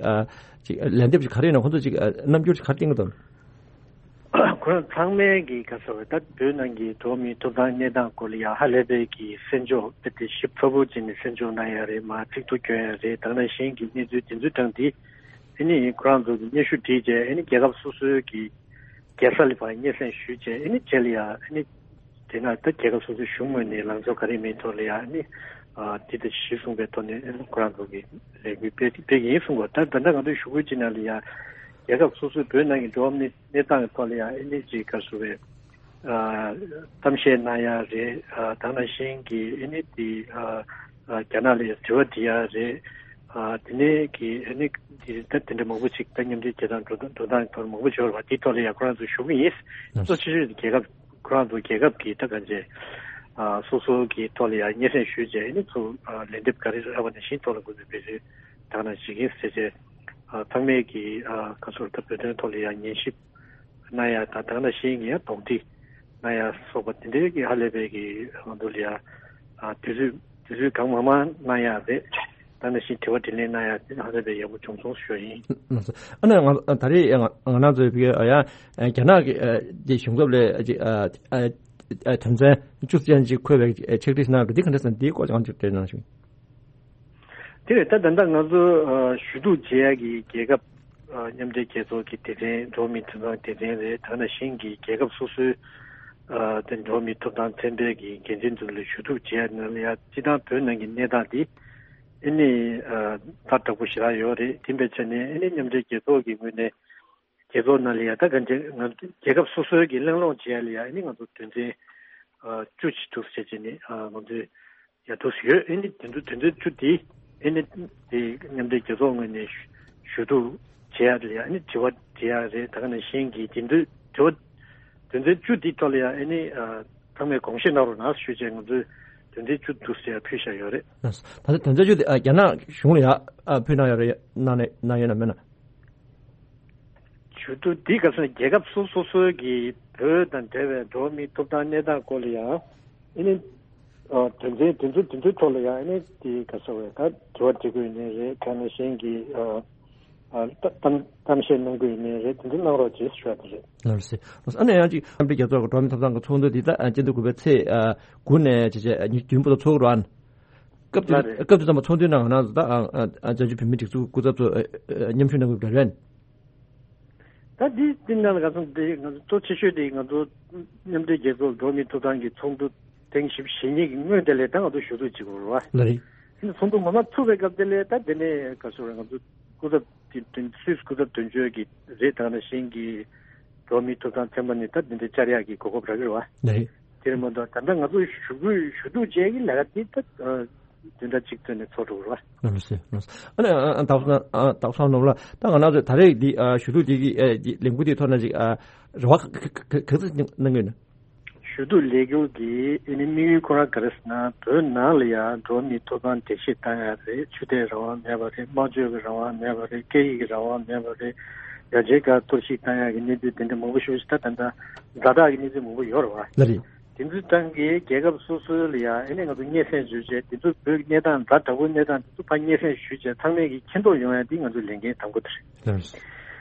ཅིག་ལན་འདེབས་ཅིག་ག་རེ་ཡིན་ན་ཁོ་ཚོ་ཅིག་རྣམ་འགྱུར་ཅིག་ག་རེ་བསྟན་གི་འདུག། ཁོ་རང་ཚང་མས་ཀྱི་ག་ཟེར་བ་ད་བོད་ནང་གི་འགྲོ་བ་མིའི་ཐོབ་ཐང་གནས་སྟངས་སྐོར་ལ་ཡང་ཧ་ལས་པའི་གི་གསན་འཇོག་དཔེ་དེ་ཞིབ་ཚགས་པོ་བྱས་ནས་གསན་འཇོག་གནང་ཡ་རེད། མ་ཚིག་ཐོ་སྐྱོན་ཡ་རེད། དེ་ནང་བཞིན་གྱི་གནས་ཚུལ་དེ་ཚོའི་སྟེང་དེ་ཨ་ནི་ཁོ་རང་ཚོ་གི་སྙན་ཞུ་བྲིས་རྗེས་ཨ་ནི་རྒྱལ་ཁབ་སོ་སོའི་གི་རྒྱལ་ས་ལ་ཕར་སྙན་སེང་ཞུས་རྗེས་ཨ་ནི་རྗེས་ལ་ཡ་ཨ་ནི་དེ་ན་ད་རྒྱལ་ཁབ་སོ་སོའི་གཞུང་ངོས་ནས་ལངས་ཕྱོགས་ག་རེ་མིན་ཐོག་ལ་ཡ་ཨ་ནི་དེ་དང་གཞི་བཟུང་པའི་ཐོག་ནས་ཨ་ནི་ཁོ་རང་ཚོ་གི་ལས་འགུལ་སྤེལ་སྤེལ་གྱི་ཡིན་གསུངས་པ། ད་ད་ལྟ་ང་ཚོའི་ཞུ་སྐུལ་ཅིག་ནང་ལ་ཡ་རྒྱལ་ཁབ་སོ་སོའི་བོད་ནང་གི་འགྲོ་བ་མིའི་གནས་སྟངས་ཀྱི་ཐོག་ལ་ཡང་ཨ་ནི་ཅིག་ག་རེ་ཟེར་བའི་ཨ་གཏམ་བཤད་གནང་ཡ་རེད། ཨ་དེ་ནང་བཞིན་གྱི་ཨ་ནི་དེ་ཨ་ཨ་རྒྱ་ནག་ལ་ཡང་དྲི་བ་འདྲི་ཡ་རེད། ཨ་དེ་ནས་ཀྱི་ཨ་ནི་དེ་ད་དེ་འདྲ་མང་པོ་ཅིག་ད་མཉམ་འབྲེལ་རྒྱལ་ཚོགས་འགྲོ་སྟངས་འགྲོ་སྟངས་ཐོག་མང་པོ་ཅིག་ཡོད་རེད་བ། དེའི་ཐོག་ལ་ཡང་ཁོ་རང་ཚོ་ཞུ་གི་ཡིན། གཙོ་ཆེ་ཤོས་དེ་རྒྱལ་ཁབ་ཁོ་རང་ཚོ་རྒྱལ་ཁབ་ཀྱི་ད་གང་བྱས་ཨ་སོ་སོ་གི་ཐོག་ལ་ཡང་སྙན་སེང་ཞུས་རྗེས་ཨ་ནི་ཚོ་ཨ་ལན་འདེབས་ག་རེ་རག་པ་ནང་བཞིན་ཐོག་ལ་འགོ་འཛུགས་སྤེལ་རེས་དག་ན་བྱེད་ཀྱིན་ཟེར་བྱས། ཨ་ཚང་མས་ཀྱི་ཨ་ག་ཚོད་ད་བོད་དོན་ཐོག་ལ་ཡང་ཉན་ཞིབ་གནང་ཡ་དང་དེ་ནང་བཞིན་གྱི་ཡང་གདོང་ཐིག་གནང་ཡ་སོགས་པ་དེ་འདྲའི་གི་ཧ་ལས་པའི་གི་ང་ཚོ་ལ་ཡ་ཨ་དུས་ཚོད་དུས་ཚོད་གང་མང་མང་གནང་ཡ་རེད། དེ་ནང་བཞིན་དྲི་བ་དྲིས་ལན་གནང་ཡ་དེ་ཧ་ལས་པའི་ཡག་པོ་བྱུང་སོང་ཞུ་ཡ་ཡིན། ལགས་སོ། ཨ་ནི་ང་ད་རེས་ང་ང་རང་ཚོའི་བི་ཡ་རྒྱ་ནག་གི་ཨ་དེ་གཞུང་ཚབ་ལས་ཨ་ཅིག་ཨ་ཨ་ཨ་དོན་ཚན་བཅུ་ཅན་ཅིག་འཁོད་པའི་ཕྱག་བྲིས་གནང་འདུག། འདི་ག་འདྲ་ཟེར་ན་འདིའི་སྐོར་ཅང་ཅིག་བཀྲལ་གནང་ཞུ། དེ་རེད། ད་ད་ལྟ་ང་ཚོ་ཨ་ཞུ་གཏུག་བྱེད་ཡ་གི་རྒྱལ་ཁབ་ཨ་མཉམ་འབྲེལ་རྒྱལ་ཚོགས་ཀྱི་སྡེ་ཚན་འགྲོ་བ་མིའི་ཐོབ་ཐང་སྡེ་ཚན་རེད། དེ་ནང་བཞིན་གྱི་རྒྱལ་ཁབ་སོ་སོའི་ཨ་དེ་འགྲོ་བ་མིའི་ཐོབ་ཐང་ཚན་པའི་གི་འགན་འཛིན་ཚོ་ལ་ཞུ་གཏུག་བྱེད་ཡ་ནང་ལ་ཡ་སྤྱི་བཏང་བོད་ནང་གི་གནས་སྟངས་དེ་ཨ་ནི་ཨ་ད་དྲག་པོ་ཞེ་དྲག་ཡོད་རེད། དེ་འབད་བྱས་ནས་ཨ་ནི་མཉམ་འབྲེལ་རྒྱལ་ཚོགས་ཀྱི་ངོས་ནས་རྒྱལ་ཚོགས་ནང་ལ་ཡ་ད་གང་ཅི་ང་ཚོ་རྒྱལ་ཁབ་སོ་སོའི་གི་གླེང་སློང་བྱེད་ཡ་ལ་ཡ་ཨ་ནི་ང་ཚོ་དོན་ཚན་ཨ་བཅུ་ཅིག་འདུག་ཟེར་བྱས་ནས་ཨ་ང་ཚོས་ཡ་འདུག་ཡོད། ཨ་ནི་དེ་ཚོ་དོན་ཚན་བཅུ་དེ་ཨ་ནི་དེ་མཉམ་འབྲེལ་རྒྱལ་ཚོགས་ངོས་ནས་ཞུ་ཞུ་གཏུག་བྱེད་ཡ་ལ་ཡ་ཨ་ནི་དྲི་བ་དྲི་ཡ་རེད། ད་ག་ནང་བཞིན་གྱི་དེ་ཚོའི་དྲི་བ་དོན་ཚན་བཅུ་དེའི་ཐོག་ལ་ཡ་ཨ་ནི་ཨ་ཚང་མས་དགོངས་བཞེས་གནང་རོགས་གནང་ཞུས་བྱས་ང་ཚོས་དོན་ཚན་བཅུ་འདུག་ཟེར་ཡ་ཕུལ་བཞག་ཡོད་རེད། ད་ལྟ་དོན་ཚན་བཅུ་དེ་ཨ་རྒྱ་ནག་གཞུང་ལ་ཡ་ཨ་ཕུལ་གནང་ཡོད་རེད། གནང་ནས་གནང་ཡོད་ན་མེད་ན། ཞུ་གཏུག་འདི་ག་ཟེར་ན་རྒྱལ་ཁབ་སོ་སོ་སོའི་གི་བོད་དང་འབྲེལ་བའི་འགྲོ་བ་མིའི་ཐོབ་ཐང་གནས་སྟངས་སྐོར་ལ་ཡང་ཨ་ནི་ཨ་དོན་ཚན་དེ་ཚོ་དེ་ཚོའི་ཐོག་ལ་ཡང་ཨ་ནི་དེ་ག་ཟེར་བས་ད་དྲི་བ་དྲི་དགོས་ནི་རེད། གང་ནང་བཞིན་གྱི་ཨ་ཨ་གཏམ་གཏམ་བཤད་གནང་དགོས་ནི་རེད། དེ་ཚོ་གནང་རོགས་བྱེད་ཞུ་བ་དེ་རེད། ལགས་སོ། ཨ་ནི་ཡང་ཅིག་མཉམ་འབྲེལ་རྒྱལ་ཚོགས་ཀྱི་འགྲོ་བ་མིའི་ཐོབ་ཐང་གི་ཚོགས་འདུ་འདི་ད་ཨ་སྤྱི་ཟླ་དགུ་པའི་ཚེས་ཨ་དགུ་ནས་བྱས་བྱས་ཉིན་བདུན་བར་དུ་ཚོགས་རོགས། སྐབས་དེ་ལ་རེད། སྐབས་དེ་ཙམ་པ་ཚོགས་འདུའི་ནང་ང་རང་ཚོ་ད་ཨ་ཨ་ཨ་བྱང་ཆུབ་བོད་མིའི་སྒྲིག་འཛུགས་སྐུ་ཚབ་ཚོ་ཨ་ཨ་མཉམ་ཞུགས་གནང་དགོས་པ་རེད། ད་འདི་འདི་ནང་ལ་ག་ཚོད་འདི་ང་ཚོ་གཙོ་ཆེ་ཤོས་དེ་ང་ཚོ་མཉམ་འབྲེལ་རྒྱལ་ཚོགས་འགྲོ་བ་མིའི་ཐོབ་ཐང་གི་ཚོགས་འདུ་ཐེངས་བཞི་བཅུ་ཞེ་གཉིས་ཀྱི་སྔོན་དེ་ལས་ད་ང་ཚོ་ཞུ་གཏུག་བྱེད་དགོས་རེད་བ། ལགས་རེད། ཨ་ནི་ཚོགས་འདུ་ངོ་མ་ཚུགས་པའི་སྐབས་དེ་ལས་ད་དེ་ནས་ག་ཚོད་རེད། ང་ཚོ་སྐུ་ཚབ་དེ་དོན་སུད་སི་སྐུ་ཚབ་དོན་གཅོད་ཀྱི་རེད། ད་ག་ནང་བཞིན་གྱི་འགྲོ་བ་མིའི་ཐོབ་ཐང་ཚན་པ་ནས་ད་དེ་འདྲ་བཅར་ཡག་གི་གོ་སྐབས་རག་གི་རེད་བ། ལགས་རེད། དེ་རེད་མ་གཏོགས་ད་ལྟ་ང་ཚོ་ཞུ་སྐུལ་ཞུ་གཏུག་བྱས་ཀྱི་ལས་ཀ་དེ་ད་བདུན་ཕྲག་གཅིག་ཙམ་ནས་ཚོགས་འགྲོ་གི་རེད་བ། ལགས་སོ། ལགས་སོ། ཨ་ནི་ཨ་ཨ་ད་ཨ་ད་སང་ནོར་ལ་ད་ང་རང་ཚོ་ད་རེས་འདི་ཨ་ཞུ་གཏུག་འདི་གི་ཨ་འདི་ལས་འགུལ་འདི་ཐོག་ན་ཅིག་ཨ་རེ་བ་ག་ག་ག་ག་ཚོད་གནང་གི་ཡོད་ན། ཞུ་གཏུག་ལས་འགུལ་གྱི་ཨ་ནི་དམིགས་ཡུལ་ཁོ་རང་ག་རེ་ཟེར་ན་བོད་ནང་ལ་ཡང་འགྲོ་བ་མིའི་ཐོབ་ཐང་འགྲེལ་བཤད་བཏང་ཡ་རེད། ཆོས་དད་རང་དབང་མེད་པ་རེད། སྨྲ་བརྗོད་ཀྱི་རང་དབང་མེད་པ་རེད། སྐད་ཡིག་གི་རང་དབང་མེད་པ་རེད། ཡ་ཆེན་སྒར་གཏོར་བཤིག་བཏང་ཡ་གི་གནས་ཚུལ་དེ་འདྲ་མང་པོ་ཞིག་ད་ད་ལྟ་ཛ་དྲག་གི་གནས་ཚུལ་མང་པོ་ཡོད་རེད་བ། ལགས་རེད། དེ་ཚོའི་སྟེང་གི་རྒྱལ་ཁབ་སོ་སོ་ལ་ཡང་ཨ་ནི་ང་ཚོ་སྙན་སེང་ཞུས་བྱས་དེ་ཚོ་བོད་གནས་སྟངས་ཛ་དྲག་པོའི་གནས་སྟངས་དེ་ཚོ་ཕར་སྙན་སེང་ཞུས་བྱས་ཚང་མས་ཀྱི་མཁྱེན་རྟོགས་ཡོང་ཡ་དེ་ང་ཚོའི་ལས་འགན་དང་པོ་དེ་རེད། ལགས་རེད།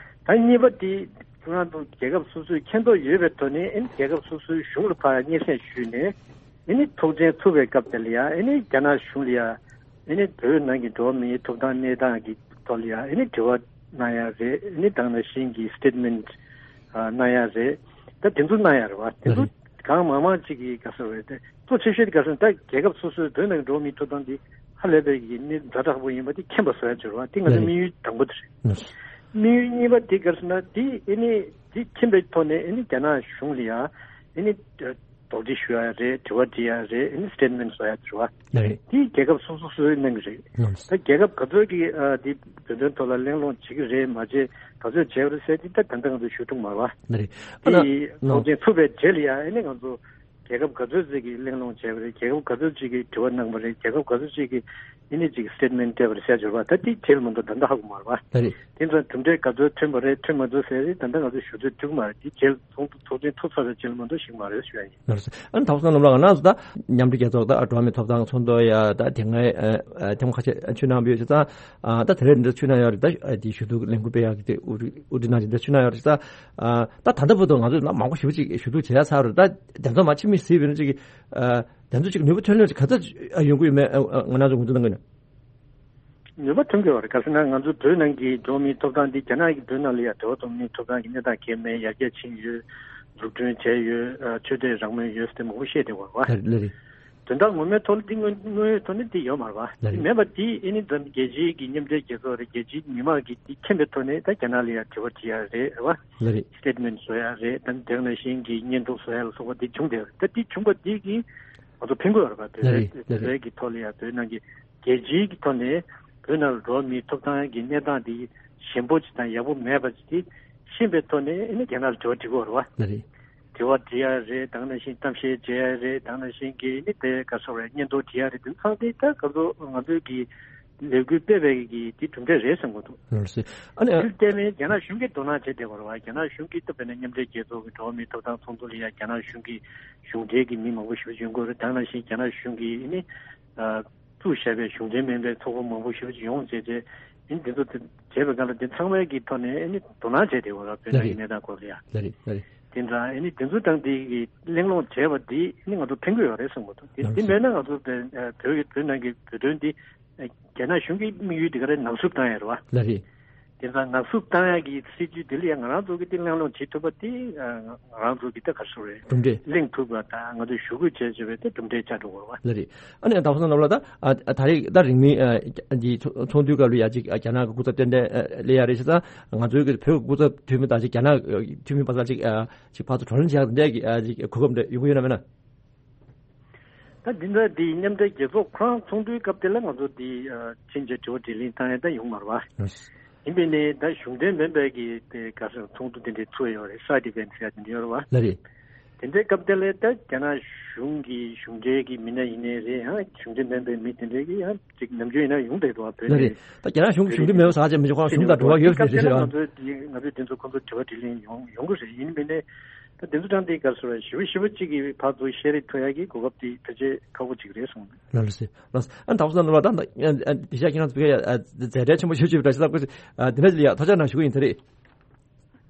ད་གཉིས་པ་དེ་ཁོ་རང་ཚོ་རྒྱལ་ཁབ་སོ་སོས་མཁྱེན་རྟོགས་ཡོད་པའི་ཐོག་ནས་ཨ་ནི་རྒྱལ་ཁབ་སོ་སོའི་གཞུང་ལ་ཕར་སྙན་སེང་ཞུས་ནས་ཨ་ནི་ཐོག་མཆན་ཚུགས་པའི་སྐབས་དེ་ལ་ཡང་ཨ་ནི་རྒྱ་ནག་གཞུང་ལ་ཡང་ཨ་ནི་བོད་ནང་གི་འགྲོ་བ་མིའི་ཐོབ་ཐང་གནས་སྟངས་ཀྱི་ ཐོག་ལ་ཡ་ཨེ་ནི་དྲི་བ་གནང་ཡ་རེད། ཨེ་ནི་དེ་ནང་བཞིན་གྱི་སི་ཊེཊ་མེན་ཊི་གནང་ཡ་རེད། ད་དེ་ཚོ་གནང་ཡ་རེད་བ། དེ་ཚོ་གང་མང་མང་ཅིག་གིས་ག་ཟེར་རེད་དེ་གཙོ་ཆེ་ཤོས་དེ་ག་ཟེར་ན་ད་རྒྱལ་ཁབ་སོ་སོའི་བོད་ནང་གི་འགྲོ་བ་མིའི་ཐོབ་ཐང་འདི་ཧ་ལས་པའི་གི་གནད་ཛ་དྲག་པོ་ཡིན་པ་དེ་མཁྱེན་པ་བཟོ་ཡ་ཅིག་རེད་བ། དེ་ང་ཚོའི་དམིགས་ཡུལ་དང་པོ་དེ་རེད། དམིགས་ཡུལ་གཉིས་པ་དེ་ག་ཟེར་ན་དེ་ཨེ་ནི་དེ་མཁྱེན་པའི་ཐོག་ནས་ཨེ་ནི་རྒྱ་ནག་གཞུང་ལ་ཡ་ཨེ་ནི་དོགས་འདྲི་ཞུ་ཡ་རེད། དྲི་བ་འདྲི་ཡ་རེད། ཨེ་ནི་སི་ཊེཊ་མེན་ཊི་བཟོ་ཡ་དེ་རེད་བ། ལགས་རེད། དེ་རྒྱལ་ཁབ་སོ་སོ་སོའི་གནང་གི་རེད། ལགས། ད་རྒྱལ་ཁབ་ག་ཚོད་ཀྱིས་ཨ་དེ་བོད་དོན་ཐོག་ལ་གླེང་སློང་བྱེད་ཀྱི་རེད་མ་བྱེད་ག་ཚོད་བྱས་པ་རེད་ཟེར་དེ་ད་ད་ལྟ་ང་ཚོས་ཞུ་ཐུབ་མ་རེད་བ། ལགས་རེད། ཨ་ན་དེ་ཐོག་ཆེན་ཚུགས་པའི་རྗེས་ལ་ཡ་ཨེ་ནི་ང་ཚོ་རྒྱལ་ཁབ་ག་ཚོད་ཅིག་གིས་གླེང་སློང་བྱས་པ་རེད། རྒྱལ་ཁབ་ག་ཚོད་ཅིག་གིས་དྲི་བ་གནང་པ་རེད། རྒྱལ་ཁབ་ག་ཚོད་ཅིག་གིས་ཨེ་ནི་ཅིག་སི་ཊེཊ་མེན་ཊི་སྤྲད་པ་རེད་ཟེར་ཡ་ཅིག་རེད་བ། ད་དེ་རྗེས་ལ་མ་གཏོགས་ད་ལྟ་ཧ་གོ་མ་རེད་བ། ལགས་རེད། དེ་ཚོ་གྲུབ་འབྲས་ག་ཚོད་ཐོན་པ་རེད་ཐོན་མ་ཐོན་ཟེར་རེད་ད་ལྟ་ང་ཚོས་ཞུ་ཚོད་ཐུབ་ཀྱི་མ་རེད། དེ་རྗེས་ལ་ཚོགས་འདུ་ཚོགས་ཆེན་ཚུགས་ཚར་བའི་རྗེས་ལ་མ་གཏོགས་ཤེས་ཀྱི་མ་རེད་ཞུ་ཡ་ཡིན། ལགས་སོ། ཨ་ནི་དྭགས་པོ་བསོད་ནམས་ལགས་ང་རང་ཚོ་ད་མཉམ་འབྲེལ་རྒྱལ་ཚོགས་ད་འགྲོ་བ་མིའི་ཐོབ་ཐང་ཚོགས་འདུ་ཡ་ད་དེ་སྔའི་ཨ་ཨ་ཐེངས་ཁ་ཤས་ཨ་ཆུ་ནང་བུད་ཡོད་ཙང་ཨ་ད་དེ་རིང་འདི་ཆུ་ནང་ཡོད་རེད། ད་ཨ་དེ་ཞུ་གཏུག་ལས་འགུལ་སྤེལ་ཡག་གི་དེ་དབུ་ཁྲིད་དབུ་ཁྲིད་གནང་བཞིན་འདི་ཆུ་ནང་ཡོད་རེད་ཙང་ཨ་ད་ད་ལྟ་བར་དུ་ང་ཚོས་ན་མང་པོ་ཞེ་པོ་ཅིག་ཞུ་གཏུག་བྱེད་ཡ་ཚར་རེད། ད་དེ་ཚོ་མ་ཕྱི་མིག་གཟིགས་པ་ཡིན་ན་ཅིག་ཨ་དེ་ཚོ་ཅིག་ནུས་པ་ཐོན་ལོང་ཅིག་ག་ཚོད་ཡོང་གི་ཡོད་མེད་ཨ་ང་རང་ཚོ་ངོས་འཛིན་གནང་གི་ཡོད་ན། ནུས་པ་ཐོན་གྱི་ཡོད་རེད། ག་ཟེར་ན་ང་ཚོ་བོད་ནང་གི་འགྲོ་བ་མིའི་ཐོབ་ཐང་འདི་རྒྱ་ནག་གིས་བོད་ནང་ལ་ཡ་འགྲོ་བ་མིའི་ཐོབ་ཐང་གི་གནས་སྟངས་གལ་མེད་ཡར་རྒྱས་ཕྱིན་ཡོད། འཛུགས་སྐྲུན་བྱས་ཡོད། ཨ་ཆོས་དད་རང་མོས་ཡོད་ཟེར་མང་པོ་བཤད་བསྡད་ཡོད་རེད་བ། ལགས་རེད། ལགས་རེད། དོན་དག་ངོ་མའི་ཐོག་ལ་འདི་དངོས་དངོས་ཡོད་ཐོག་ནས་འདི་ཡོད་མ་རེད་བ། ལགས་རེད། མེད་པ་འདི་ཨེ་ནི་འཛམ་རྒྱལ་སྤྱིའི་གི་མཉམ་འབྲེལ་རྒྱལ་ཚོགས་རེད། རྒྱལ་སྤྱིའི་མི་མང་གིས་འདི་མཁྱེན་པའི་ཐོག་ནས་ད་རྒྱ་ནག་ལ་ཡ་དྲི་བ་དྲི་ཡ་རེད་རེད་བ། ལགས་རེད། སི་ཊེཊ་མེན་ཊི་བཟོ་ཡ་རེད། ད་དེ་ནང་བཞིན་གྱི་བརྙན་ཐུང་བཟོ་ཡ་ལ་སོགས་པ་འདི་བྱུང་བསྡད་ཡོད་རེད། ད་འདི་བྱུང་བ་འདི་གིས་ང་ཚོ་ཕན་གྱི་ཡོད་རེད་པ། བོད་ལགས་རེད། ལགས་རེད། བོད་ཀྱི་ཐོག་ལ་ཡང་བོད་ནང་གི་རྒྱལ་སྤྱིའི་གི་ཐོག་ནས་བོད་ནང་ལ་འགྲོ་བ་མིའི་ཐོབ་ཐང་གི་གནས་སྟངས་དེ་ཞན་པོ་ཅིག་དང་ཡག་པོ་མེད་པ་ཅིག་དེ་ཤེས་པའི་ཐོག་ནས་ཨ་ནི་རྒྱ་ནག་ལ་དྲི་བ་དྲི་དགོས་རེད་པ། ལགས་རེད། དྲི་བ་དྲི་ཡ་རེད། དེ་ནང་བཞིན་གཏམ་བཤད་བྱེད་ཡ་རེད། དེ་ནང་བཞིན་གྱི་ཨ་ནི་དེ་ག་ཚོད་རེད་བརྙན་ཐུང་བྲིས་ཡ་རེད། དེ་ཚང་དེ་ད་ག་ཚོད་ང་ཚོའི་གི་ལས་འགུལ་སྤེལ་བའི་གི་དེ་གྲུབ་འབྲས་རེད་བསམ་གྱི་འདུག་ལགས་སོ། ཨ་ནི་དེར་བརྟེན་ནས་རྒྱ་ནག་གཞུང་གིས་དོ་སྣང་བྱེད་བསྡད་ཡོད་རེད་པ། རྒྱ་ནག་གཞུང་གིས་ད་དཔེར་ན་མཉམ་འབྲེལ་རྒྱལ་ཚོགས་ཀྱི་འགྲོ་བ་མིའི་ཐོབ་ཐང་ཚོགས་འདུ་ལ་ཡ་རྒྱ་ནག་གཞུང་གི་གཞུང་འབྲེལ་གྱི་མི་མང་པོ་ཞེ་པོ་ཅིག་ཡོང་གི་ཡོད་རེད། དེ་ནང་བཞིན་རྒྱ་ནག་གཞུང་གིས་ཨ་ནི་ཨ་བཙུགས་བཞག་པའི་གཞུང་འབྲེལ་མིན་པའི་ཚོགས་པ་མང་པོ་ཞེ་པོ་ཅིག་ཡོང་བྱས་རྗེས་ཨ་ནི་འདི་ཚོ་དེ་བྱས་པའི་སྒང་ལ་འདི་ཚང་མའི་གི་ཐོག་ནས་ཨ་ནི་དོ་སྣང་བྱས་བསྡད་ཡོད་རེད་པ། བོད་ནང་གི་གནས་སྟངས་སྐོར་ལ་ཡ། ལགས་རེད། ལགས་རེད། དེ་འདྲ་ཨ་ནི་དེ་ཚོ་དང་དེ་གི་གླེང་སློང་བྱས་པ་འདི་ཨ་ནི་ང་ཚོ་ཕན་གྱི་ཡོད་རེད་བསམ་གྱི་འདུག་དེ་ལགས་དེ་སོ། མེད་ན་ང་ཚོ་བོད་བོད་ཀྱི་བོད་ནང་གི་བོད་དོན་འདི་རྒྱ་ནག་གཞུང་གི་དམིགས་ཡུལ་དེ་ག་རེ་ནག་འཚུབ་བཏང་ཡ་རེད་པ། ལགས་རེད། དེ་ཚོ་ནག་འཚུབ་བཏང་ཡ་གི་སྲིད་ཇུས་དེ་ལ་ཡང་ང་རང་ཚོ་གི་དེ་གླེང་སློང་བྱེད་ཐུབ་པ་དེ་ང་རང་ཚོ་གི་ད་ག་རེ་ཟེར་རེད། གྲུབ་འབྲས། གླེང་ཐུབ་པ་དང་ང་ཚོས་ཞུ་སྐུལ་བྱས་བྱས་པའི་དེ་གྲུབ་འབྲས་ཆགས་འགྲོ་གི་རེད་པ། ལགས་རེད། ཨ་ནི་དྭགས་པོ་བསོད་ནམས་ལགས་ད་ཨ་ད་རེས་ད་རིང་མིན་ཨ་འདི་ཚོགས་འདུའི་སྐབས་ལ་ཡ་ཅིག་རྒྱ་ནག་གི་སྐུ་ཚབ་ཏན་ཏན་སླེབས་ཡ་རེད་བྱས་ཙང་ང་ཚོའི་གི་བོད་ཀྱི་སྐུ་ཚབ་འཐུས་མི་དང་ཅིག་རྒྱ་ནག་འཐུས་མི་བར་ལ་ཅིག་ཨ་ཅིག་ཕར་ཚུར་བགྲོ་གླེང་བྱེད་ཡ་འདྲ་གི་ཨ་ཅིག་གོ་སྐབས་འདྲ་ཡོང་གི་ཡོད་ན་མེད་ན། ད་འདི་འདྲ་འདི་མཉམ་འབྲེལ་རྒྱལ་ཚོགས་ཁོ་རང་ཚོགས་འདུའི་སྐབས་དེ་ལ་ང་ཚོ་འདི་ཕྱིན་ཆད་དྲི་བ་དྲིས་ལན་བཏང་ཡ་ད་ཡོང་མ་རེད་པ། ཡིན་པས་ནས་ད་གཞུང་འབྲེལ་མིན་པའི་གི་དེ་ག་ཟེར་ཚོགས་འདུ་དེ་འདྲའི་ཚུགས་ཡོད་རེད། སའེ་ཌི་ཨི་ཝེན་ཊི་ཟེར་ཡ་དེ་འདྲ་ཡོད་རེད་པ། ལགས་རེད། དེ་འདྲའི་སྐབས་དེ་ལ་ད་རྒྱ་ནག་གཞུང་གི་གཞུང་འབྲེལ་གི་མི་སྣ་ཡིན་ནའི་རེད། ཡང་གཞུང་འབྲེལ་མིན་པའི་མི་དེ་འདྲའི་གི་ཡང་ཅིག་ནམ་རྒྱུན་ཡིན་ན་ཡོང་བསྡད་འདུག་པ། བོད་ནས། ལགས་རེད། ད་རྒྱ་ནག་གཞུང་གི་གཞུང་འབྲེལ་མེད་པ་ཟེར་ཡ་ཅིག་མི་འདུག་ཁོང་གཞུང་དང་འབྲེལ་བ་ཡོད་ཟེར་དེ་ཟེར་ཡ། ང་ཚོའི་དེ་ང་ཚོའི་དེ་ཚོ་ཁོང་ཚོ་དྲི་བ་དྲིས་ལན་ཡོང་ཡོང་གི་རེད། ཡིན་པས་ནས། ད་དེ་ཚོ་དྲང་དེའི་སྐབས་སུ་ཞི་བ་ཞི་བ་གཅིག་གིས་ཕར་ཚུར་བཤད་རེས་ཐུབ་ཡ་གི་གོ་སྐབས་དེ་ཕལ་ཆེར་ཁག་པོ་གཅིག་རེད་གསུངས། ལགས་ལགས་སེ། ལགས་སེ། ཨ་ནི་དྭགས་པོ་བསོད་ནམས་ལགས་ད་ཨ་ཨ་དེ་ཤ་ཁྱེད་རང་ཚོ་བོད་ཡ་ཨ་མཛད་བྲེལ་ཆེན་པོ་ཞེ་པོ་ཅིག་རེད་ཤག་ས་ཁུ། ཨ་དེ་འདྲ་ཅིག་ལ་ཡ་ཐུགས་རྗེ་གནང་ཞུ་གི་ཡིན། ད་རེད།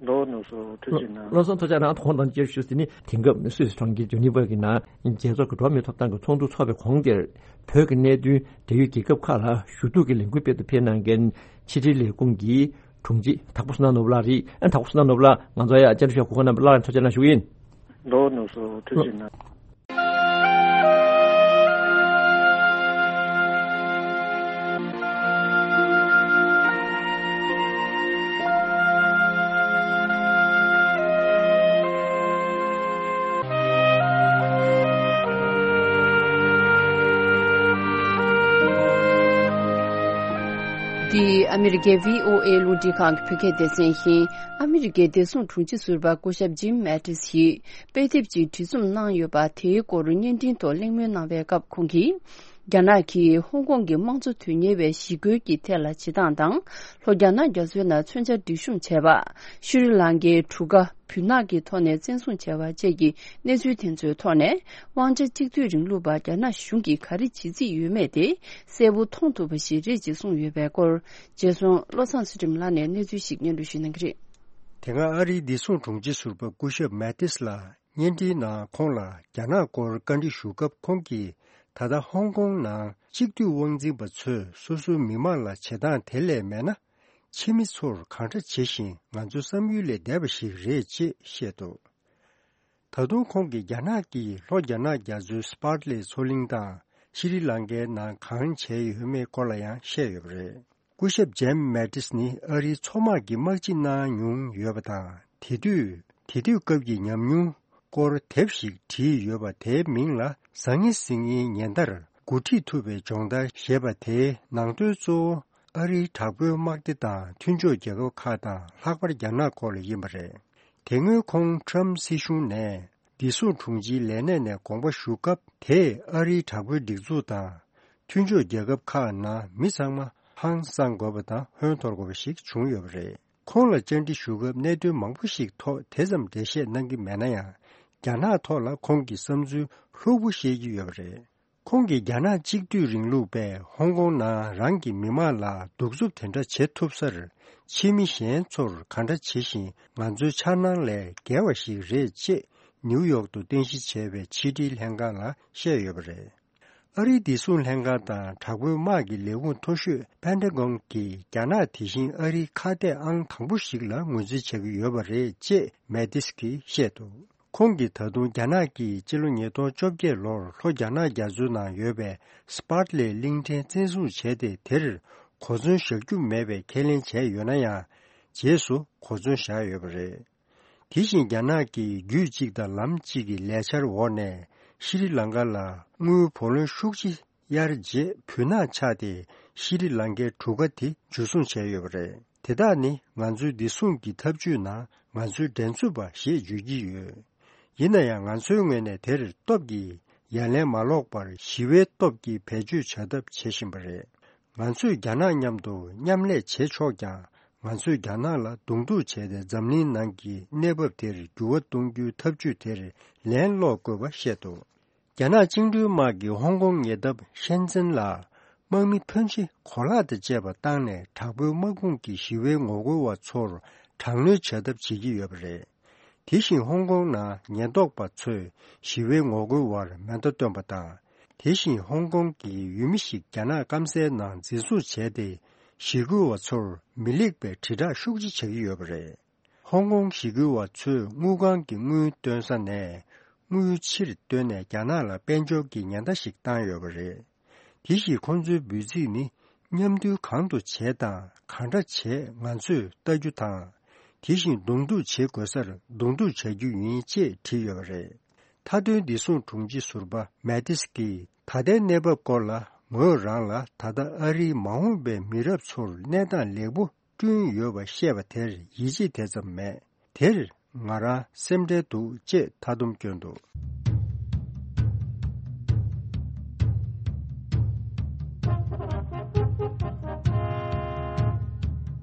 ལོ་ནོར་སོ་ཐུགས་རྗེ་གནང་། ལགས་སོ། ཐུགས་རྗེ་གནང་། ཁོང་དང་བཅས་ཞུ་དེ་ནི་དེང་སྐབས་སུད་སི་གྲོང་ཁྱེར་ཇི་ནི་ཝ་གི་ནང་རྒྱལ་ཚོགས་ཀྱི་འགྲོ་བ་མིའི་ཐོབ་ཐང་གི་ཚོགས་འདུ་འཚོགས་པའི་གོང་དེར་བོད་ཀྱི་གནད་དོན་འབྲེལ་ཡོད་རྒྱལ་ཁབ་ཁག་ལ་ཞུ་གཏུག་གི་ལས་འགུལ་སྤེལ་དུ་ཕེབས་གནང་མཁན་ཕྱི་དྲིལ་ལས་ཁུངས་ཀྱི་དྲུང་ཆེ་དྭགས་པོ་བསོད་ནམས་ནོར་བུ་ལགས་རེད། ཨ་དྭགས་པོ་བསོད་ནམས་ནོར་བུ་ལགས་ང་ཚོ་ཡ་བཅར་འདྲི་ཞུ་གོ་སྐབས་གནང་བར་ཐུགས་རྗེ་གནང་ཞུ་གི་ཡིན། ལོ་ནོར་སོ་ཐུགས་རྗེ་གནང་། འདི་ཨ་མི་རི་ཀའི་བྷི་ཨོ་ཨེ་རླུང་འཕྲིན་ཁང་གི་བོད་སྐད་སྡེ་ཚན་ཡིན། ཨ་མི་རི་ཀའི་བདེ་སྲུང་དྲུང་ཆེ་ཟུར་པ་སྐུ་ཞབས་ཇིམ་མེ་ཏིས་ཡིས་དཔེ་དེབ་ཅིག་བྲིས་རྩོམ་གནང་ཡོད་པ་དེའི་སྐོར་བརྙན་འཕྲིན་ཐོག་གླེང་མོལ་གནང་བའི་སྐབས་ཁོང་གིས། རྒྱ་ནག་གིས་ཧོང་ཀོང་གི་དམངས་གཙོ་དོན་གཉེར་བའི་ཞི་རྒོལ་གྱི་ཐད་ལ་བྱེད་སྟངས་དང་། ལྷོ་རྒྱ་ནག་རྒྱ་མཚོའི་ནང་མཚོན་ཆ་སྒྲིག་གཤོམ་བྱས་པ། ཤྲི་ལང་ཀའི་གྲུ་ཁ་སྦུལ་ནག་གི་ཐོག་ནས་བཙན་བཟུང་བྱས་པ་བཅས་ཀྱི་གནས་ཚུལ་དེ་ཚོའི་ཐོག་ནས། དབང་ཆ་གཅིག་སྡུད་རིང་ལུགས་པ་རྒྱ་ནག་གཞུང་གིས་ག་རེ་བྱེད་རྩིས་ཡོད་མེད་དེ་གསལ་པོ་མཐོང་ཐུབ་པ་ཞིག་རེད་ཅེས་གསུངས་ཡོད་པའི་སྐོར། རྗེས་སུ་བློ་བཟང་ཚུལ་ཁྲིམས་ལགས་ནས་གནས་ཚུལ་ཞིག་སྙན་སྒྲོན་ཞུ་གནང་གི་རེད། དེ་སྔ་ཨ་རིའི་བདེ་སྲུང་དྲུང་ཆེ་ཟུར་པ་སྐུ་ཞབས་མེ་ཏིས་ལ་བརྙན་འཕྲིན་ནང་ཁོང་ལ་རྒྱ་ནག་སྐོར་བཀའ་འདྲི་ཞུ་སྐབས་ཁོང་གིས་ད་ལྟ་ཧོང་ཀོང་ནང་གཅིག་སྡུད་དབང་འཛིན་པ་ཚོས་སོ་སོའི་མི་མང་ལ་བྱེད་སྟངས་དེ་ལས་མེད་ན། ཕྱི་མི་ཚོར་གང་འདྲ་བྱེད་བཞིན་ང་ཚོའི་བསམ་ཡུལ་ལས་འདས་པ་ཞིག་རེད་ཅེས་བཤད་འདུག། ད་དུང་ཁོང་གིས་རྒྱ་ནག་གིས་ལྷོ་རྒྱ་ནག་རྒྱ་མཚོའི་སི་པཱར་ལེ་མཚོ་གླིང་དང་ཤྲི་ལང་ཀའི་ནང་གང་བྱས་ཡོད་མེད་སྐོར་ལ་ཡང་བཤད་ཡོད་པ་རེད། སྐུ་ཞབས་ཇེམ་མེ་ཏིས་ནི་ཨ་རིའི་མཚོ་དམག་གི་དམག་སྤྱི་གནང་མྱོང་ཡོད་པ་དང་། དེ་དུས་དེ་དུས་སྐབས་ཀྱི་ཉམས་མྱོང་སྐོར་དེབ་ཞིག་བྲིས་ཡོད་པ། དེའི་མིང་ལ་ཟང་ངེ་ཟིང་ངེའི་ཉེན་བརྡར་འགོ་ཁྲིད་ཐུབ་པའི་སྦྱོང་བརྡར་ཞེས་པ། དེའི་ནང་དོན་གཙོ་བོ་ཨ་རིའི་དྲག་པོའི་དམག་སྡེ་དང་མཐུན་ཕྱོགས་རྒྱལ་ཁབ་ཁག་དང་ལྷག་པར་རྒྱ་ནག་སྐོར་ལ་ཡིན་པ་རེད། དེ་སྔོན་ཁོང་ཁྲམ་སྲིད་གཞུང་ནས་བདེ་སྲུང་དྲུང་ཆེའི་ལས་གནས་ནས་དགོངས་པ་ཞུ་སྐབས། དེས་ཨ་རིའི་དྲག་པོའི་སྒྲིག་འཛུགས་དང་མཐུན་ཕྱོགས་རྒྱལ་ཁབ་ཁག་ནང་མི་ཚང་མ་ཧང་སང་དགོས་པ་དང་ཧོན་འཐོར་དགོས་པ་ཞིག་བྱུང་ཡོད་པ་རེད། ཁོང་ལ་བཅར་འདྲི་ཞུ་སྐབས་གནད་དོན་མང་པོ་ཞིག་ཐོག་དེ་ཙམ་འགྲེལ་བཤད་གནང་གི་མེད་ན་ཡང་། རྒྱ་ནག་ཐོག་ལ་ཁོང་གི་བསམ་ཚུལ་ལྷུག་པོ་བཤད་ཀྱི་ཡོད་པ་རེད། ཁོང་གིས་རྒྱ་ནག་གཅིག་སྡུད་རིང་ལུགས་པས་ཧོང་ཀོང་ནང་རང་གི་མི་མང་ལ་གདུག་རྩུབ་དེ་འདྲ་བྱེད་ཐུབ་སར། ཕྱི་མི་གཞན་ཚོར་ག་འདྲ་བྱེད་བཞིན་ང་ཚོའི་འཆར་སྣང་ལས་བརྒལ་བ་ཞིག་རེད་ཅེས་ནིའུ་ཡོག་ཏུ་རྟེན་གཞི་བྱས་པའི་ཕྱི་དྲིལ་ལྷན་ཁང་ལ་བཤད་ཡོད་པ་རེད། ཨ་རིའི་བདེ་སྲུང་ལྷན་ཁང་དང་དྲག་པོའི་དམག་གི་ལས་ཁུངས་མཐོ་ཤོས་པེན་ཏ་གོན་གྱིས་རྒྱ་ནག་དེ་བཞིན་ཨ་རིའི་ཁ་གཏད་ཨང་དང་པོ་ཞིག་ལ་ངོས་འཛིན་བྱ་གི་ཡོད་པ་རེད་ཅེས་མེ་ཏིས་ཀྱིས་བཤད་འདུག། ཁོང་གིས་ད་དུང་རྒྱ་ནག་གིས་སྤྱི་ལོ་ཉིས་སྟོང་བཅོ་བརྒྱད་ལོར་ལྷོ་རྒྱ་ནག་རྒྱ་མཚོའི་ནང་ཡོད་པའི་སི་པཱར་ལེ་གླིང་ཕྲན་བཙན་བཟུང་བྱས་ཏེ། དེར་གོ་མཚོན་བཞག་རྒྱུ་མེད་པའི་ཁས་ལེན་བྱས་ཡོད་ན་ཡང་། རྗེས་སུ་གོ་མཚོན་བཞག་ཡོད་པ་རེད། དེ་བཞིན་རྒྱ་ནག་གིས་རྒྱུད་གཅིག་དང་ལམ་གཅིག་གི་ལས་འཆར་འོག་ནས་ཤྲི་ལང་ཀ་ལ་དངུལ་བུ་ལོན་ཤུགས་ཆེ་གཡར་རྗེས་བུ་ནག་ཆགས་ཏེ་ཤྲི་ལང་ཀའི་གྲུ་ཁ་དེ་འཇུ་བཟུང་བྱས་ཡོད་པ་རེད། དེ་དག་ནི་ང་ཚོའི་བདེ་སྲུང་གི་ཐབས་ཇུས་ནང་ང་ཚོའི་འགྲན་རྩོད་པ་ཞེས་བརྗོད་ཀྱི་ཡོད། ཡིན་ན་ཡང་ང་ཚོའི་ངོས་ནས་དེར་སྟོབས་ཀྱིས་ཡ་ལན་མ་སློག་པར་ཞི་བའི་སྟོབས་ཀྱིས་བེད་སྤྱོད་བྱ་ཐབས་བྱེད་བཞིན་པ་རེད། ང་ཚོས་རྒྱ་ནག་མཉམ་དུ་མཉམ་ལས་བྱེད་ཆོག་ཀྱང་། ང་ཚོས་རྒྱ་ནག་ལ་གདོང་ཐུག་བྱས་ཏེ་འཛམ་གླིང་ནང་གི་གནས་བབ་དེར་འགྱུར་བ་གཏོང་རྒྱུའི་ཐབས་ཇུས་དེར་ལན་སློག་དགོས་པ་བཤད་འདུག། རྒྱ་ནག་བཅིངས་འགྲོལ་དམག་གིས་ཧོང་ཀོང་ཉེ་འདབས་ཤན་ཙེན་ལ་དམག་མི་ཕོན་ཆེ་གོ་ལག་དང་བཅས་པ་བཏང་ནས་དྲག་པོའི་དམག་དཔུང་གིས་ཞི་བའི་ངོ་རྒོལ་བ་ཚོར་དྲག་གནོན་བྱ་ཐབས་བྱེད་ཀྱི་ཡོད་པ་རེད། དེ་བཞིན་ཧོང་ཀོང་ནང་ཉེན་རྟོག་པ་ཚོས་ཞི་བའི་ངོ་རྒོལ་བར་མེ་མདའ་བཏོན་པ་དང་། དེ་བཞིན་ཧོང་ཀོང་གི་ཡུལ་མི་ཞིག་རྒྱ་ནག་སྐམ་སའི་ནང་འཛིན་བཟུང་བྱས་ཏེ། ཞི་རྒོལ་བ་ཚོར་མི་ལེགས་པའི་དྲིལ་བསྒྲགས་ཤུགས་ཆེ་བྱ་གི་ཡོད་པ་རེད། ཧོང་ཀོང་ཞི་རྒོལ་བ་ཚོས་དངུལ་ཁང་གི་དངུལ་བཏོན་ས་ནས་དངུལ་ཕྱིར་བཏོན་ནས་རྒྱ་ནག་ལ་དཔལ་འབྱོར་གྱི་ཉེན་བརྡ་ཞིག་བཏང་ཡོད་པ་རེད། དེ་བཞིན་ཁོང་ཚོའི་འབོད་ཚིག་ནི། མཉམ་འདུས་གང་དུ་བྱེད་དང་གང་འདྲ་བྱེད་ང་ཚོས་ལྟ་རྒྱུ་དང་། དེ་བཞིན་གདོང་ཐུག་བྱེད་དགོས་སར་གདོང་ཐུག་བྱ་རྒྱུ་ཡིན་ཅེས་བྲིས་ཡོད་པ་རེད། མཐའ་དོན་བདེ་སྲུང་དྲུང་ཆེ་ཟུར་པ་མེ་ཏིས་ཀྱིས་ད་ལྟའི་གནས་བབ་སྐོར་ལ། ངོས་རང་ལ་ད་ལྟ་ཨ་རིའི་མ་འོངས་པའི་མི་རབས་ཚོར་གནས་སྟངས་ལེགས་པོ་བསྐྲུན་ཡོད་པ་བཤད་པ་དེར་ཡིད་ཆེས་དེ་ཙམ་མེད། དེར་ང་རང་སེམས་ཁྲལ་འདུག་ཅེས་མཐའ་སྡོམ་བསྐྱོན་འདུག།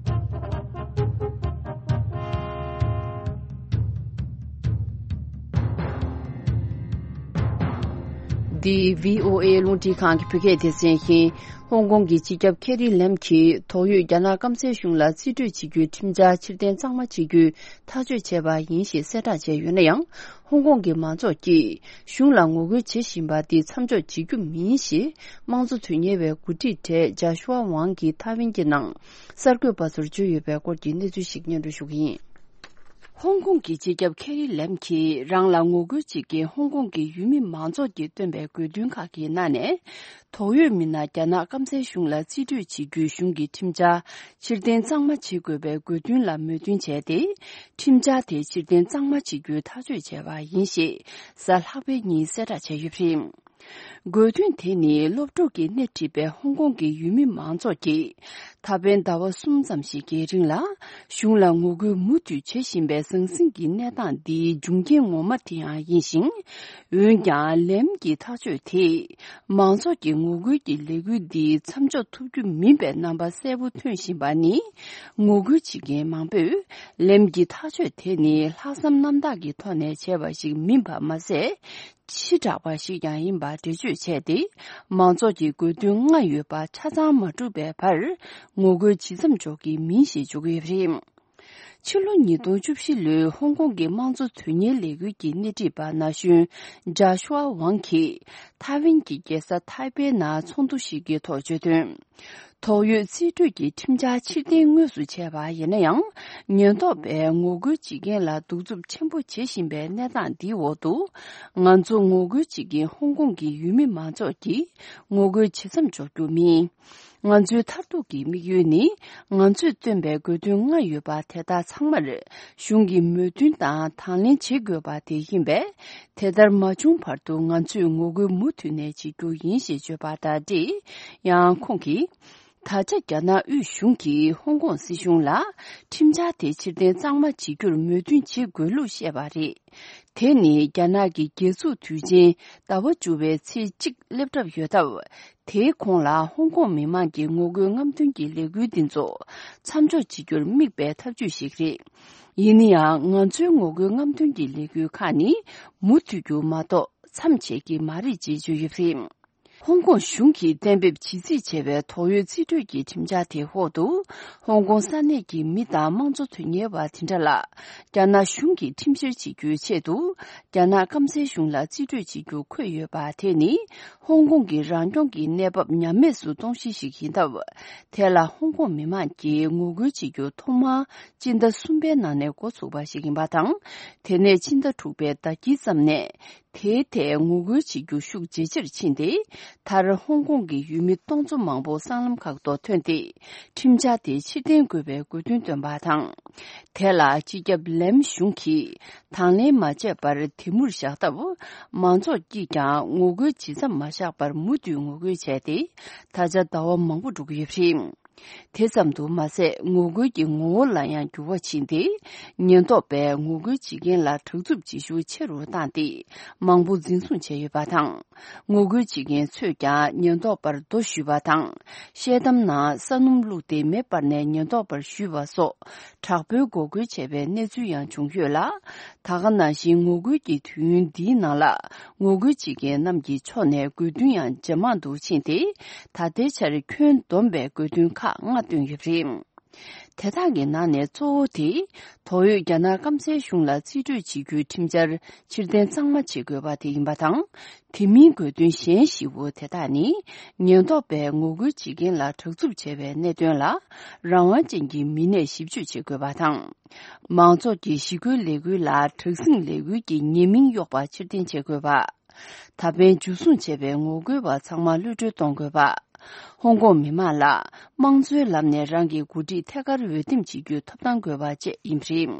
འདི་བྷི་ཨོ་ཨེ་རླུང་འཕྲིན་ཁང་གི་བོད་སྐད་སྡེ་ཚན་ཡིན། ཧོང་ཀོང་གི་སྤྱི་ཁྱབ་ཁེ་རི་ལེམ་གྱིས་དོགས་ཡོད་རྒྱ་ནག་སྐམ་སའི་གཞུང་ལ་རྩིས་སྤྲོད་བྱེད་རྒྱུའི་ཁྲིམས་འཆར་ཕྱིར་འཐེན་གཙང་མ་བྱེད་རྒྱུའི་ཐག་གཅོད་བྱས་པ་ཡིན་ཞེས་གསལ་བསྒྲགས་བྱས་ཡོད་ན་ཡང་། ཧོང་ཀོང་གི་མང་ཚོགས་ཀྱིས་གཞུང་ལ་ངོ་རྒོལ་བྱེད་བཞིན་པ་འདི་མཚམས་འཇོག་བྱེད་རྒྱུ་མིན་ཞེས་དམངས་གཙོ་དོན་གཉེར་བའི་འགོ་ཁྲིད་གྲས་ཇཱ་ཤུ་ཝ་ཝང་གིས་ཐའེ་ཝན་གྱི་ནང་གསར་འགོད་པ་ཚོར་བརྗོད་ཡོད་པའི་སྐོར་གྱི་གནས་ཚུལ་ཞིག་སྙན་སྒྲོན་ཞུ་གི་ཡིན། ཧོང་ཀོང་གི་སྤྱི་ཁྱབ་ཁེ་རི་ལེམ་གྱིས་རང་ལ་ངོ་རྒོལ་བྱེད་མཁན་ཧོང་ཀོང་གི་ཡུལ་མི་མང་ཚོགས་ཀྱིས་བཏོན་པའི་དགོས་འདུན་ཁག་གི་ནང་ནས། དོགས་ཡོད་མི་སྣ་རྒྱ་ནག་སྐམ་སའི་གཞུང་ལ་རྩིས་སྤྲོད་བྱེད་རྒྱུའི་གཞུང་གི་ཁྲིམས་འཆར་ཕྱིར་འཐེན་གཙང་མ་བྱེད་དགོས་པའི་དགོས་འདུན་ལ་མོས་མཐུན་བྱས་ཏེ། ཁྲིམས་འཆར་དེ་ཕྱིར་འཐེན་གཙང་མ་བྱེད་རྒྱུའི་ཐག་གཅོད་བྱས་པ་ཡིན་ཞེས་གཟའ་ལྷག་པའི་ཉིན་གསལ་བསྒྲགས་བྱས་ཡོད་པ་རེད། དགོས་འདུན་དེ་ནི་སློབ་ཕྲུག་གིས་སྣེ་ཁྲིད་པའི་ཧོང་ཀོང་གི་ཡུལ་མི་མང་ཚོགས་ཀྱིས་ད་ཕན་ཟླ་བ་གསུམ་ཙམ་ཞིག་གི་རིང་ལ་གཞུང་ལ་ངོ་རྒོལ་མུ་མཐུད་བྱེད་བཞིན་པའི་ཟང་ཟིང་གི་གནས་སྟངས་འདིའི་འབྱུང་རྐྱེན་ངོ་མ་དེ་ཡང་ཡིན་ཞིང་། འོན་ཀྱང་ལེམ་གྱི་ཐག་གཅོད་དེས་མང་ཚོགས་ཀྱི་ངོ་རྒོལ་གྱི་ལས་འགུལ་འདི་མཚམས་འཇོག་ཐུབ་རྒྱུ་མིན་པའི་རྣམ་པ་གསལ་པོ་ཐོན་བཞིན་པ་ནི། ངོ་རྒོལ་བྱེད་མཁན་མང་པོས་ལེམ་གྱི་ཐག་གཅོད་དེ་ནི་ལྷག་བསམ་རྣམ་དག་གི་ཐོག་ནས་བྱས་པ་ཞིག་མིན་པ་མ་ཟད། ཕྱི་དྲགས་པ་ཞིག་ཀྱང་ཡིན་པར་འགྲེལ་བརྗོད་བྱས་ཏེ། མང་ཚོགས་ཀྱི་དགོས་འདུན་ལྔ་ཡོད་པ་ཆ་ཚང་མ་གྲུབ་པའི་བར་ངོ་རྒོལ་ཇི་ཙམ་འཇོག་གི་མིན་ཞེས་བརྗོད་ཀྱི་ཡོད་པ་རེད། ཕྱི་ལོ་ཉིས་སྟོང་བཅུ་བཞི་ལོའི་ཧོང་ཀོང་གི་དམངས་གཙོ་དོན་གཉེར་ལས་འགུལ་གྱི་སྣེ་ཁྲིད་པ་ན་གཞོན་ཇཱ་ཤུ་ཝ་ཝང་གིས་ཐའེ་ཝན་གྱི་རྒྱལ་ས་ཐའེ་པེ་ནང་ཚོགས་འདུ་ཞིག་གི་ཐོག་བརྗོད་དོན། ཐོག་ཡོད་རྩིས་སྤྲོད་ཀྱི་ཁྲིམས་འཆར་ཕྱིར་འཐེན་དངོས་སུ་བྱས་པ་ཡིན་ན་ཡང་། ཉེན་རྟོག་པས་ངོ་རྒོལ་བྱེད་མཁན་ལ་གདུག་རྩུབ་ཆེན་པོ་བྱེད་བཞིན་པའི་གནས་སྟངས་འདིའི་འོག་ཏུ། ང་ཚོ་ངོ་རྒོལ་བྱེད་མཁན་ཧོང་ཀོང་གི་ཡུལ་མི་མང་ཚོགས་ཀྱིས་ངོ་རྒོལ་ཇི་ཙམ་འཇོག་རྒྱུ་མིན། ང་ཚོའི་མཐར་ཐུག་གི་དམིགས་ཡུལ་ནི། ང་ཚོས་བཏོན་པའི་དགོས་འདུན་ལྔ་ཡོད་པ་དེ་དག་ཚང་མར་གཞུང་གི་མོས་མཐུན་དང་དང་ལེན་བྱེད་དགོས་པ་དེ་ཡིན་པས། དེ་ལྟར་མ་བྱུང་བར་དུ་ང་ཚོས་ངོ་རྒོལ་མུ་མཐུད་ནས་བྱེད་རྒྱུ་ཡིན་ཞེས་བརྗོད་པ་དང་འབྲེལ། ཡང་ཁོང་གིས། ད་ཆ་རྒྱ་ནག་དབུས་གཞུང་གིས་ཧོང་ཀོང་སྲིད་གཞུང་ལ་ཁྲིམས་འཆར་དེ་ཕྱིར་འཐེན་གཙང་མ་བྱེད་རྒྱུར་མོས་མཐུན་བྱེད་དགོས་ལུགས་བཤད་པ་རེད། དེ་ནི་རྒྱ་ནག་གི་རྒྱལ་འཛུགས་དུས་ཆེན་ཟླ་བ་བཅུ་པའི་ཚེས་གཅིག་སླེབས་གྲབས་ཡོད་སྟབས། དེའི་གོང་ལ་ཧོང་ཀོང་མི་མང་གི་ངོ་རྒོལ་རྔམ་སྟོན་གྱི་ལས་འགུལ་འདི་ཚོ་མཚམས་འཇོག་བྱེད་རྒྱུར་དམིགས་པའི་ཐབས་ཇུས་ཤིག་རེད། ཡིན་ན་ཡང་། ང་ཚོའི་ངོ་རྒོལ་རྔམ་སྟོན་གྱི་ལས་འགུལ་ཁག་ནི་མུ་མཐུད་རྒྱུ་མ་གཏོགས་མཚམས་ཆད་ཀྱི་མ་རེད་ཅེས་བརྗོད་ཡོད་པ་རེད། ཧོང་ཀོང་གཞུང་གིས་གཏན་འབེབས་བྱེད་རྩིས་བྱས་པའི་ཐོག་ཡོད་རྩིས་སྤྲོད་ཀྱི་ཁྲིམས་འཆར་དེའི་འོག་ཏུ། ཧོང་ཀོང་ས་གནས་ཀྱི་མི་དང་དམངས་གཙོ་དོན་གཉེར་བ་དེ་འདྲ་ལ། རྒྱ་ནག་གཞུང་གིས་ཁྲིམས་བཤེར་བྱེད་རྒྱུའི་ཆེད་དུ། རྒྱ་ནག་སྐམ་སའི་གཞུང་ལ་རྩིས་སྤྲོད་བྱེད་རྒྱུ་འཁོད་ཡོད་པ་དེ་ནི། ཧོང་ཀོང་གི་རང་སྐྱོང་གི་གནས་བབ་ཉམས་དམས་སུ་གཏོང་གཞི་ཞིག་ཡིན་སྟབས། དེ་ལ་ཧོང་ཀོང་མི་མང་གིས་ངོ་རྒོལ་བྱེད་རྒྱུ་ཐོག་མར་སྤྱི་ཟླ་གསུམ་པའི་ནང་ནས་འགོ་ཚུགས་པ་ཞིག་ཡིན་པ་དང་། དེ་ནས་ཕྱི་ཟླ་དྲུག་པའི་ཟླ་དཀྱིལ་ཙམ་ནས། དེའི་ཐད་ངོ་རྒོལ་བྱེད་རྒྱུ་ཤུགས་ཇེ་ཆེར་ཕྱིན་ཏེ། མཐར་ཧོང་ཀོང་གི་ཡུལ་མི་སྟོང་ཚོ་མང་པོ་སྲང་ལམ་ཁག་ཏུ་ཐོན་ཏེ། ཁྲིམས་འཆར་དེ་ཕྱིར་འཐེན་དགོས་པའི་དགོས་འདུན་བཏོན་པ་དང་། དེ་ལ་སྤྱི་ཁྱབ་ལེམ་གཞུང་གིས་དང་ལེན་མ་བྱས་པར་དེ་མུར་བཞག་སྟབས། མང་ཚོགས་ཀྱིས་ཀྱང་ངོ་རྒོལ་ཇི་ཙམ་མ་བཞག་པར་མུ་མཐུད་ངོ་རྒོལ་བྱས་ཏེ། ད་ཆ་ཟླ་བ་མང་པོ་འགྲོ་གི་ཡོད་པ་རེད། དེ་ཙམ་དུ་མ་ཟད། ངོ་རྒོལ་གྱི་ངོ་བོ་ལ་ཡང་འགྱུར་བ་ཕྱིན་ཏེ། ཉེན་རྟོག་པས་ངོ་རྒོལ་བྱེད་མཁན་ལ་དྲག་རྩུབ་བྱེད་ཤུགས་ཆེ་རུ་བཏང་སྟེ། མང་པོ་འཛིན་བཟུང་བྱས་ཡོད་པ་དང་། ངོ་རྒོལ་བྱེད་མཁན་ཚོས་ཀྱང་ཉེན་རྟོག་པར་རྡོ་གཞུས་པ་དང་། ཤེལ་དམ་ནང་ས་སྣུམ་བླུགས་ཏེ་མེ་སྤར་ནས་ཉེན་རྟོག་པར་གཞུས་པ་སོགས། དྲག་པོའི་འགོག་རྒོལ་བྱས་པའི་གནས་ཚུལ་ཡང་བྱུང་ཡོད་ལ། ད་ག་ནང་བཞིན་ངོ་རྒོལ་གྱི་དུས་ཡུན་འདིའི་ནང་ལ། ངོ་རྒོལ་བྱེད་མཁན་རྣམས་ཀྱི་ཕྱོགས་ནས་དགོས་འདུན་ཡང་ཇེ་མང་དུ་ཕྱིན་ཏེ། ད་ལྟའི་ཆར་ཁྱོན་བསྡོམས་པའི་དགོས་འདུན་ཁག་ལྔ་བཏོན་ཡོད་པ་རེད། དེ་དག་གི་ནང་ནས་གཙོ་བོ་དེ། ཐོག་ཡོད་རྒྱ་ནག་སྐམ་སའི་གཞུང་ལ་རྩིས་སྤྲོད་བྱེད་རྒྱུའི་ཁྲིམས་འཆར་ཕྱིར་འཐེན་གཙང་མ་བྱེད་དགོས་པ་དེ་ཡིན་པ་དང་། དེ་མིན་དགོས་འདུན་གཞན་བཞི་བོ་དེ་དག་ནི། ཉེན་རྟོག་པས་ངོ་རྒོལ་བྱེད་མཁན་ལ་དྲག་རྩུབ་བྱས་པའི་གནད་དོན་ལ། རང་དབང་ཅན་གྱི་མི་སྣས་ཞིབ་དཔྱོད་བྱེད་དགོས་པ་དང་། མང་ཚོགས་ཀྱི་ཞི་རྒོལ་ལས་འགུལ་ལ་དྲག་ཟིང་ལས་འགུལ་གྱི་ཉེས་མིང་གཡོགས་པ་ཕྱིར་འཐེན་བྱེད་དགོས་པ། ད་ཕན་འཇུ་བཟུང་བྱས་པའི་ངོ་རྒོལ་བ་ཚང་མ་གློད་གྲོལ་གཏོང་དགོས་པ། ཧོང་ཀོང་མི་མང་ལ་དམངས་གཙོའི་ལམ་ནས་རང་གི་འགོ་ཁྲིད་ཐད་ཀར་འོས་འདེམས་བྱེད་རྒྱུའི་ཐོབ་ཐང་དགོས་པ་བཅས་ཡིན་པ་རེད།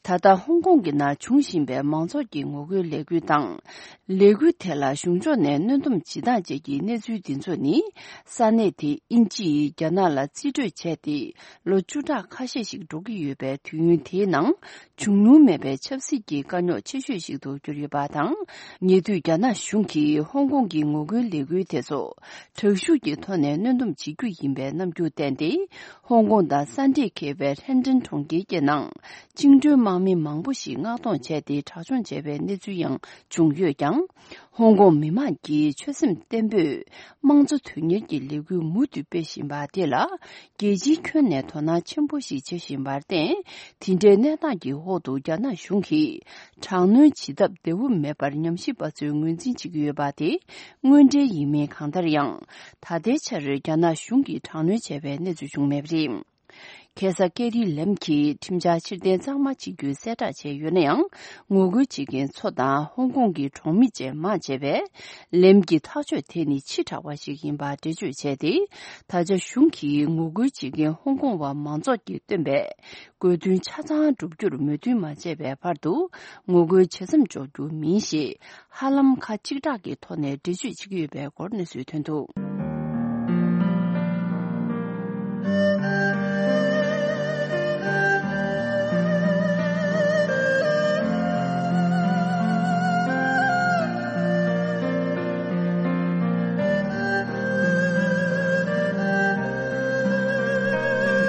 ད་ལྟ་ཧོང་ཀོང་གི་ནང་འབྱུང་བཞིན་པའི་མང་ཚོགས་ཀྱི་ངོ་རྒོལ་ལས་འགུལ་དང་། ལས་འགུལ་དེ་ལ་གཞུང་ཕྱོགས་ནས་གནོན་སྡོམ་བྱེད་སྟངས་བཅས་ཀྱི་གནས་ཚུལ་འདི་ཚོ་ནི། ས་གནས་དེ་དབྱིན་ཇི་ཡིས་རྒྱ་ནག་ལ་རྩིས་སྤྲོད་བྱས་ཏེ། ལོ་བཅུ་ཕྲག་ཁ་ཤས་ཤིག་འགྲོ་གི་ཡོད་པའི་དུས་ཡུན་དེའི་ནང་། འབྱུང་ལུགས་མེད་པའི་ཆབ་སྲིད་ཀྱི་དཀའ་རྙོག་ཆེ་ཤོས་ཤིག་ཏུ་གྱུར་ཡོད་པ་དང་། ཉེ་དུས་རྒྱ་ནག་གཞུང་གིས་ཧོང་ཀོང་གི་ངོ་རྒོལ་ལས་འགུལ་དེ་ཚོ་དྲག་ཤུགས་ཀྱི་ཐོག་ནས་གནོན་སྡོམ་བྱེད་རྒྱུ་ཡིན་པའི་རྣམ་འགྱུར་བསྟན་ཏེ། ཧོང་ཀོང་དང་ས་འདྲེས་འཁེལ་བའི་ཧྲེན་ཀྲེན་གྲོང་ཁྱེར་གྱི་ནང་བཅིངས་འགྲོལ་དམག་མི་མང་པོ་ཞིག་མངགས་གཏོང་བྱས་ཏེ་དྲག་སྦྱོང་བྱས་པའི་གནས་ཚུལ་ཡང་བྱུང་ཡོད་ཀྱང་། ཧོང་ཀོང་མི་མང་གིས་ཆོད་སེམས་བརྟན་པོས་དམངས་གཙོ་དོན་གཉེར་གྱི་ལས་འགུལ་མུ་མཐུད་སྤེལ་བཞིན་པ་དེ་ལ། རྒྱལ་སྤྱིའི་ཁྱོན་ནས་དོ་སྣང་ཆེན་པོ་ཞིག་བྱེད་བཞིན་པར་བརྟེན། དེ་འདྲའི་གནས་སྟངས་ཀྱི་འོག་ཏུ་རྒྱ་ནག་གཞུང་གིས་དྲག་གནོན་བྱེད་ཐབས་བདེ་བོ་མེད་པར་ཉམས་ཞིབ་པ་ཚོས་ངོས་འཛིན་བྱེད་ཀྱི་ཡོད་པ་དེ་དངོས་འབྲེལ་ཡིན་མིན། གང་ལྟར་ཡང་། ད་ལྟའི་ཆར་རྒྱ་ནག་གཞུང་གིས་དྲག་གནོན་བྱས་པའི་གནས་ཚུལ་བྱུང་མེད་པ་རེད། ཁ་སང་ཀེ་རི་ལེམ་གྱིས་ཁྲིམས་འཆར་ཕྱིར་འཐེན་གཙང་མ་བྱེད་རྒྱུའི་གསལ་བསྒྲགས་བྱས་ཡོད་ན་ཡང་། ངོ་རྒོལ་བྱེད་མཁན་ཚོ་དང་ཧོང་ཀོང་གི་གྲོང་མི་བཅས་མང་ཆེ་བས། ལེམ་གྱི་ཐག་གཅོད་དེ་ནི་ཕྱི་དྲགས་པ་ཞིག་ཡིན་པར་འགྲེལ་བརྗོད་བྱས་ཏེ། ད་ཆ་གཞུང་གིས་ངོ་རྒོལ་བྱེད་མཁན་ཧོང་ཀོང་བ་མང་ཚོགས་ཀྱིས་བཏོན་པའི་དགོས་འདུན་ཆ་ཚང་བསྒྲུབ་རྒྱུར་མོས་མཐུན་མ་བྱས་པའི་བར་དུ། ངོ་རྒོལ་ཇེ་མཚམས་འཇོག་རྒྱུ་མིན་ཞེས། ཧ་ལམ་ཁ་གཅིག་གྲགས་ཀྱི་ཐོག་ནས་འགྲེལ་བརྗོད་བྱེད་ཀྱི་ཡོད་པའི་སྐོར་གནས་ཚུལ་ཐོན་འདུག།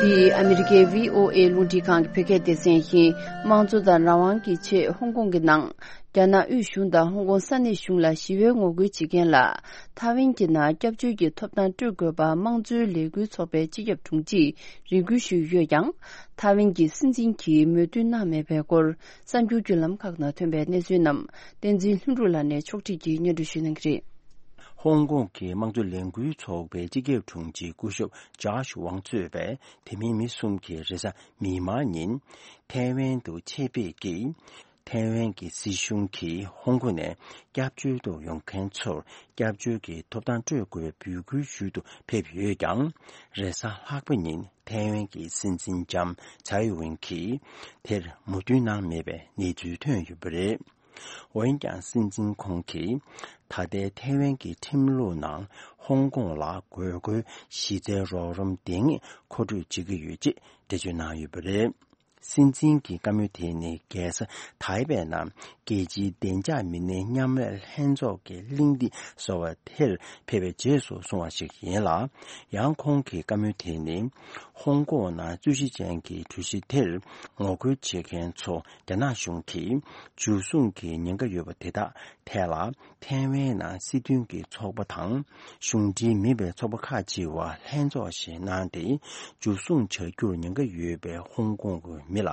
འདི་ཨ་མི་རི་ཀའི་བྷི་ཨོ་ཨེ་རླུང་འཕྲིན་ཁང་གི་བོད་སྐད་སྡེ་ཚན་ཡིན། དམངས་གཙོ་དང་རང་དབང་གི་ཆེད་ཧོང་ཀོང་གི་ནང་། རྒྱ་ནག་དབུས་གཞུང་དང་ཧོང་ཀོང་ས་གནས་གཞུང་ལ་ཞི་བའི་ངོ་རྒོལ་བྱེད་མཁན་ལ། ཐའེ་ཝན་གྱི་ནང་སྐྱབས་བཅོལ་གྱི་ཐོབ་ཐང་སྤྲོད་དགོས་པ་དམངས་གཙོའི་ལས་འགུལ་ཚོགས་པའི་སྤྱི་ཁྱབ་དྲུང་ཆེས་རེ་སྐུལ་ཞུས་ཡོད་ཀྱང་། ཐའེ་ཝན་གྱི་སྲིད་འཛིན་གྱིས་མོས་མཐུན་གནང་མེད་པའི་སྐོར། གསར་འགྱུར་བརྒྱུད་ལམ་ཁག་ནང་ཐོན་པའི་གནས་ཚུལ་རྣམས། བསྟན་འཛིན་ལྷུན་གྲུབ་ལགས་ནས་ཕྱོགས་སྒྲིག་གིས་སྙན་སྒྲོན་ཞུ་གནང་གི་རེད། ཧོང་ཀོང་གི་དམངས་གཙོ་ལས་འགུལ་ཚོགས་པའི་སྤྱི་ཁྱབ་དྲུང་ཆེ་སྐུ་ཞབས་ཇོརྗ་ཝང་གཙོས་པའི་དེ་མིན་མི་གསུམ་གྱིས་རེས་གཟའ་མིག་དམར་ཉིན་ཐའེ་ཝན་དུ་ཆེད་ཕེབས་ཀྱིས། ཐའེ་ཝན་གྱི་སྲིད་གཞུང་གིས་ཧོང་ཀོང་ནས་སྐྱབས་བཅོལ་དུ་ཡོང་མཁན་ཚོར་སྐྱབས་བཅོལ་གྱི་ཐོབ་ཐང་སྤྲོད་དགོས་པའི་འབོད་སྐུལ་ཞུ་དུ་ཕེབས་ཡོད་ཀྱང་། རེས་གཟའ་ལྷག་པ་ཉིན་ཐའེ་ཝན་གྱི་སྲིད་འཛིན་ལྕམ་ཚའེ་ཝེན་གྱིས་དེར་མོས་མཐུན་གནང་མེད་པའི་གནས་ཚུལ་ཐོན་ཡོད་པ་རེད། འོན་ཀྱང་སྲིད་འཛིན་ཁོང་གིས་ད་ལྟའི་ཐའེ་ཝན་གྱི་ཁྲིམས་ལུགས་ནང་ཧོང་ཀོང་ལ་དགོས་མཁོའི་གཞི་རྩའི་རོགས་རམ་དེ་ངེས་མཁོ་སྤྲོད་བྱེད་ཀྱི་ཡོད་ཅེས་འགྲེལ་བརྗོད་གནང་ཡོད་པ་རེད། སྲིད་འཛིན་གྱི་བཀའ་མོལ་དེ་ནི་རྒྱལ་ས་ཐའེ་པེ་ནང་རྒྱལ་སྤྱིའི་བདེ་འཇགས་མི་སྣའི་མཉམ་ལས་ལྷན་ཚོགས་ཀྱི་གླེང་སྟེགས་ཟེར་བ་དེར་ཕེབས་པའི་རྗེས་སུ་གསུངས་པ་ཞིག་ཡིན་ལ། ཡང་ཁོང་གི་བཀའ་མོལ་དེ་ནི་ཧོང་ཀོང་ནང་རྩོད་གཞི་ཅན་གྱི་གྲོས་གཞི་དེར་ངོ་རྒོལ་བྱེད་མཁན་ཚོ་རྒྱ་ནག་གཞུང་གིས་འཇུ་བཟུང་གི་ཉེན་ཁ་ཡོད་པ་དེ་དག་ཐད་ལ། ཐའེ་ཝན་ནང་སྲིད་དོན་གྱི་ཚོགས་པ་དང་གཞུང་འབྲེལ་མིན་པའི་ཚོགས་པ་ཁག་ཅིག་བར་ལྷན་ཚོགས་ཤིག་གནང་སྟེ། འཇུ་བཟུང་བྱ་རྒྱུར་ཉེན་ཁ་ཡོད་པའི་ཧོང་ཀོང་གི་མི་ལ་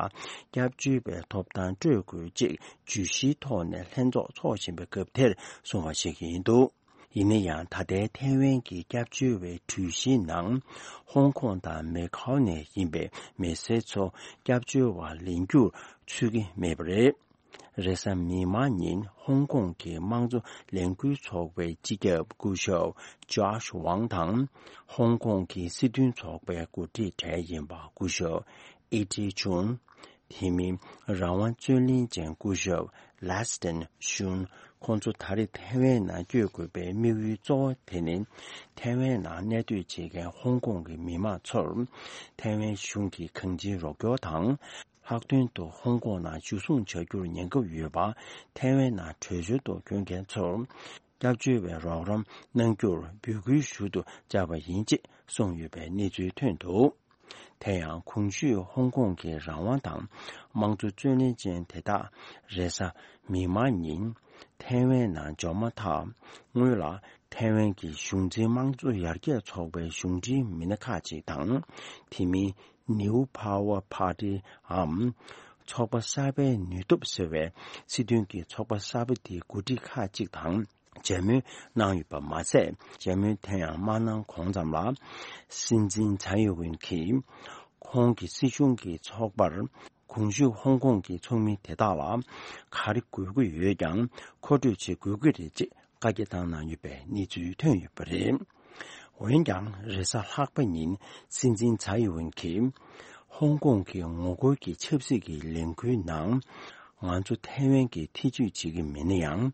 སྐྱབས་བཅོལ་བའི་ཐོབ་ཐང་སྤྲོད་དགོས་ཅེས་བརྗོད་གཞིའི་ཐོག་ནས་ལྷན་ཚོགས་འཚོགས་བཞིན་པའི་སྐབས་དེར་གསུངས་པ་ཞིག་ཡིན་འདུག་ཡིན་ན་ཡང་ད་ལྟའི་ཐའེ་ཝན་གྱི་སྐྱབས་བཅོལ་བའི་གྲོས་གཞིའི་ནང་ཧོང་ཀོང་དང་མེ་ཁའོ་ནས་ཡིན་པའི་མི་སེར་ཚོ་སྐྱབས་བཅོལ་བ་ལེན་རྒྱུར་ཚུད་ཀྱི་མེད་པ་རེད། རེས་གཟའ་མིག་དམར་ཉིན་ཧོང་ཀོང་གི་དམངས་གཙོ་ལས་འགུལ་ཚོགས་པའི་སྤྱི་ཁྱབ་སྐུ་ཞབས་ཇོརྗ་ཝང་དང་། ཧོང་ཀོང་གི་སྲིད་དོན་ཚོགས་པའི་འགོ་ཁྲིད་གྲས་ཡིན་པ་སྐུ་ཞབས་ཨི་ཀྲི་ཆུན། དེ་མིན་རང་དབང་རྩོད་ལེན་ཅན་སྐུ་ཞབས་ལེ་སི་ཏན་ཤུན། ཁོང་ཚོ་ད་རེས་ཐའེ་ཝན་ནང་བསྐྱོད་དགོས་པའི་དམིགས་ཡུལ་གཙོ་བོ་དེ་ནི། ཐའེ་ཝན་ནང་གནས་སྡོད་བྱེད་མཁན་ཧོང་ཀོང་གི་མི་མང་ཚོར་ཐའེ་ཝན་གཞུང་གི་གང་ཅིའི་རོགས་སྐྱོར་དང་། ལྷག་དོན་དུ་ཧོང་ཀོང་ནང་འཇུ་བཟུང་བྱ་རྒྱུར་ཉེན་ཁ་ཡོད་པ། ཐའེ་ཝན་ནང་བྲོས་བྱོལ་དུ་བསྐྱོད་མཁན་ཚོར་སྐྱབས་བཅོལ་བའི་རོགས་རམ་གནང་རྒྱུར་འབོད་སྐུལ་ཞུ་དུ་བཅར་བ་ཡིན་ཅེས་གསུངས་ཡོད་པའི་གནས་ཚུལ་ཐོན་འདུག་དེ་ཡང་གོང་ཞུས་ཧོང་ཀོང་གི་རང་དབང་དང་དམངས་གཙོ་རྩོད་ལེན་ཅན་དེ་དག་རེས་གཟའ་མིག་དམར་ཉིན་ཐའེ་ཝན་ནང་འབྱོར་མ་ཐག་སྔོན་ལ་ཐའེ་ཝན་གྱི་གཞུང་འཛིན་དམངས་གཙོ་ཡར་རྒྱས་ཚོགས་པའི་གཞུང་འབྲེལ་མི་སྣ་ཁག་ཅིག་དང་། དེ་མིན་New Power Party འམ་ཚོགས་པ་གསར་པའི་ནུས་སྟོབས་ཟེར་བའི་སྲིད་དོན་གྱི་ཚོགས་པ་གསར་པ་དེའི་འགོ་ཁྲིད་ཁག་ཅིག་དང་མཇལ་མོལ་གནང་ཡོད་པ་མ་ཟད། མཇལ་མོལ་དེ་ཡང་མ་གནང་གོང་ཙམ་ལ། སྲིད་འཛིན་ཚའེ་ཝེན་གྱིས་ཁོང་གི་སྲིད་གཞུང་གི་ཚོགས་པར་གོང་ཞུས་ཧོང་ཀོང་གི་ཚོགས་མི་དེ་དག་ལ་ག་རེ་དགོས་ཀྱི་ཡོད་ཀྱང་མཁོ་སྤྲོད་བྱེད་དགོས་ཀྱི་རེད་ཅེས། བཀའ་རྒྱ་བཏང་གནང་ཡོད་པའི་གནས་ཚུལ་ཐོན་ཡོད་པ་རེད། འོན་ཀྱང་རེས་གཟའ་ལྷག་པ་ཉིན་སྲིད་འཛིན་ཚའེ་ཝེན་གྱིས་ཧོང་ཀོང་གི་ངོ་རྒོལ་གྱི་ཆབ་སྲིད་ཀྱི་ལས་འགུལ་ནང་ང་ཚོ་ཐའེ་ཝན་གྱིས་ཐེ་བྱུས་བྱེད་ཀྱི་མེད་ན་ཡང་།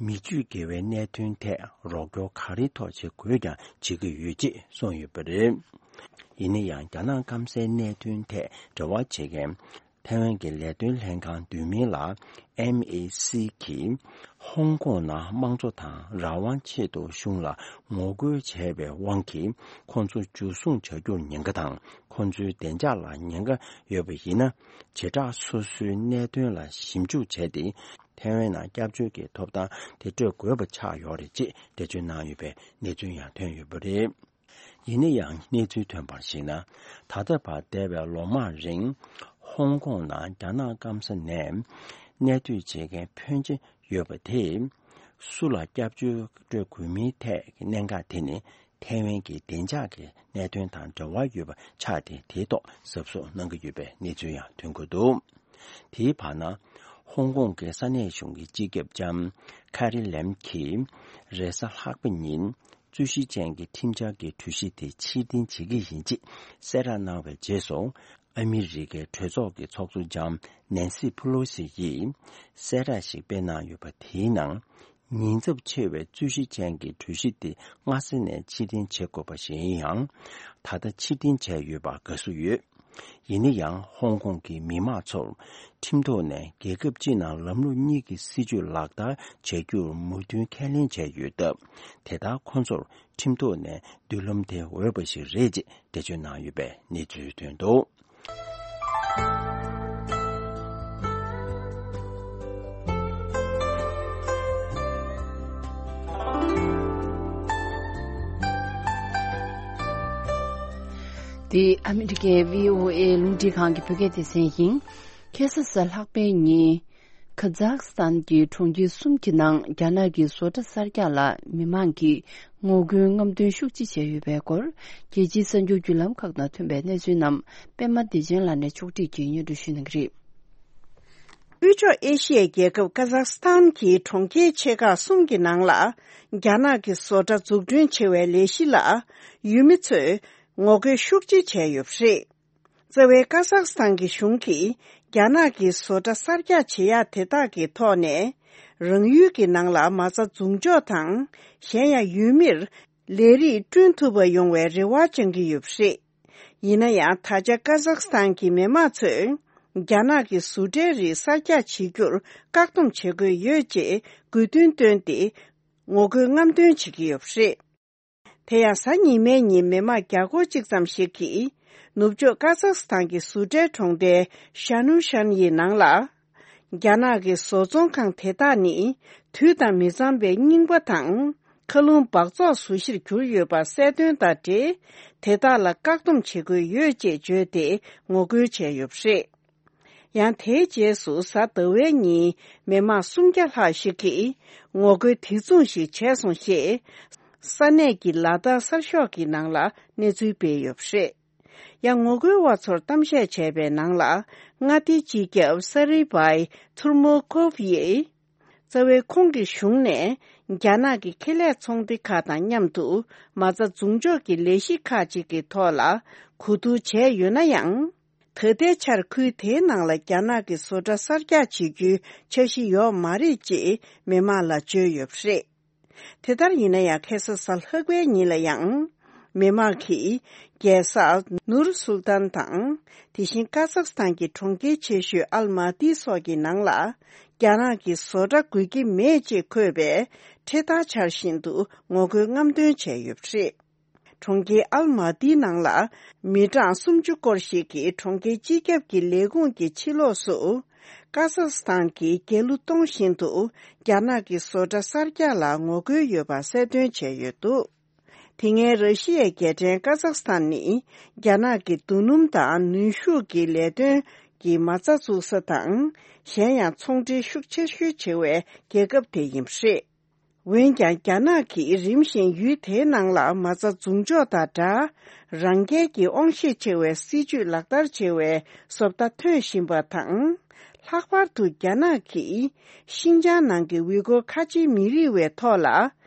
མི་སྤྱོད་དགེ་བའི་གནད་དོན་ཐད་རོགས་སྐྱོར་ག་རེའི་ཐོག་བྱེད་དགོས་ཀྱང་བྱེད་ཀྱི་ཡོད་ཅེས་གསུངས་ཡོད་པ་རེད། ཡིན་ན་ཡང་རྒྱ་ནག་སྐམ་སའི་གནད་དོན་ཐད་འབྲེལ་བ་བྱེད་མཁན། ཐའེ་ཝན་གྱི་ལས་དོན་ལྷན་ཁང་བསྡུས་མིང་ལ་ཨེམ་ཨེ་སི་གིས་ཧོང་ཀོང་ནང་དམངས་གཙོ་དང་རང་དབང་ཆེད་དུ་གཞུང་ལ་ངོ་རྒོལ་བྱས་པའི་དབང་གིས་ཁོང་ཚོ་འཇུ་བཟུང་བྱ་རྒྱུར་ཉེན་ཁ་དང་ཁོང་ཚོའི་བདེ་འཇགས་ལ་ཉེན་ཁ་ཡོད་པ་ཡིན་ན། བྱེ་བྲག་སོ་སོའི་གནད་དོན་ལ་ཞིབ་འཇུག་བྱས་ཏེ། ཐའེ་ཝན་ནང་སྐྱབས་བཅོལ་གྱི་ཐོབ་ཐང་དེ་སྤྲོད་དགོས་པ་ཆགས་ཡོད་རེད་ཅེས་འགྲེལ་བརྗོད་གནང་ཡོད་པའི་གནས་ཚུལ་ཡང་ཐོན་ཡོད་པ་རེད། ཡིན་ན་ཡང་གནས་ཚུལ་ཐོན་པར་གཞིགས་ན། ད་ལྟ་བར་འདས་པའི་ལོ་མང་རིང་ཧོང་ཀོང་ནང་རྒྱ་ནག་སྐམ་ས་ནས་གནས་སྡོད་བྱེད་མཁན་ཕོན་ཆེ་ཡོད་པ་དེས། སུ་ལ་སྐྱབས་བཅོལ་སྤྲོད་དགོས་མིན་ཐད་ཀྱི་གནད་འགག་དེ་ནི་ཐའེ་ཝན་གྱི་བདེ་འཇགས་ཀྱི་གནད་དོན་དང་འབྲེལ་བ་ཡོད་པ་ཆགས་ཏེ། དེའི་ཐོག་གཟབ་གཟབ་གནང་གི་ཡོད་པའི་གནས་ཚུལ་ཡང་ཐོན་གྱི་འདུག་དེའི་བར་ན། ཧོང་ཀོང་གི་ས་གནས་གཞུང་གི་སྤྱི་ཁྱབ་ལྕམ་ཁ་རི་ལེམ་གྱིས་རེས་གཟའ་ལྷག་པ་ཉིན་རྩོད་གཞི་ཅན་གྱི་ཁྲིམས་འཆར་གྱི་གྲོས་གཞི་དེ་ཕྱིར་འཐེན་བྱེད་ཀྱི་ཡིན་ཅེས་གསལ་བསྒྲགས་གནང་བའི་རྗེས་སུ། ཨ་མི་རི་ཀའི་གྲོས་ཚོགས་ཀྱི་ཚོགས་གཙོ་ལྕམ་ནན་སི་ཕུ་ལོ་སི་ཡིས་གསལ་བསྒྲགས་ཤིག་སྤེལ་གནང་ཡོད་པ། དེའི་ནང་། ཉེན་ཚབས་ཆེ་བའི་རྩོད་གཞི་ཅན་གྱི་གྲོས་གཞི་དེ་སྔ་ས་ནས་ཕྱིར་འཐེན་བྱེད་དགོས་པ་ཞིག་ཡིན་ཡང་། ད་ལྟ་ཕྱིར་འཐེན་བྱས་ཡོད་པར་དགའ་བསུ་ཡོད། ཡིན་ན་ཡང་ཧོང་ཀོང་གི་མི་མང་ཚོར་ཁྲིམས་ཐོག་ནས་རྒྱལ་ཁབ་སྤྱི་ནང་ལམ་ལུགས་གཉིས་ཀྱི་སྲིད་བྱུས་ལག་བསྟར་བྱ་རྒྱུར་མོས་མཐུན་ཁས་ལེན་བྱས་ཡོད་སྟབས། དེ་ལྟར་ཁོ་ཚོར་ཁྲིམས་ཐོག་ནས་མདུན་ལམ་དེ་འོས་པ་ཞིག་རེད་ཅེས་འགྲེལ་བརྗོད་གནང་ཡོད་པའི་གནས་ཚུལ་ཐོན་འདུག་འདི་ཨ་མི་རི་ཀའི་བྷི་ཨོ་ཨེ་རླུང་འཕྲིན་ཁང་གི་བོད་སྐད་སྡེ་ཚན་ཡིན། ཁ་སང་གཟའ་ལྷག་པའི་ཉིན། ཁ་ཛག་སི་ཐན་གྱི་གྲོང་ཁྱེར་གསུམ་གྱི་ནང་རྒྱ་ནག་གི་བཟོ་གྲྭ་གསར་རྒྱག་ལ་མི་མང་གིས་ངོ་རྒོལ་རྔམ་སྟོན་ཤུགས་ཆེ་བྱས་ཡོད་པའི་སྐོར། རྒྱལ་སྤྱིའི་གསར་འགྱུར་བརྒྱུད་ལམ་ཁག་ནང་ཐོན་པའི་གནས་ཚུལ་རྣམས་པད་མ་བདེ་ཆེན་ལགས་ནས་ཕྱོགས་སྒྲིག་གིས་སྙན་སྒྲོན་ཞུ་གནང་གི་རེད། དབུས་ཕྱོགས་ཨེ་ཤི་ཡའི་རྒྱལ་ཁབ་ཀ་ཛག་སི་ཐན་གྱི་གྲོང་ཁྱེར་ཆེ་ཁག་གསུམ་གྱི་ནང་ལ་རྒྱ་ནག་གི་བཟོ་གྲྭ་འཛུགས་སྐྲུན་བྱེད་པའི་ལས་གཞི་ལ་ཡུལ་མི་ཚོས་ངོ་རྒོལ་ཤུགས་ཆེ་བྱས་ཡོད་པ་རེད། རྩ་བའི་ཀ་ཛག་སི་ཐན་གྱི་གཞུང་གིས་རྒྱ་ནག་གི་བཟོ་གྲྭ་གསར་རྒྱག་བྱེད་ཡག་དེ་དག་གི་ཐོག་ནས་རང་ཡུལ་གྱི་ནང་ལ་མ་རྩ་འཛུགས་འཇོག་དང་། གཞན་ཡང་ཡུལ་མིར་ལས་རིགས་བསྐྲུན་ཐུབ་པ་ཡོང་བའི་རེ་བ་བཅང་གི་ཡོད་པ་རེད། ཡིན་ན་ཡང་ད་ཆ་ཀ་ཛག་སི་ཐན་གྱི་མི་མང་ཚོས་རྒྱ་ནག་གི་བཟོ་གྲྭའི་རིགས་གསར་རྒྱག་བྱེད་རྒྱུར་བཀག་སྡོམ་བྱེད་དགོས་ཡོད་ཅེས་དགོས་འདུན་བཏོན་ཏེ་ངོ་རྒོལ་རྔམ་སྟོན་བྱེད་ཀྱི་ཡོད་པ་རེད། དེ་ཡང་གཟའ་ཉི་མའི་ཉིན་མི་མང་བརྒྱ་སྐོར་གཅིག་ཙམ་ཞིག་གིས་ནུབ་ཕྱོགས་ཀ་ཛག་སི་ཐན་གྱི་བཟོ་གྲྭའི་གྲོང་རྡལ་ཤ་ནུ་ཤན་ཡི་ནང་ལ། རྒྱ་ནག་གི་བཟོ་ཚོང་ཁང་དེ་དག་ནི་དུས་དང་མི་འཚམ་པའི་རྙིང་པ་དང་མཁའ་རླུང་འབག་བཙོག་བཟོ་གཞིར་གྱུར་ཡོད་པ་གསལ་སྟོན་དང་འབྲེལ། དེ་དག་ལ་བཀག་སྡོམ་བྱེད་དགོས་ཡོད་ཅེས་བརྗོད་དེ་ངོ་རྒོལ་བྱས་ཡོད་པ་རེད། ཡང་དེའི་རྗེས་སུ་གཟའ་ཟླ་བའི་ཉིན་མི་མང་སུམ་བརྒྱ་ལྷག་ཞིག་གིས་ངོ་རྒོལ་དེ་མཚུངས་ཤིག་བྱས་སོང་ཞེས་ས་གནས་ཀྱི་ལ་དྭགས་གསར་ཤོག་གི་ནང་ལ་གནས་ཚུལ་སྤེལ་ཡོད་པ་རེད། ཡང་ངོ་རྒོལ་བ་ཚོར་གཏམ་བཤད་བྱས་པའི་ནང་ལ་མངའ་སྡེའི་སྤྱི་ཁྱབ་སེ་རི་བྷའི་ཐུར་མོ་ཀོབ་ཡིས། རྩ་བའི་ཁོང་གི་གཞུང་ནས་རྒྱ་ནག་གི་ཁེ་ལས་ཚོང་སྡེ་ཁག་དང་མཉམ་དུ་མ་རྩ་འཛུགས་འཇོག་གི་ལས་གཞི་ཁག་ཅིག་གི་ཐོག་ལ་གོ་བསྡུར་བྱས་ཡོད་ན་ཡང་། ད་ལྟའི་ཆར་ཁུལ་དེའི་ནང་ལ་རྒྱ་ནག་གི་བཟོ་གྲྭ་གསར་རྒྱག་བྱེད་རྒྱུའི་འཆར་གཞི་ཡོད་མ་རེད་ཅེས་མི་མང་ལ་བརྗོད་ཡོད་པ་རེད། དེ་ལྟར་ཡིན་ན་ཡང་ཁ་སང་གཟའ་ལྷག་པའི་ཉིན་ལ་ཡང་མི་མང་གིས་རྒྱལ་ས་ནུར་སུལ་ཏན་དང་དེ་བཞིན་ཀ་ཛག་སི་ཐན་གྱི་གྲོང་ཁྱེར་ཆེ་ཤོས་ཨལ་མ་ཏི་སོགས་ཀྱི་ནང་ལ་རྒྱ་ནག་གི་བཟོ་གྲྭ་དགོས་ཀྱི་མེད་ཅེས་འཁོད་པའི་འཕྲེད་དར་འཕྱར་བཞིན་དུ་ངོ་རྒོལ་རྔམ་སྟོན་བྱས་ཡོད་པ་རེད། གྲོང་ཁྱེར་ཨལ་མ་ཏིའི་ནང་ལ་མི་གྲངས་སུམ་ཅུ་སྐོར་ཞིག་གིས་གྲོང་ཁྱེར་སྤྱི་ཁྱབ་ཀྱི་ལས་ཁུངས་ཀྱི་ཕྱི་ལོགས་སུ་ཀ་ཛག་སི་ཐན་གྱི་རྒྱལ་གླུ་གཏོང་བཞིན་དུ་རྒྱ་ནག་གི་བཟོ་གྲྭ་གསར་རྒྱག་ལ་ངོ་རྒོལ་ཡོད་པ་གསལ་སྟོན་བྱས་ཡོད་འདུག་དེ་སྔའི་ར་ཤི་ཡའི་རྒྱལ་ཕྲན་ཀ་ཛག་སི་ཐན་ནི་རྒྱ་ནག་གི་རྡོ་སྣུམ་དང་ནུས་ཤུགས་ཀྱི་ལས་དོན་གྱི་མ་རྩ་བཙུགས་ས་དང་། གཞན་ཡང་ཚོང་འབྲེལ་ཤུགས་ཆེ་ཤོས་བྱེད་པའི་རྒྱལ་ཁབ་དེ་ཡིན་པ་རེད། འོན་ཀྱང་རྒྱ་ནག་གིས་རིམ་བཞིན་ཡུལ་དེའི་ནང་ལ་མ་རྩ་འཛུགས་འཇོག་དང་སྦྲགས། རང་རྒྱལ་གྱི་དབང་ཤེད་ཆེ་བའི་སྲིད་ཇུས་ལག་བསྟར་བྱེད་པའི་བཟོ་ལྟ་ཐོན་བཞིན་པ་དང་། ལྷག་པར་དུ་རྒྱ་ནག་གིས་ཤིང་ཅང་ནང་གི་ཝི་གོར་ཁ་ཆེའི་མི་རིགས་པའི་ཐོག་ལ་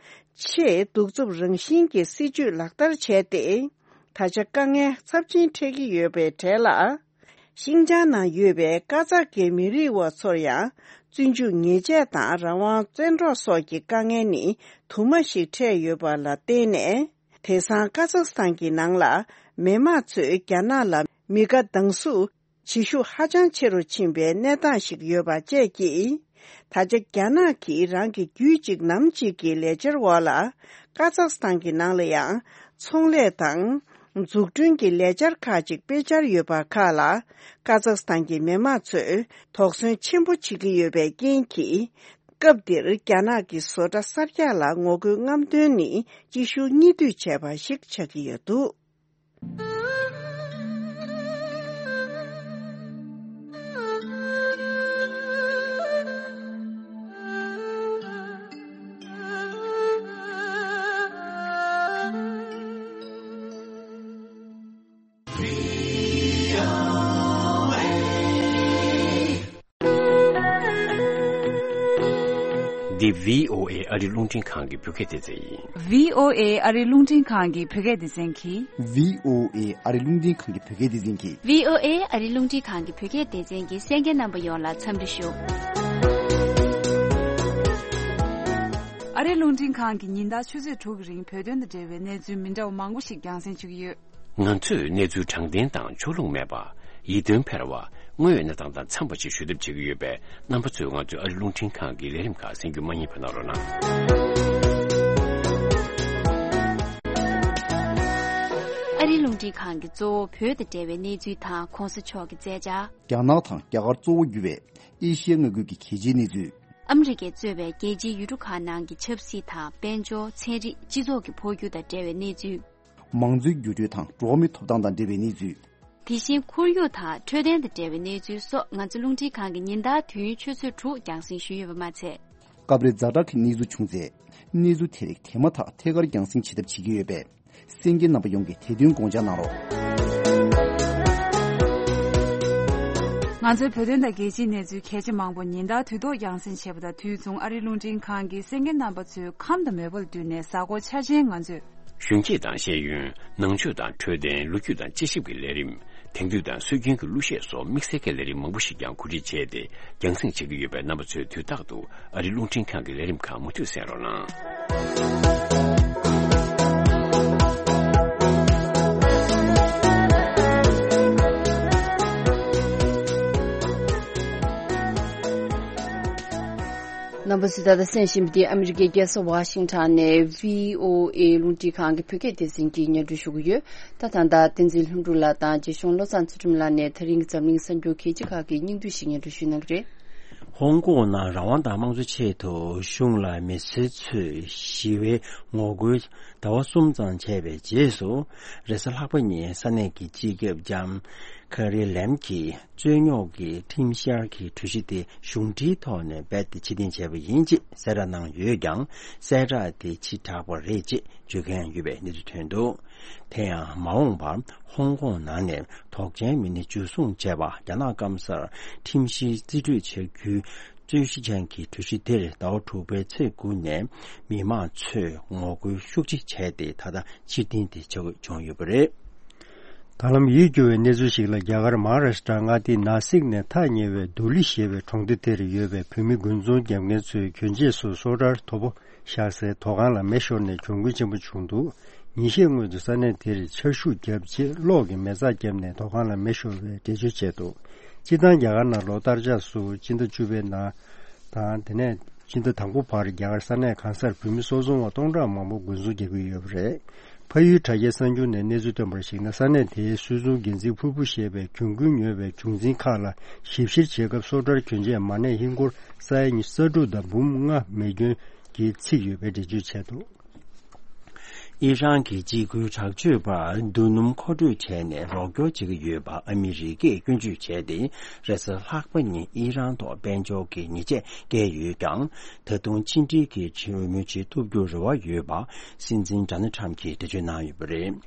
ཆེས་གདུག་རྩུབ་རང་བཞིན་གྱི་སྲིད་ཇུས་ལག་བསྟར་བྱས་ཏེ། ད་ཆ་དཀའ་ངལ་ཚབས་ཆེན་འཕྲད་ཀྱི་ཡོད་པའི་གྲས་ལ། ཤིང་ཅང་ནང་ཡོད་པའི་ཀ་ཛག་གི་མི་རིགས་བ་ཚོར་ཡང་བཙོན་འཇུག་ཉེས་ཆད་དང་རང་དབང་བཙན་འཕྲོག་སོགས་ཀྱི་དཀའ་ངལ་ནི་དུ་མ་ཞིག་འཕྲད་ཡོད་པ་ལ་བརྟེན་ནས། དེང་སང་ཀ་ཛག་སི་ཐན་གྱི་ནང་ལ་མི་མང་ཚོས་རྒྱ་ནག་ལ་མི་དགའ་སྡང་ཟུག་བྱེད་ཤུགས་ཧ་ཅང་ཆེ་རུ་ཕྱིན་པའི་གནས་སྟངས་ཤིག་ཡོད་པ་བཅས་ཀྱིས། ད་ཆ་རྒྱ་ནག་གིས་རང་གི་རྒྱུད་གཅིག་ནམ་གཅིག་གི་ལས་འཆར་འོག་ལ་ཀ་ཛག་སི་ཐན་གྱི་ནང་ལ་ཡང་ཚོང་ལས་དང་འཛུགས་སྐྲུན་གྱི་ལས་འཆར་ཁག་ཅིག་སྤེལ་འཆར་ཡོད་པ་ཁག་ལ་ཀ་ཛག་སི་ཐན་གྱི་མི་མང་ཚོས་དོགས་ཟོན་ཆེན་པོ་བྱེད་ཀྱི་ཡོད་པའི་རྐྱེན་གྱིས། སྐབས་འདིར་རྒྱ་ནག་གི་བཟོ་གྲྭ་གསར་རྒྱག་ལ་ངོ་རྒོལ་རྔམ་སྟོན་ནི་གཅིག་ཤུགས་གཉིས་མཐུད་བྱས་པ་ཞིག་ཆགས་ཀྱི་ཡོད་འདུག་འདི་བྷི་ཨོ་ཨེ་ཨ་རི་རླུང་འཕྲིན་ཁང་གི་བོད་སྐད་སྡེ་ཚན་ཡིན། བྷི་ཨོ་ཨེ་ཨ་རི་རླུང་འཕྲིན་ཁང་གི་བོད་སྐད་སྡེ་ཚན་གྱིས། བྷི་ཨོ་ཨེ་ཨ་རི་རླུང་འཕྲིན་ཁང་གི་བོད་སྐད་སྡེ་ཚན་གྱིས། བྷི་ཨོ་ཨེ་ཨ་རི་རླུང་འཕྲིན་ཁང་གི་བོད་སྐད་སྡེ་ཚན་གྱི་གསན་མཁན་རྣམ་པ་ཡོངས་ལ་འཚམས་འདྲི་ཞུ། ཨ་རི་རླུང་འཕྲིན་ཁང་གིས་ཉིན་ལྟར་ཆུ་ཚོད་དྲུག་གི་རིང་བོད་དོན་དང་འབྲེལ་བའི་གནས་ཚུལ་མི་འདྲ་བ་མང་པོ་ཞིག་རྒྱང་སྲིང་ཞུ་གི་ཡོད། ང་ཚོས་གནས་ཚུལ་དྲང་བདེན་དང་ཕྱོགས་ལྷུང་མེད་པ། ཡིད་རྟོན་འཕེར་བ། དངོས་ཡོད་གནས་སྟངས་དང་འཚམས་པ་ཞིག་ཞུ་ཐབས་བྱེད་ཀྱི་ཡོད་པས། རྣམ་པ་ཚོས་ང་ཚོའི་ཨ་རི་རླུང་འཕྲིན་ཁང་གི་ལས་རིམ་ཁག་གསན་རྒྱུ་མ་བསྙེལ་བ་གནང་རོགས་གནང་། ཨ་རི་རླུང་འཕྲིན་ཁང་གིས་གཙོ་བོ་བོད་དང་འབྲེལ་བའི་གནས་ཚུལ་དང་གོང་ས་མཆོག་གི་མཛད་འཆར། རྒྱ་ནག་དང་རྒྱ་གར་གཙོ་བོ་གྱུར་བའི་ཨེ་ཤི་ཡ་མངའ་ཁུལ་གྱི་གལ་ཆེའི་གནས་ཚུལ། ཨ་མི་རི་ཀས་གཙོས་པའི་རྒྱལ་སྤྱིའི་ཡུལ་གྲུ་ཁག་ནང་གི་ཆབ་སྲིད་དང་དཔལ་འབྱོར། ཚན་རིག་སྤྱི་ཚོགས་ཀྱི་འཕོ་འགྱུར་དང་འབྲེལ་བའི་གནས་ཚུལ། མང་གཙོའི་འགྱུར་འགྲོས་དང་འགྲོ་བ་མིའི་ཐོབ་ཐང་དང་འབྲེལ་བའི་གནས་ཚུལ། དེ་བཞིན་ཁོར་ཡུག་དང་འཕྲོད་བསྟེན་དང་འབྲེལ་བའི་གནས་ཚུལ་སོགས་ང་ཚོ་རླུང་འཕྲིན་ཁང་གི་ཉིན་ལྟར་དུས་ཡུན་ཆུ་ཚོད་དྲུག་རྒྱང་སྲིང་ཞུས་ཡོད་པ་མ་ཚད། སྐབས་རེ་ཛ་དྲག་གི་གནས་ཚུལ་བྱུང་ཚེ། གནས་ཚུལ་དེ་རིགས་དེ་མ་ཐག་ཐད་ཀར་རྒྱང་སྲིང་བྱེད་ཐབས་བྱེད་ཀྱི་ཡོད་པས། གསན་མཁན་རྣམ་པ་ཡོངས་ཀྱིས་དེ་དོན་དགོངས་འཇགས་གནང་རོགས། ང་ཚོའི་བོད་དོན་དང་རྒྱལ་སྤྱིའི་གནས་ཚུལ་གལ་ཆེ་མང་པོ་ཉིན་ལྟར་དུས་ཐོག་རྒྱང་སྲིང་བྱེད་པ་དང་དུས་མཚུངས་ཨ་རིའི་རླུང་འཕྲིན་ཁང་གིས་གསན་མཁན་རྣམ་པ་ཚོའི་ཁམས་དང་མོས་པ་ལ་བསྟུན་ནས་གཟའ་འཁོར་འཆར་ཅན་ང་ཚོས། གཞོན་སྐྱེས་དང་ཤེས་ཡོན། ནང་ཆོས་དང་འཕྲོད་བསྟེན། ལོ་རྒྱུས་དང་དཔྱད་ཞིབ་ཀྱི་ལས་རིམ། དེང་དུས་དང་སྲོལ་རྒྱུན་གྱི་གླུ་གཞས་སོགས་དམིགས་བསལ་གྱི་ལས་རིམ་མང་པོ་ཞིག་ཀྱང་གོ་སྒྲིག་བྱས་ཏེ་རྒྱང་སྲིང་བྱེད་ཀྱི་ཡོད་པས། རྣམ་པ་ཚོས་དུས་རྟག་ཏུ་ཨ་རིའི་རླུང་འཕྲིན་ཁང་གི་ལས་རིམ་ཁག་མུ་མཐུད་གསན་རོགས་གནང་། རྣམ་པ་ཚོས་ད་ལྟ་གསན་བཞིན་པ་འདི་ཨ་མི་རི་ཀའི་རྒྱལ་ས་ཝ་ཤིང་ཊོན་ནས་བྷི་ཨོ་ཨེ་རླུང་འཕྲིན་ཁང་གི་བོད་སྐད་སྡེ་ཚན་གྱིས་སྙན་སྒྲོན་ཞུ་གི་ཡོད། ད་ད་ལྟ་བསྟན་འཛིན་ལྷུན་གྲུབ་ལགས་དང་རྗེ་གཞུང་བློ་བཟང་ཚུལ་ཁྲིམས་ལགས་ནས་ད་རིང་གི་འཛམ་གླིང་གསར་འགྱུར་གལ་ཆེ་ཁག་གི་སྙིང་བསྡུས་ཤིག་སྙན་སྒྲོན་ཞུ་གནང་གི་རེད། ཧོང་ཀོང་ནང་རང་དབང་དང་དམངས་གཙོ་ཆེད་དུ་གཞུང་ལ་མི་སེར་ཚོས་ཞི་བའི་ངོ་རྒོལ་ཟླ་བ་གསུམ་ཙམ་བྱས་པའི་རྗེས་སུ། རེས་གཟའ་ལྷག་པ་ཉིན་ས་གནས་ཀྱི་སྤྱི་ཁྱབ་ལྕམ་ཁེ་རི་ལེམ་གྱིས་རྩོད་རྙོག་གི་ཁྲིམས་བཤེར་གྱི་གྲོས་གཞི་དེ་གཞུང་འབྲེལ་ཐོག་ནས་རྦད་དེ་ཕྱིར་འཐེན་བྱས་པ་ཡིན་ཅེས་གསལ་བསྒྲགས་གནང་ཡོད་ཀྱང་། གསལ་བསྒྲགས་དེ་ཕྱིར་བསྒྲགས་པ་རེད་ཅེས་བརྗོད་མཁན་ཡོད་པའི་གནས་ཚུལ་ཐོན་འདུག་དེ་ཡང་མ་འོངས་པར་ཧོང་ཀོང་ནང་ནས་དོགས་ཅན་མི་སྣ་འཇུ་བཟུང་བྱས་པ། རྒྱ་ནག་སྐམ་སར་ཁྲིམས་བཤེར་རྩིས་སྤྲོད་བྱ་རྒྱུའི་རྩོད་གཞི་ཅན་གྱི་གྲོས་གཞི་དེར་ཟླ་བ་དྲུག་པའི་ཚེས་དགུ་ནས་མི་མང་ཚོས་ངོ་རྒོལ་ཤུགས་ཆེ་བྱས་ཏེ། ད་ལྟ་ཕྱིར་འཐེན་དེ་བྱ་དགོས་བྱུང་ཡོད་པ་རེད། ད་ལམ་ཡིད་སྐྱོ་བའི་གནས་ཚུལ་ཞིག་ལ། རྒྱ་གར་མ་ཧཱ་རཱ་ཤི་ཏྲ་མངའ་སྡེའི་ནཱ་སིག་ནས་ཐག་ཉེ་བའི་དུ་ལི་ཞེས་པའི་གྲོང་སྡེ་དེར་ཡོད་པའི་བོད་མི་དགུན་ཚོང་རྒྱག་མཁན་ཚོས་གྱོན་ཆས་སུ་སོ་ཊར་དོ་པོ་བཞག་སའི་དོ་ཁང་ལ་མེ་ཤོར་ནས་གྱོང་གུན་ཆེན་པོ་བྱུང་འདུག་ཉིན་ཤས་སྔོན་དུ་ས་གནས་དེར་ཆར་ཤུགས་བརྒྱབ་རྗེས་གློག་གི་མེ་བཙའ་བརྒྱབ་ནས་དོ་ཁང་ལ་མེ་ཤོར་བའི་འགྲེལ་བརྗོད་བྱས་འདུག་སྤྱིར་བཏང་རྒྱ་གར་ནང་ལོ་ལྟར་ཆགས་སུ་སྤྱི་ཟླ་བཅུ་པའི་ནང་དང་དེ་ནས་སྤྱི་ཟླ་དང་པོ་བར་རྒྱ་གར་ས་གནས་གང་སར་བོད་མི་སོ་ཚོང་བ་སྟོང་ཕྲག་མང་པོ་དགུན་ཚོང་རྒྱག་གི་ཡོད་པ་རེད། ཕ་ཡུལ་དྲ་རྒྱའི་གསར་འགྱུར་ནས་གནས་ཚུལ་བཏོན་པར་གཞིགས་ན། ས་གནས་དེའི་སུད་ཚོང་འགན་འཛིན་ཕུར་བུ་ཞེས་པས་གྱོང་གུན་ཉོས་པའི་བྱུང་འཛིན་ཁག་ལ་ཞིབ་བཤེར་བྱེད་སྐབས་སོ་ཊར་གྱོན་ཆས་མ་གནས་ཧིན་སྒོར་ས་ཡ་ཉི་ཤུ་རྩ་དྲུག་དང་འབུམ་ལྔ་མེ་སྐྱོན་གྱིས་ཚིག་ཡོད་པའི་འགྲེལ་བརྗོད་བྱས་འདུག་ཨི་རན་གྱིས་འཇིགས་སྐུལ་དྲག་སྤྱོད་པར་རྡུལ་སྣུམ་མཁོ་སྤྲོད་བྱས་ནས་རོགས་སྐྱོར་བྱེད་ཀྱི་ཡོད་པ་ཨ་མི་རི་ཀས་སྐྱོན་བརྗོད་བྱས་ཏེ། རེས་གཟའ་ལྷག་པ་ཉིན་ཨི་རན་ཐོག་དཔལ་འབྱོར་གྱི་ཉེས་ཆད་བཀལ་ཡོད་ཀྱང་། ད་དུང་ཕྱི་འབྲེལ་གྱི་གྲོས་མོལ་བྱེད་ཐུབ་རྒྱུར་རེ་བ་ཡོད་པ་སྲིད་འཛིན་ཌོ་ནལ་ཊམ་གྱིས་འགྲེལ་བརྗོད་གནང་ཡོད་པ་རེད།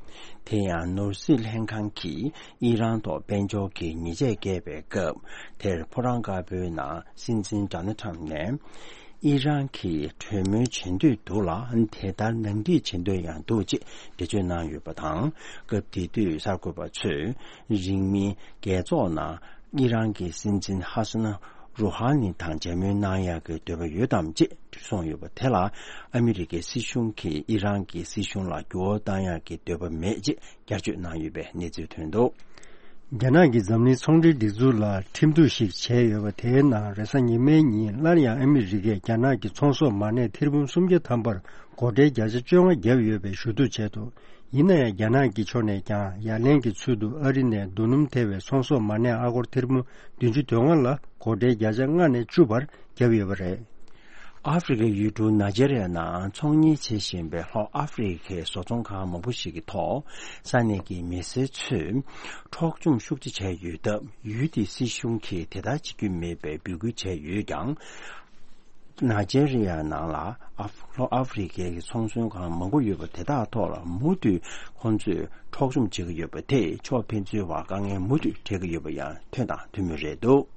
དེ་ཡང་ནོར་སྲིད་ལྷན་ཁང་གིས་ཨི་རན་ཐོག་དཔལ་འབྱོར་གྱི་ཉེས་ཆད་བཀལ་བའི་སྐབས་དེར་ཕོ་བྲང་དཀར་པོའི་ནང་སྲིད་འཛིན་ཌོ་ནལ་ཊམ་ནས། ཨི་རན་གྱིས་གྲོས་མོལ་བྱེད་འདོད་འདུག་ལ། དེ་ལྟར་ནང་འགྲིག་བྱེད་འདོད་ཡང་འདུག་ཅེས་འགྲེལ་བརྗོད་གནང་ཡོད་པ་དང་། སྐབས་དེ་དུས་གསར་འགོད་པ་ཚོས་རིང་མིན་རྒྱལ་ཚོགས་ནང་ཨི་རན་གྱི་སྲིད་འཛིན་ཧ་སན་རུ་ཧ་ནི་དང་མཇལ་མོལ་གནང་ཡག་གི་འདོད་པ་ཡོད་དམ་ཅེས་གསུངས་ཡོད་པ་དེ་ལ། ཨ་མི་རི་ཀའི་སྲིད་གཞུང་གིས་ཨི་རན་གྱི་སྲིད་གཞུང་ལ་འགྱུར་བ་གཏང་ཡག་གི་འདོད་པ་མེད་ཅེས་བསྐྱར་བརྗོད་གནང་ཡོད་པའི་གནས་ཚུལ་ཐོན་འདུག་རྒྱ་ནག་གིས་འཛམ་གླིང་ཚོང་འབྲེལ་སྒྲིག་འཛུགས་ལ་ཁྲིམས་གཏུག་ཞིག་བྱས་ཡོད་པ་དེའི་ནང་། རེས་གཟའ་ཉི་མའི་ཉིན་སླར་ཡང་ཨ་མི་རི་ཀས་རྒྱ་ནག་གི་ཚོང་ཟོག་མ་གནས་ཐེར་འབུམ་སུམ་བརྒྱ་ཐམ་པར་སྒོ་ཁྲལ་བརྒྱ་ཆ་བཅོ་ལྔ་བརྒྱབ་ཡོད་པའི་ཞུ་གཏུག་བྱས་འདུག་ཡིན་ན་ཡང་རྒྱ་ནག་གི་ཕྱོགས་ནས་ཀྱང་ཡ་ལན་གྱི་ཚུལ་དུ་ཨ་རི་ནས་རྡོ་སྣུམ་ཐེ་བའི་ཚོང་ཟོག་མ་གནས་ཨ་སྒོར་ཐེར་འབུམ་བདུན་ཅུ་དོན་ལྔ་ལ་སྒོ་ཁྲལ་བརྒྱ་ཆ་ལྔ་ནས་བཅུ་བར་བརྒྱབ་ཡོད་པ་རེད། ཨ་ཧྥེ་རི་ཁའི་ཡུལ་གྲུ་ནཱ་ཇེ་རི་ཡ་ནང་ཚོང་གཉེར་བྱེད་བཞིན་པའི་ལྷོ་ཨ་ཧྥེ་རི་ཁའི་བཟོ་ཚོང་ཁང་མང་པོ་ཞིག་གི་ཐོག་ས་གནས་ཀྱི་མི་སེར་ཚོས་འཕྲོག་བཅོམ་ཤུགས་ཆེ་བྱས་ཡོད་སྟབས། ཡུལ་དེའི་སྲིད་གཞུང་གིས་དེ་ལྟར་བྱེད་རྒྱུ་མེད་པའི་འབོད་སྐུལ་བྱས་ཡོད་ཀྱང་། ནཱ་ཇེ་རི་ཡ་ནང་ལ་ཨ་ལྷོ་ཨ་ཧྥེ་རི་ཁའི་ཚོང་ཟོག་ཁང་མང་པོ་ཡོད་པ་དེ་དག་ཐོག་ལ་མུ་མཐུད་ཁོང་ཚོས་འཕྲོག་བཅོམ་བྱེད་ཀྱི་ཡོད་པ་དེས་ཕྱོགས་ཕན་ཚུན་བར་དཀའ་ངལ་མུ་མཐུད་འཕྲད་ཀྱི་ཡོད་པ་ཡང་ཐོན་དང་ཐོན་མུས་རེད་འདུག་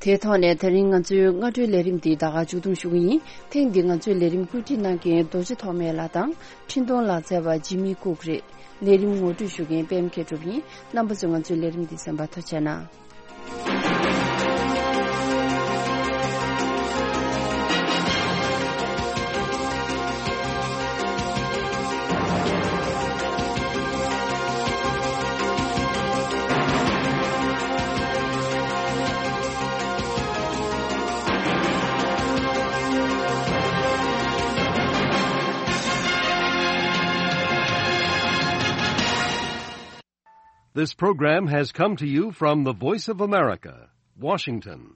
དེའི་ཐོག་ནས་ད་རིང་ང་ཚོའི་སྔ་དྲོའི་ལས་རིམ་འདི་ད་ག་མཇུག་བསྡོམས་ཞུ་གི་ཡིན། ཐེངས་འདིའི་ང་ཚོའི་ལས་རིམ་བཀོད་སྒྲིག་གནང་མཁན་རྡོ་རྗེ་ཐོགས་མེད་ལགས་དང་། འཕྲིན་གཏོང་ལག་རྩལ་བ་ཇི་མི་ཀུག་རེད། ལས་རིམ་ངོ་སྤྲོད་ཞུ་མཁན་པད་མ་མཁས་གྲུབ་ཡིན། རྣམ་པ་ཚོས་ང་ཚོའི་ལས་རིམ་འདི་གསན་པར་ཐུགས་རྗེ་གནང་། This program has come to you from the Voice of America, Washington.